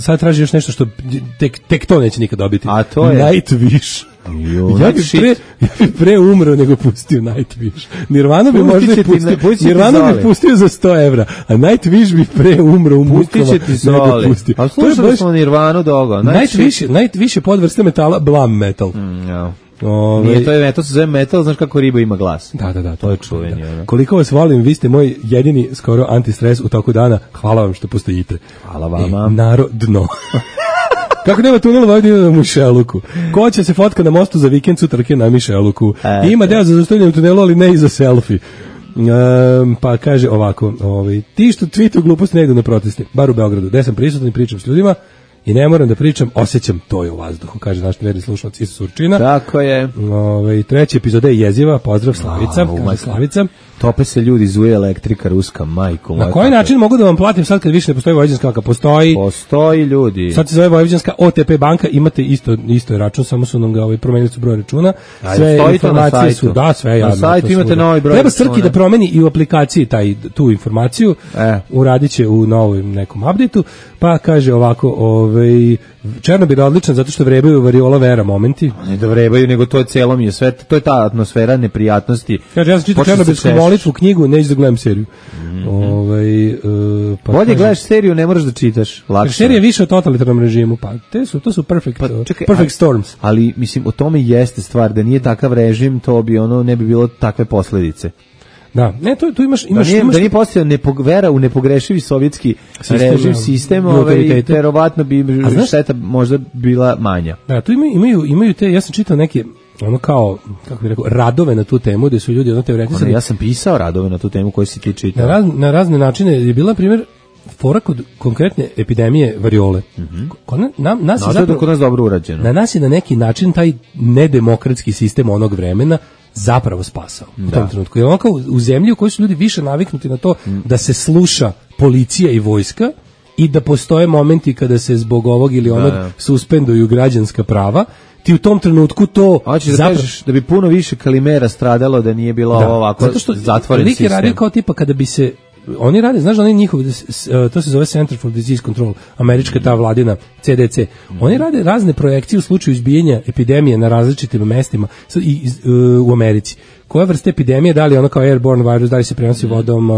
sad traži još nešto što tek to neće nikad dobiti. A to je Nightwish. Ja bih pre umro nego pustio Nightwish. Nirvanu bi možda pustio za 100 evra, a Nightwish bi pre umro u mukama nego pustio. A slušali smo Nirvanu dogo. Nightwish je podvrsta metala, blam metal. Nije to je metal, se zove metal, znaš kako riba ima glas. Da, to je čuveni. Koliko vas volim, vi ste moj jedini skoro antistres u toku dana. Hvala vam što postojite. Hvala vama. Narodno. Kako nema tunela ovdje na Mišeluku? Ko će se fotka na mostu za vikend sutrake na Mišeluku? Ima deo za zaustavljanje u tunelu, ali ne i za selfie. Pa kaže ovako, ti što tweetu gluposti ne idu na proteste, bar u Beogradu, gde sam prisutan i pričam s ljudima, i ne moram da pričam, osjećam to je u vazduhu, kaže naš verni slušalac iz Surčina. Tako je. Treća epizoda je jeziva, pozdrav Slavica, kaže Slavica. Tope se ljudi, zuje elektrika ruska, majko. Na koji način mogu da vam platim sad kad više ne postoji Vojvođanska banka? Postoji ljudi. Sad se zove Vojvođanska OTP banka, imate isto račun, samo su nam ga promenili su broj računa. Sve informacije su, da, sve javno. Na sajtu imate novi broj. Treba Srki da promeni i u aplikaciji tu informaciju, uradit će u novom nekom updateu, pa kaže ovako, Černobil je odličan zato što vrebaju variola vera momenti. Ne da vrebaju, nego to je celo mi je sve, to je ta atmosfera neprijatnosti. Kaže, ja sam čitao Černobilsku molitvu, knjigu, neću da gledam seriju. Pa bolje gledaš seriju, ne moraš da čitaš. Lakše. Serija je više o totalitarnom režimu, pa to su perfect storms. Ali, mislim, o tome jeste stvar, da nije takav režim, to bi ne bi bilo takve posledice. Da, ne, tu imaš da nije postojao vera u nepogrešivi sovjetski sistem, verovatno bi šteta možda bila manja. Da, tu imaju te, ja sam čitao neke kao, kako bih rekao, radove na tu temu, gde su ljudi teoretisali. Ja sam pisao radove na tu temu koji si ti čitao. Na razne načine je bila, na primjer, fora kod konkretne epidemije variole. Kod nas dobro urađeno. Na nas je na neki način taj nedemokratski sistem onog vremena zapravo spasao u tom trenutku. Jer kao u zemlji u kojoj su ljudi više naviknuti na to da se sluša policija i vojska i da postoje momenti kada se zbog ovog ili onog suspenduju građanska prava, ti u tom trenutku to... Hoćeš da kažeš da bi puno više Kalimera stradalo da nije bilo ovako zatvoren sistem. Radi kao tipa kada bi se... Oni rade, znaš da oni njihov, to se zove Center for Disease Control, američka ta vladina CDC. Oni rade razne projekcije u slučaju izbijanja epidemije na različitim mestima u Americi. Koja vrsta epidemije, da li ono kao airborne virus, da li se prenosi vodom,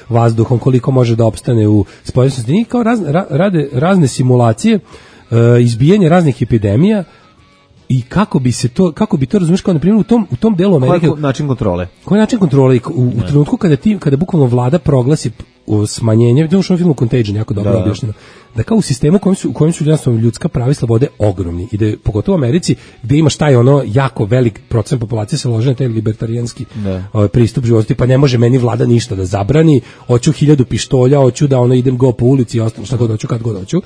vazduhom, koliko može da opstane u spoljenosti. Njih kao rade razne simulacije izbijanja raznih epidemija i kako bi to razumiješ kao na primjer u tom delu Amerike. Koji način kontrole? Koji način kontrole? U trenutku kada bukvalno vlada proglasi smanjenje, vidimo što u filmu Contagion jako dobro objašnjeno, da kao u sistemu u kojem su ljudska prava i slobode ogromni i da pogotovo u Americi gdje imaš taj jako velik procent populacije se lože na taj libertarijanski pristup životu, pa ne može meni vlada ništa da zabrani, hoću 1000 pištolja, hoću da idem go po ulici i ostalo šta god hoću, kad god hoću.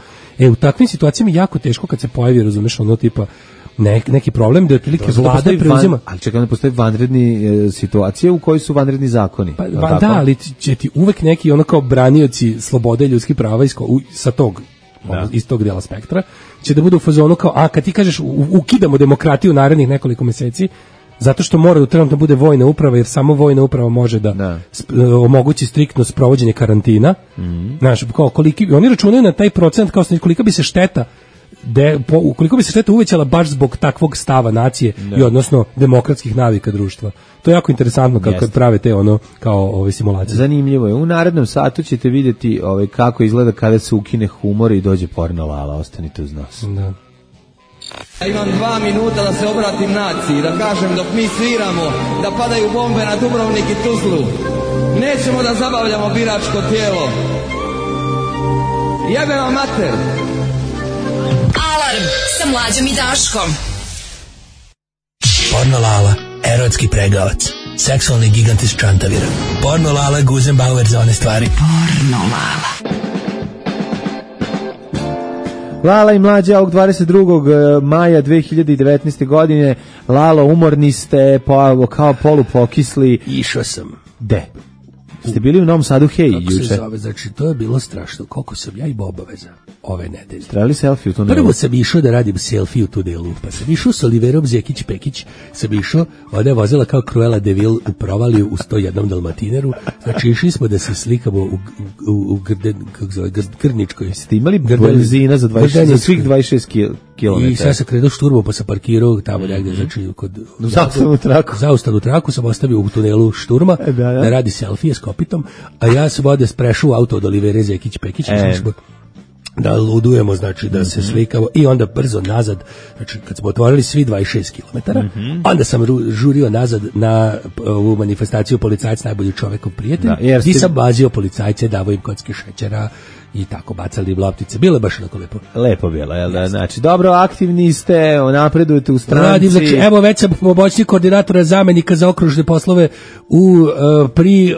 U takvim situacijama je jako teško kad se pojavi, razumeš, tipa neki problem da otprilike vlada preuzima. Ali čekaj, ne postoji vanredni situacije u kojoj su vanredni zakoni. Ali će ti uvek neki kao branioci slobode i ljudskih prava iz tog dela spektra će da budu u fazonu kao, kad ti kažeš ukidamo demokratiju narednih nekoliko meseci, zato što mora da trenutno bude vojna uprava, jer samo vojna uprava može da omogući striktno sprovođenje karantina. Znaš, oni računaju na taj procent kao kolika bi se šteta ukoliko bi se šteta uvećala baš zbog takvog stava nacije i odnosno demokratskih navika društva. To je jako interesantno kako prave te kao simulacije. Zanimljivo je. U narednom satu ćete vidjeti kako izgleda kada se ukine humor i dođe porno Lala. Ostanite uz nas. Da. Ja imam 2 minuta da se obratim naciji, da kažem dok mi sviramo, da padaju bombe na Dubrovnik i Tuzlu. Nećemo da zabavljamo biračko tijelo. Jebe vam mater! Alarm sa Mlađom i Daškom. Porno Lala, erotski pregavac, seksualni gigant iz Čantavira. Porno Lala, Guzenbauer za one stvari. Porno Lala. Lala i Mlađa ovog 22. maja 2019. godine. Lalo, umorni ste, kao polupokisli. Išao sam. De? Ste bili u Novom Sadu, hej, juče? Kako se zove, znači, to je bilo strašno. Koliko sam ja imao obaveza ove nedelje. Trebali selfie u tunelu? Prvo sam išao da radim selfie u tunelu, pa sam išao s Oliverom Zekić-Pekić, sam išao, ona je vozila kao Cruella de Vil u provaliju u 101 Dalmatineru, znači išli smo da se slikamo u Grničkoj. Ste imali benzina za svih 26 km? I sad sam krenuo šturmo, pa sam parkirao tamo negdje, znači kod zaustavnu traku sam ostavio u tunelu šturma da radi selfie s kopitom, a ja sam ovdje sprešao auto od Olivere Zekić-Pekić, da ludujemo, znači da se slikamo i onda brzo nazad, znači kad smo otvorili svi 26 km, onda sam žurio nazad na ovu manifestaciju Policajac najbolji čovekov prijatelj, gdje sam bazio policajce, davao im kocke šećera i tako bacali loptice. Bilo je baš onako lepo. Lepo bilo, jel da? Znači, dobro, aktivni ste, napredujete u stranci. Radim, znači, evo već sam pomoćnik koordinatora zamenika za okružne poslove pri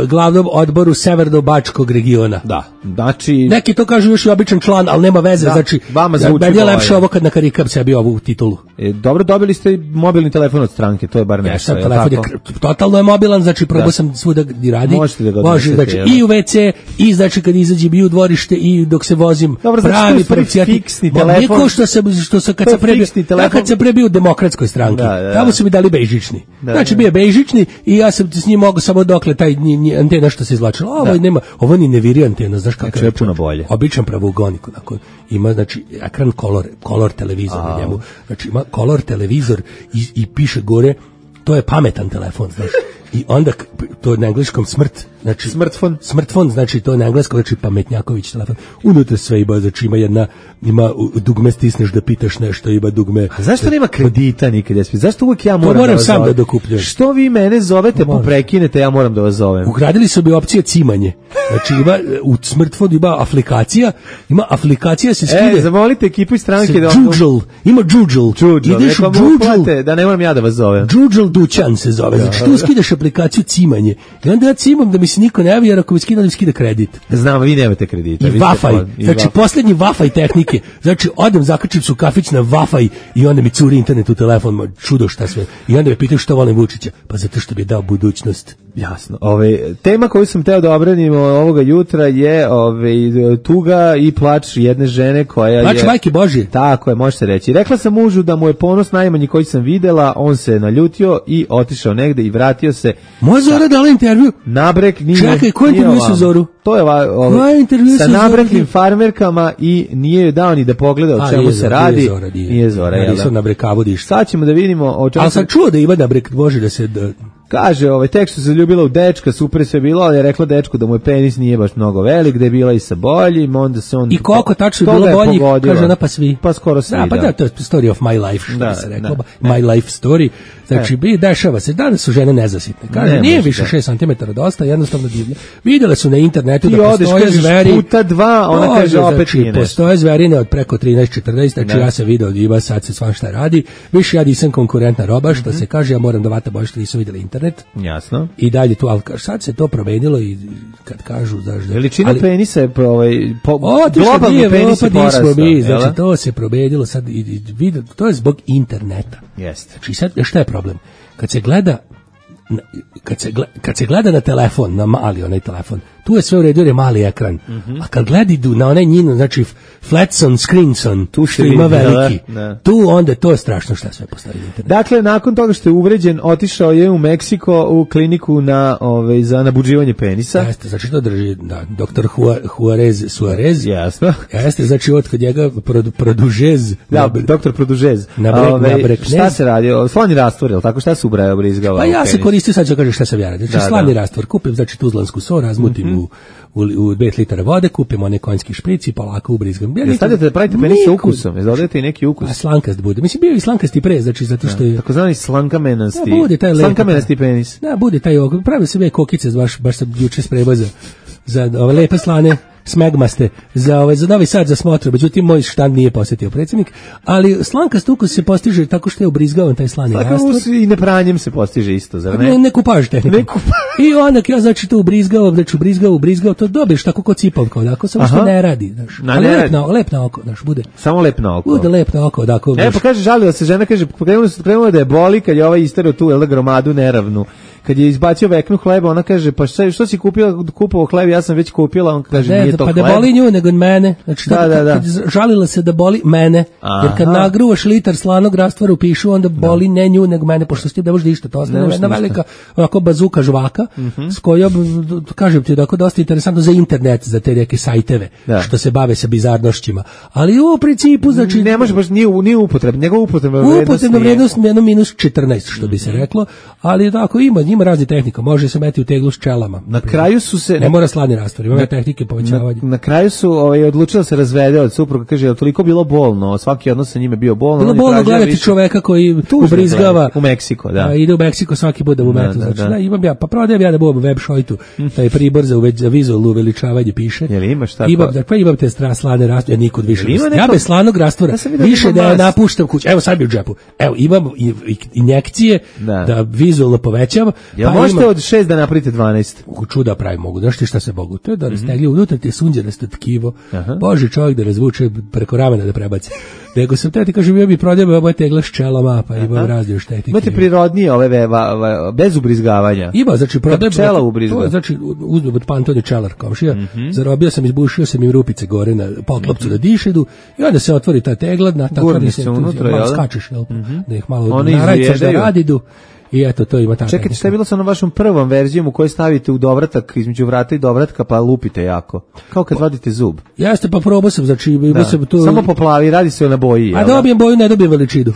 glavnom odboru Severno-Bačkog regiona. Da, znači... Neki to kažu još i običan član, ali nema veze, znači... Vama zvuči meni je lepše ovo kad nakarikam sebi ovu titulu. Dobro, dobili ste mobilni telefon od stranke, to je bar nešto. Ja, telefon je totalno je mobilan, znači probao sam svuda gdje radi. Možete da ga može, znači, i u WC, i znači kad izađem i u dvorište, i dok se vozim. Dobro, pravi fiksni telefon. Niko što se kad se prebio u demokratskoj stranki. Tamo su mi dali bejžični. Znači bio je bejžični i ja sam s njim mogao samo dokle taj antena što se izvlačila. Ovo nema, ovo ni ne viri antena, znaš kako je puno bolje. Običan pravougonik, onako. Ima znači ekran color televizor na njemu. Znači ima color televizor i piše gore, to je pametan telefon, znaš. I onda to je na engleskom smrt, znači smartphone, znači to je na engleskom, znači pametnjaković telefon. Unutra sve ima, znači ima dugme stisneš da pitaš nešto, ima dugme. A zašto nema kredita nikad? Zašto uvijek ja moram da vas sam da dokupljujem? Što vi mene zovete pa prekinete, ja moram da vas zovem. Ugradili su bi opcije cimanje. Znači ima u smartphone ima aplikacija se skide. Zamolite ekipu iz stranke da ima Džudžl. Ideš u Džudžl, da ne moram ja da vas zovem. Džudžl Dućan se zove. Znači tu skideš aplikaciju cimanje. I onda ja cimam da mi se niko ne javi, jer ako mi skida kredit. Znam, vi nemate kredita. I Wi-Fi. Znači poslednji Wi-Fi tehnike. Znači odem zakačim se u kafić na Wi-Fi i onda mi curi internet u telefon, čudo šta sve. I onda me pitaju što volim Vučića. Pa zato što bi je dao budućnost. Jasno. Tema koju sam teo da obranim ovoga jutra je tuga i plač jedne žene koja plač majke Božje. Tako je, može se reći. Rekla sam mužu da mu je ponos najmanji koji sam videla, on se naljutio i otišao negde i vratio se. Moja Zora dala intervju? Nabrek nije. Čekaj, ko intervju sa Zoru? To je sa nabreklim farmerkama i nije joj dao ni da pogleda o čemu se radi. Nije Zora, jel da? Sad ćemo da vidimo o čemu. Ali sam čuo da ima nabrek, može da se... Kaže, tek što se zaljubila u dečka, super sve bilo, ali je rekla dečku da mu je penis nije baš mnogo velik, da je bila i sa boljim, onda se on... I koliko tačno je bilo boljih, kaže ona, pa svi. Pa skoro svi, da. Pa da, to je story of my life, što bi se reklo, my life story. Znači, dešava se, danas su žene nezasitne. Kaže, nije više 6 cm dosta, jednostavno divlje. Vidjele su na internetu da postoje zveri... puta 2, ona kaže, opet nije nešto. Postoje zverine od preko 13-14, znači ja sam video ima, sad se svašta radi. Više ja nisam konkurentna roba, što se kaže, ja moram da vata bolje što nisu vidjeli internet. Jasno. I dalje tu, ali sad se to promenilo i kad kažu da veličina penisa je globalni penis je porastao. Znači to se promenilo sad i to je zbog interneta. Jeste. Znači sad šta je problem? Kad se gleda na telefon, na mali onaj telefon, tu je sve u redu jer je mali ekran. A kad gledi na onaj njinu, znači flatson, screenson, tu što ima veliki, tu onda to je strašno šta sve postavi internet. Dakle, nakon toga što je uvređen, otišao je u Meksiko u kliniku za nabuđivanje penisa. Jeste, znači to drži doktor Suarez. Jasno. Jeste, znači od kod njega produžez. Doktor produžez. Šta se radi? Slani rastvor, ili tako? Šta se ubraja obrizgava? Pa ja se koristio, sad ću kažem šta sam ja radio. Znači slani rastvor, kupim znači tuzlansku so, razmutim u 5 litara vode, kupimo one konjski špric i polako ubrizgam. Stavljate da pravite penis sa ukusom, dodajete i neki ukus. A slankast bude. Mislim, bio i slankasti pre, znači zato što je... Takozvani slankamenasti. Slankamenasti penis. Da, bude taj okog. Pravio sam je kokice, baš sam juče spremao za ove lepe slane smegmaste za Novi Sad za smotru, međutim moj štand nije posjetio predsjednik, ali slankast ukus se postiže tako što je ubrizgavan taj slani rastvor. I nepranjem se postiže isto, zar ne? Ne kupaž tehnikom. I onda ja znači to ubrizgao, to dobiješ tako kod cipavka, onako, samo što ne radi, znaš. Lep na oko, znaš, bude. Samo lep na oko. Bude lep na oko, dakle. Pa kaže, žalila se žena, kaže, krenula da je boli kad je ovaj isterao tu, jel da, gromadu neravnu. Kad je izbacio veknu hleba, ona kaže, pa što si kupovao hleb, ja sam već kupila, on kaže, nije to hleb. Pa da boli nju nego mene, znači kad žalila se da boli mene, jer kad nagruvaš litar slanog rastvora u pišu, onda boli ne nju nego mene, pošto s tim ne možeš ništa, to ostane jedna velika onako bazuka žvaka, s kojom, kažem ti, dakle, dosta interesantno za internet, za te neke sajteve, što se bave sa bizarnošćima, ali u principu, znači... Ne može baš, nije upotrebna, njegova upotrebna vrednost jedno -14, što bi se reklo, ali tako ima Ima raznih tehnika, može se meti u teglu s čelama. Na kraju su se... Ne mora sladni rastvor, ima tehnike povećavanja. Na kraju su odlučili da se razvede od supruga, kaže, je toliko bilo bolno, svaki odnos sa njime bio bolno. Bilo bolno gledati čoveka koji ubrizgava. U Meksiko, da. Ide u Meksiko svaki put da mu metu. Znači, imam ja, pa prodajem ja da budem web šojtu, taj pribor za vizualno uveličavanje piše. Jel imaš tako? Imam te sladne rastvore, ja nikud više. Ja bez slanog rastvora, više da napuštam kuću. Evo sad mi u džepu. Evo, imam injekcije da vizualno povećam. Ja možete od 6 da napravite 12? Čuda pravi mogu. Znaš ti šta se mogu? To je da rastegli unutra ti je sunđerasto tkivo. Bože, čovjek da razvuče preko ramena da prebaci. Nego sam te ti kažem, ja bi prodajem ove tegla s čelama, pa imam razne još tehnike. Imate prirodnije ove bez ubrizgavanja. Ima, znači prodajem pčela ubrizga. Znači uzmem od Pantoni čelar komšija, zarobio sam, izbušio sam im rupice gore na poklopcu da dišedu i onda se otvori ta tegla, natakari se unutra, malo skačeš, da ih malo narajcaš da radidu. I eto, to ima tako. Čekajte, šta je bilo sa onom vašom prvom verzijom u kojoj stavite u dovratak, između vrata i dovratka, pa lupite jako? Kao kad vadite zub. Jeste, pa probao sam, znači... Sam to... Samo poplavi, radi se na boji. A dobijem boju, ne dobijem veličinu.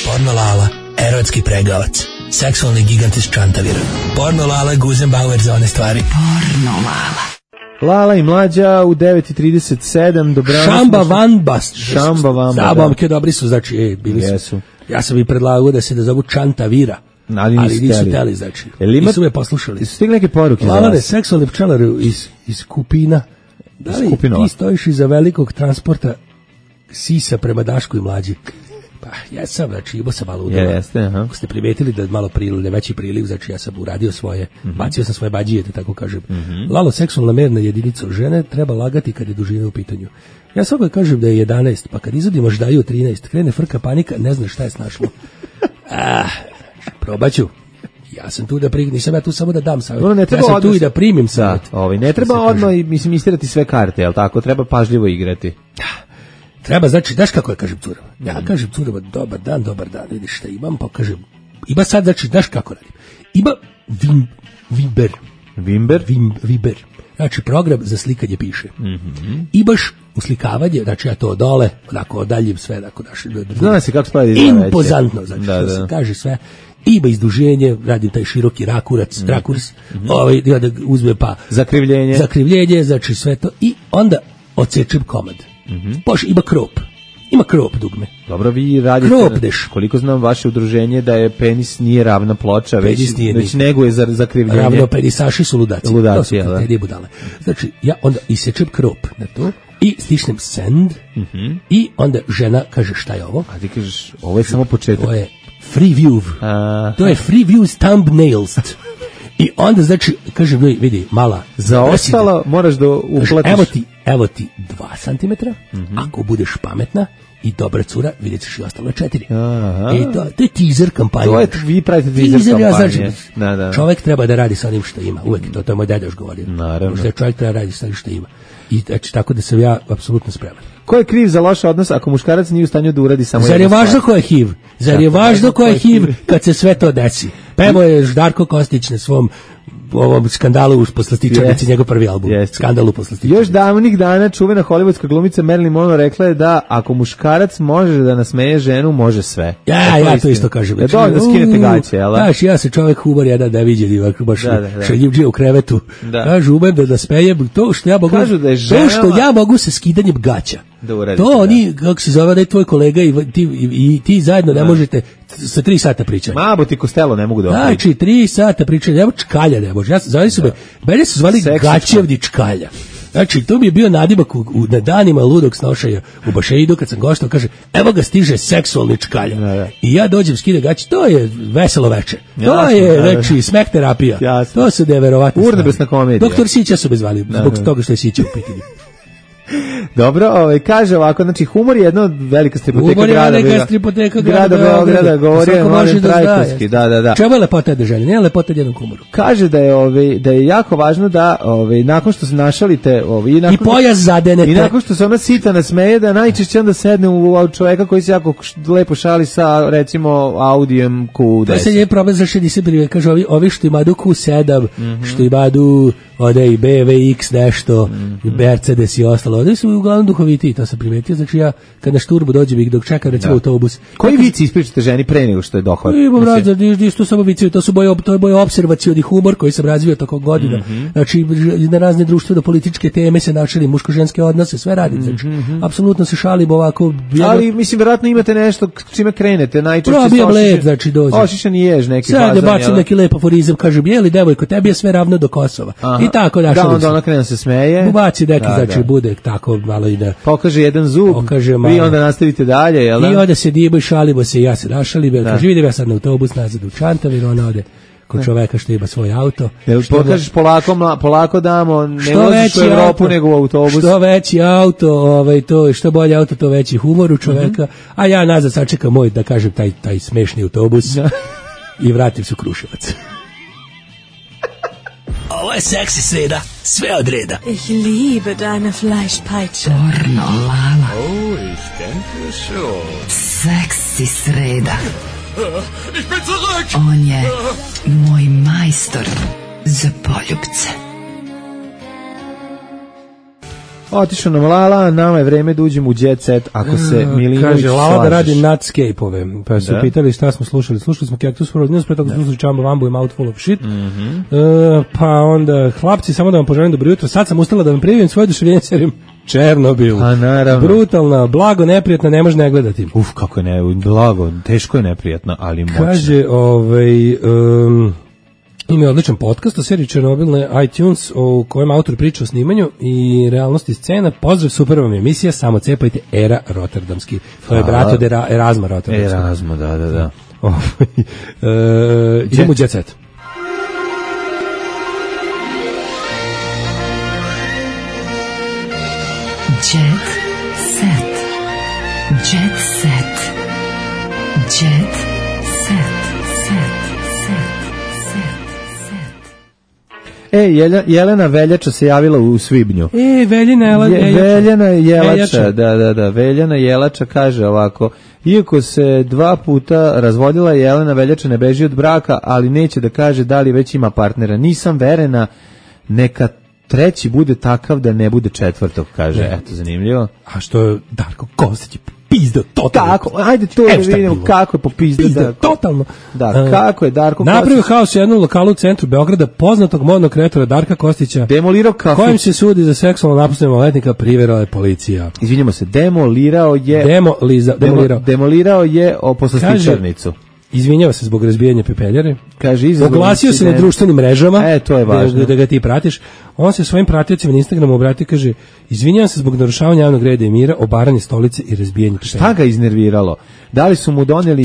Porno Lala, erotski pregavac, seksualni gigant iz Čantavira. Porno Lala, Guzenbauer za one stvari. Porno Lala. Lala i Mlađa u 9:37. Dobrano. Šamba Van Bast. Šamba Van Bast. Zabavke dobri su, znači, bili su. Ja sam i predlagao da se da zovu Čantavira, ali nisu teli, znači. Nisu me poslušali. Su stigli neke poruke za vas? Lalane, seksualni pčelar iz Kupina. Da li ti stojiš iza velikog transporta sisa prema Dašku i Mlađi? Pa, ja sam, znači, imao sam malo udova. Jeste, aha. Ako ste primetili da malo veći priliv, znači ja sam uradio svoje, bacio sam svoje bađije, da tako kažem. Lalo, seksualna merna jedinica žene treba lagati kad je dužina u pitanju. Ja sam uvijek kažem da je 11, pa kad izvodiš daju 13, krene frka panika, ne znaš šta je snašlo. Probaću. Ja sam tu da nisam ja tu samo da dam savjet. Ja sam tu i da primim savjet. Ne treba odmah istirati sve karte, jel tako? Treba pažljivo igrati. Treba, znači, daš kako ja kažem curama? Ja kažem curama, dobar dan, vidiš šta imam, pa kažem, ima sad, znači, daš kako radim? Ima Viber. Znači, program za slikanje piše. I baš uslikavanje, znači ja to dole, onako odaljim sve, onako zna se kako spravi impozantno, znači, što se kaže sve. Ima izduženje, radim taj široki rakurs, da uzme pa zakrivljenje, znači sve to, i onda odsečem komad. Ima krop dugme. Dobro, vi radite, koliko znam vaše udruženje da je penis nije ravna ploča, već neguje za zakrivljenje. Ravno penisaši su ludaci. To su kriterije budale. Znači, ja onda isječem krop na to i stisnem send i onda žena kaže šta je ovo? A ti kažeš, ovo je samo početak. To je free view. To je free view thumbnails. I onda, znači, kažem, vidi, mala. Za ostalo moraš da uplatiš. Evo ti 2 cm, ako budeš pametna i dobra cura, vidjet ćeš i ostalo 4. To je teaser kampanja. Vi pravite teaser kampanje. Znači, čovjek treba da radi sa onim što ima. Uvek, to je moj deda još govorio. Naravno. Čovjek treba da radi sa onim što ima. I znači, tako da sam ja apsolutno spreman. Ko je kriv za loš odnos ako muškarac nije u stanju da uradi samo Zar je važno ko je HIV? Zar je važno ko je HIV kad se sve to desi? Pevo je Ždarko Kostić na svom ovom skandalu u Poslastičarnici, njegov prvi album. Skandal u Poslastičarnici. Još davnih dana čuvena hollywoodska glumica Marilyn Monroe rekla je da ako muškarac može da nasmeje ženu, može sve. Ja to isto kažem. Ja dovoljno skinete gaće, jel? Znaš, ja se čovjek humor jedan da viđe, baš šaljivđija u krevetu. Kažu, umem da smejem, to što ja mogu sa skidanjem gaća. To oni, kako se zove, da je tvoj kolega i ti zajedno ne možete sa 3 sata pričati. Mabo ti Kostelo ne mogu da opričati. Znači, 3 sata pričati, evo čkalja ne može. Mene su zvali Gaćevni čkalja. Znači, to mi je bio nadimak na danima ludog snošaja u Bašeidu, kad sam goštao, kaže, evo ga stiže seksualni čkalja. I ja dođem, skide gaće, to je veselo veče. To je, znači, smeh terapija. To su neverovatne stvari. Urnebesna komedija. Doktor Sića su me zvali, zbog toga što je Sića u pitanju. Dobro, kaže ovako, znači humor je jedna velika stripoteka grada Beograda, govori je Mladen Trajkovski, da. Čemu je lepota jedne žene? Nije lepota jednom humoru. Kaže da je jako važno da nakon što se našalite i pojas zadenete i nakon što se ona sita nasmeje, da najčešće onda sedne u čoveka koji se jako lepo šali sa, recimo, Audijem Q10. To se je problem za 60 brive, kaže ovi što imadu Q7, što imadu ode i BMW X nešto, Mercedes i ostalo, ode su uglavnom duhovitiji, to sam primetio, znači ja kad na šturbu dođem ih dok čekam recimo autobus. Koji vici ispričate ženi pre nego što je dohvat? Imam to samo vici, to je moj opservacioni humor koji sam razvio tokom godina, znači na razne društveno političke teme se načeli, muško-ženske odnose, sve radim, znači apsolutno se šalim ovako. Ali mislim, vjerojatno imate nešto čime krenete, najčešće probijam led, znači dođem. Ošišan i ješ neki fazan. Sad ja bacim neki lep aforizam, kažem, jeli devojko, tebi je sve ravno do Kosova. Aha. I tako našali se. Da, onda ona krene se smeje. Baci neki, znači bude tako malo i da... Pokaže jedan zub, vi onda nastavite dalje, jel da? I onda se dibo i šalimo se i ja se našalim, kaže, vidim ja sad na autobus nazad u Čantavir, ona ode kod čoveka što ima svoj auto. Jel pokažeš polako damo, ne voziš u Evropu nego u autobus. Što veći auto, to što bolje auto, to veći humor u čoveka, a ja nazad sačekam moj, da kažem, taj smešni autobus i vratim se u Kruševac. Ovo je seksi sreda, sve od reda. Ich liebe deine Fleischpeitsche. Pornolala. Oh, ich denke schon. Seksi sreda. Ich bin zurück! On je moj majstor za poljubce. Otišao nam Lala, nama je vreme da uđemo u Jet Set, ako se Milinović kaže, Lala slažeš. Da radi Nutscape-ove, pa su pitali šta smo slušali. Slušali smo Cactus for News, pre toga smo slušali Chamba Wambu i Mouthful of Shit. Pa onda, hlapci, samo da vam poželim dobro jutro. Sad sam ustala da vam prijavim svoje oduševljenje serijom Černobil. A naravno. Brutalna, blago, neprijatna, ne može ne gledati. Kako je blago, teško je neprijatno, ali moćno. Kaže, ima odličan podcast o seriji Černobil na iTunes u kojem autor priča o snimanju i realnosti scena. Pozdrav, super vam je emisija, samo cepajte Era Rotterdamski. To je brat od Erasma Rotterdamski. Erasma, da. Idemo u Jet Set. Jet Set. Jet Set. Jet Set. Jelena Veljača se javila u svibnju. Veljana Jelača, da. Veljana Jelača kaže ovako: iako se 2 puta razvodila, Jelena Veljača ne beži od braka, ali neće da kaže da li već ima partnera. Nisam verena, neka treći bude takav da ne bude četvrtog, kaže. Eto, zanimljivo. A što Darko Kostić pizda totalno. Kako? Ajde to da vidimo kako je popizda. Totalno. Da, kako je Darko Kostić napravio haos u jednom lokalu u centru Beograda, poznatog modnog kreatora Darka Kostića, demolirao kafić, kojim se sudi za seksualno napuštanje maloletnika, priverala je policija. Izvinjamo se, demolirao je poslastičarnicu. Izvinjava se zbog razbijanja pepeljare. Kaže, oglasio se na društvenim mrežama. To je važno. Da ga ti pratiš. On se svojim pratiocima na Instagramu obratio, kaže: izvinjavam se zbog narušavanja javnog reda i mira, obaranje stolice i razbijanje pepeljare. Šta ga iznerviralo? Da li su mu doneli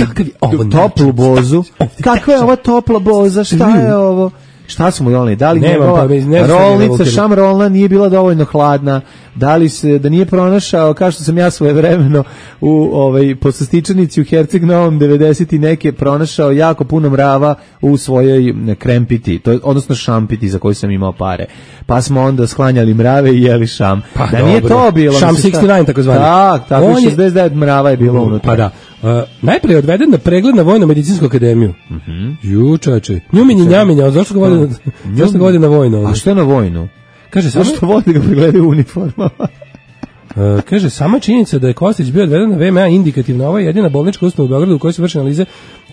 toplu bozu? Kakva je ova topla boza? Šta je ovo? Šta su mu doneli? Da li njegova rolnica šamrolna nije bila dovoljno hladna? Da li se, da nije pronašao, kao što sam ja svojevremeno u poslastičarnici u Herceg Novom 90 i neke pronašao jako puno mrava u svojoj krempiti, odnosno šampiti za koju sam imao pare. Pa smo onda sklanjali mrave i jeli šam. Pa da nije to bilo. Šam 69 takozvani. Tako 69 mrava je bilo unutra. Pa da. Najprije odveden na pregled na Vojno-medicinsku akademiju. Ju, čoveče. Njuminji njaminja, zašto ga vodi na vojnu? A što je na vojnu? Kaže, zašto vodi ga pregledaju uniformama? Kaže, sama činjenica da je Kostić bio odveden na VMA indikativna. Ovo je jedina bolnička ustanova u Beogradu u kojoj se vrše analize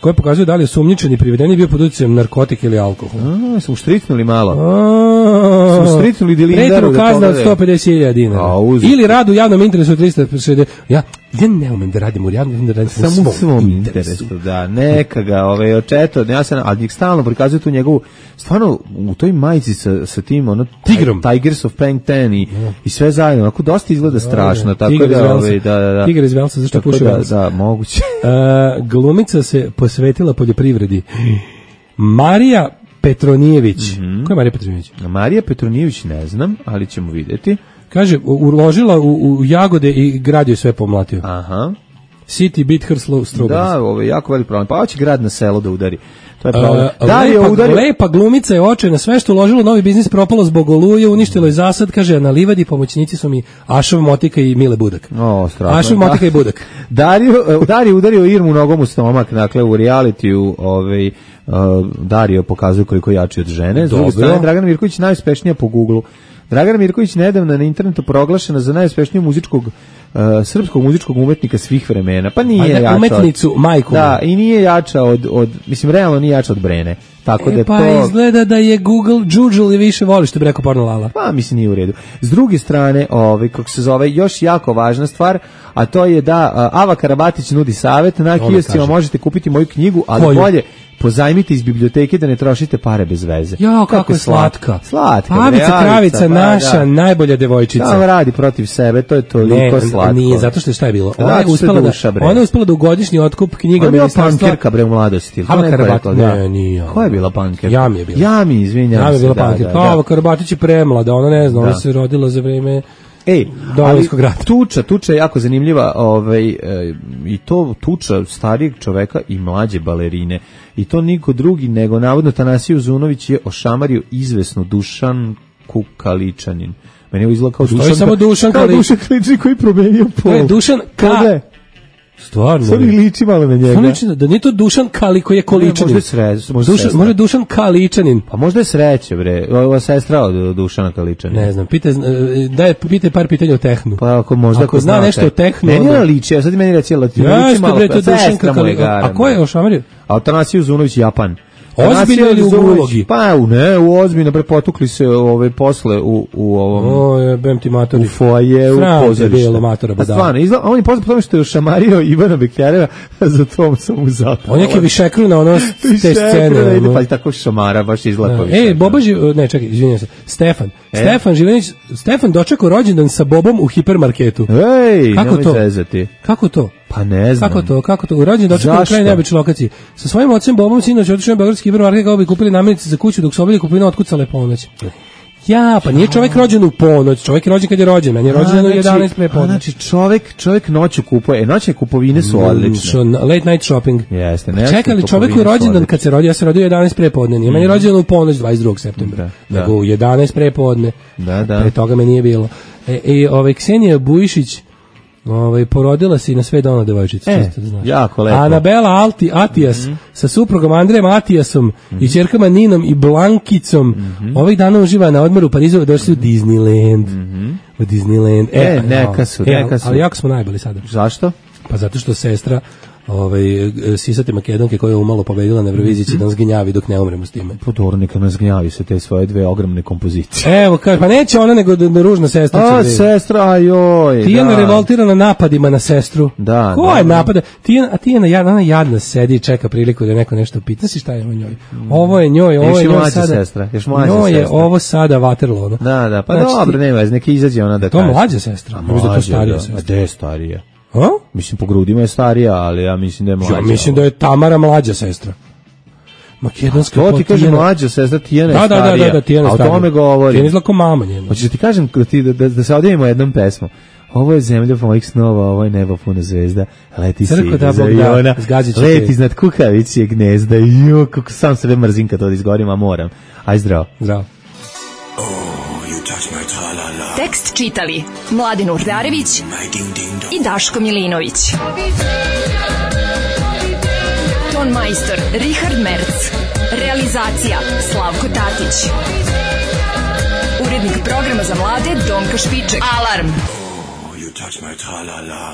koje pokazuju da li je osumnjičen i priveden bio pod utjecajem narkotika ili alkohol. Smo štricnuli malo. Smo štricnuli dilindaru. Pretjernu kazna od 150.000 dinara. Ili rad u javnom interesu od 360. Ja ne umem da radim u javnom interesu. Samo u svom interesu. Da, neka ga očeto. Ali njeg stalno prikazuju tu njegovu, stvarno u toj majici sa tim Tigrom. Tigers of Plankton i sve zajedno. Onako dosta izgleda strašno. Tiger iz Velsa, zašto puši Velsa? Da, moguće. Glumica se posvetila poljoprivredi. Marija Petronijević. Ko je Marija Petronijević? Marija Petronijević ne znam, ali ćemo vidjeti. Kaže, uložila u jagode i grad joj sve pomlatio. Aha. City beat her strawberries. Da, ovo je jako velik problem. Pa hoće grad na selo da udari. To je problem. Lepa glumica je očajna, sve što uložilo u novi biznis propalo zbog oluje, uništilo je zasad, kaže, na livadi pomoćnici su mi Ašov Motika i Mile Budak. Ašov Motika i Budak. Dario udario Irmu nogom u stomak, dakle u realitiju Dario pokazuje koliko je jači od žene. S druge strane, Dragana Mirković najuspešnija po Google-u. Dragana Mirković nedavno na internetu proglašena za najuspešnijeg srpskog muzičkog umetnika svih vremena. Pa nije jača umetnicu, majku. Da, i nije jača od mislim, realno nije jača od Brene. Tako da pa to... izgleda da je Google džudžul i više voli, što bi rekao Porno Lala. Pa mislim nije u redu. S druge strane, kako se zove, još jako važna stvar, a to je da Ava Karabatić nudi savjet, na kioscima možete kupiti moju knjigu, ali bolje pozajmite iz biblioteke da ne trošite pare bez veze. Jo, kako je slatka. Slatka. Pavica Kravica, naša najbolja devojčica. Ona radi protiv sebe, to je toliko slatko. Nije, zato što je šta je bilo. Ona je uspela da u godišnji otkup knjiga ministarstva. Ona je bila pankerka, bre, u mladosti. Ava Karabatić, ne, nije. Ko je bila pankerka? Jami je bila. Jami, izvinjam se. Jami je bila pankerka. Ava Karabatić je premlada, ona ne zna, ona se rodila za vreme... ali tuča je jako zanimljiva, i to tuča starijeg čoveka i mlađe balerine. I to niko drugi nego navodno Tanasiju Zunović je ošamario izvesnu Dušanku Kaličanin. Meni je izgleda kao Dušan Kaličanin koji promenio pol. Dušan Stvarno. Sad mi liči malo na njega. Da nije to Dušan Kali koji je Količanin. Možda Dušan Kaličanin. Pa možda je Sreće, bre. Ova sestra od Dušana Kaličanina. Ne znam, pitaj par pitanja o tehnu. Pa ako zna nešto o tehnu. Meni je liči, a sad meni reći liči malo. Sestra mu je gara. A ko je ošamario? Tanasiju Zunović, Japan. Ozbiljno ili u ulogi? Pa ne, u ozbiljno, potukli se posle u ovom... bem ti matori. U foajeu, u pozorištu. Stvarno, on je poznat po tome što je ošamario Ivana Bekjereva, za tom sam mu zapao. On je neki višekru na ono te scene. Pa tako šamara, baš izgleda. Bobaži, ne čekaj, izvinjam se, Stefan Živanić, Stefan dočekao rođendan sa Bobom u hipermarketu. Ej, nemoj zezati. Kako to? Pa ne znam. Kako to? U rođendan dočekao na kraju neobične lokacije. Sa svojim ocem Bobom sinoć otišao na beogradski hipermarket kako bi kupili namirnice za kuću dok su obavili kupovinu otkucale ponoć. Ja, pa nije čovjek rođen u ponoć, čovjek je rođen kad je rođen, meni je rođen u 11 pre ponoć. Znači čovjek noću kupuje, noćne kupovine su odlične. Late night shopping. Jeste, čekali čovjek je rođendan kad se rodio, ja se rodio 11 pre podne, nije meni rođen u ponoć 22. septembra, nego u 11 pre podne. Da. Pre toga me nije bilo. Ksenija Bujišić porodila se i na sve dana devojčica. Jako lepo. Anabela Atijas sa suprugom Andrejem Atijasom i ćerkama Ninom i Blankicom ovih dana uživa na odmoru u Parizu, došli u Disneyland. U Disneyland. Neka su. Ali jako smo najbolji sada. Zašto? Pa zato što sestra sisate Makedonke koja je umalo pobedila na Euroviziji će da nas gnjavi dok ne umremo s time. Podor, neka nas gnjavi sa te svoje dve ogromne kompozicije. Evo, pa neće ona nego da ružna sestra. Sestra, joj. Tijana revoltirana napadima na sestru. Da. Ko je napada? Tijana, ona jadna sedi i čeka priliku da neko nešto pita. Znaš šta je ovo njoj? Ovo je njoj sada. Sestra. Njoj je ovo sada Waterloo. Da, pa dobro, nema veze, neka izađe ona da kaže. To mlađa sestra. Možda to starija sestra. Gde je starija? A? Mislim, po grudima je starija, ali ja mislim da je mlađa. Ja mislim da je Tamara mlađa sestra. Makedonska to ti kaže mlađa sestra, Tijana je starija. Da, Tijana je starija. A o tome govori. Tijana izgleda kao mama njena. Hoćeš da ti kažem da se odjevimo jednom pesmom. Ovo je zemlja mojih snova, ovo je nebo puno zvezda. Leti si iz aviona, leti iznad kukavičjeg gnezda. Jo, kako sam sebe mrzim kad to izgovorim, a moram. Aj zdravo. Zdravo. Tekst čitali Mladin Urdarević i Daško Milinović. Ton majstor Richard Merc. Realizacija Slavko Tatić. Urednik programa za mlade Donka Špiček. Alarm! You touch my tra-la-la.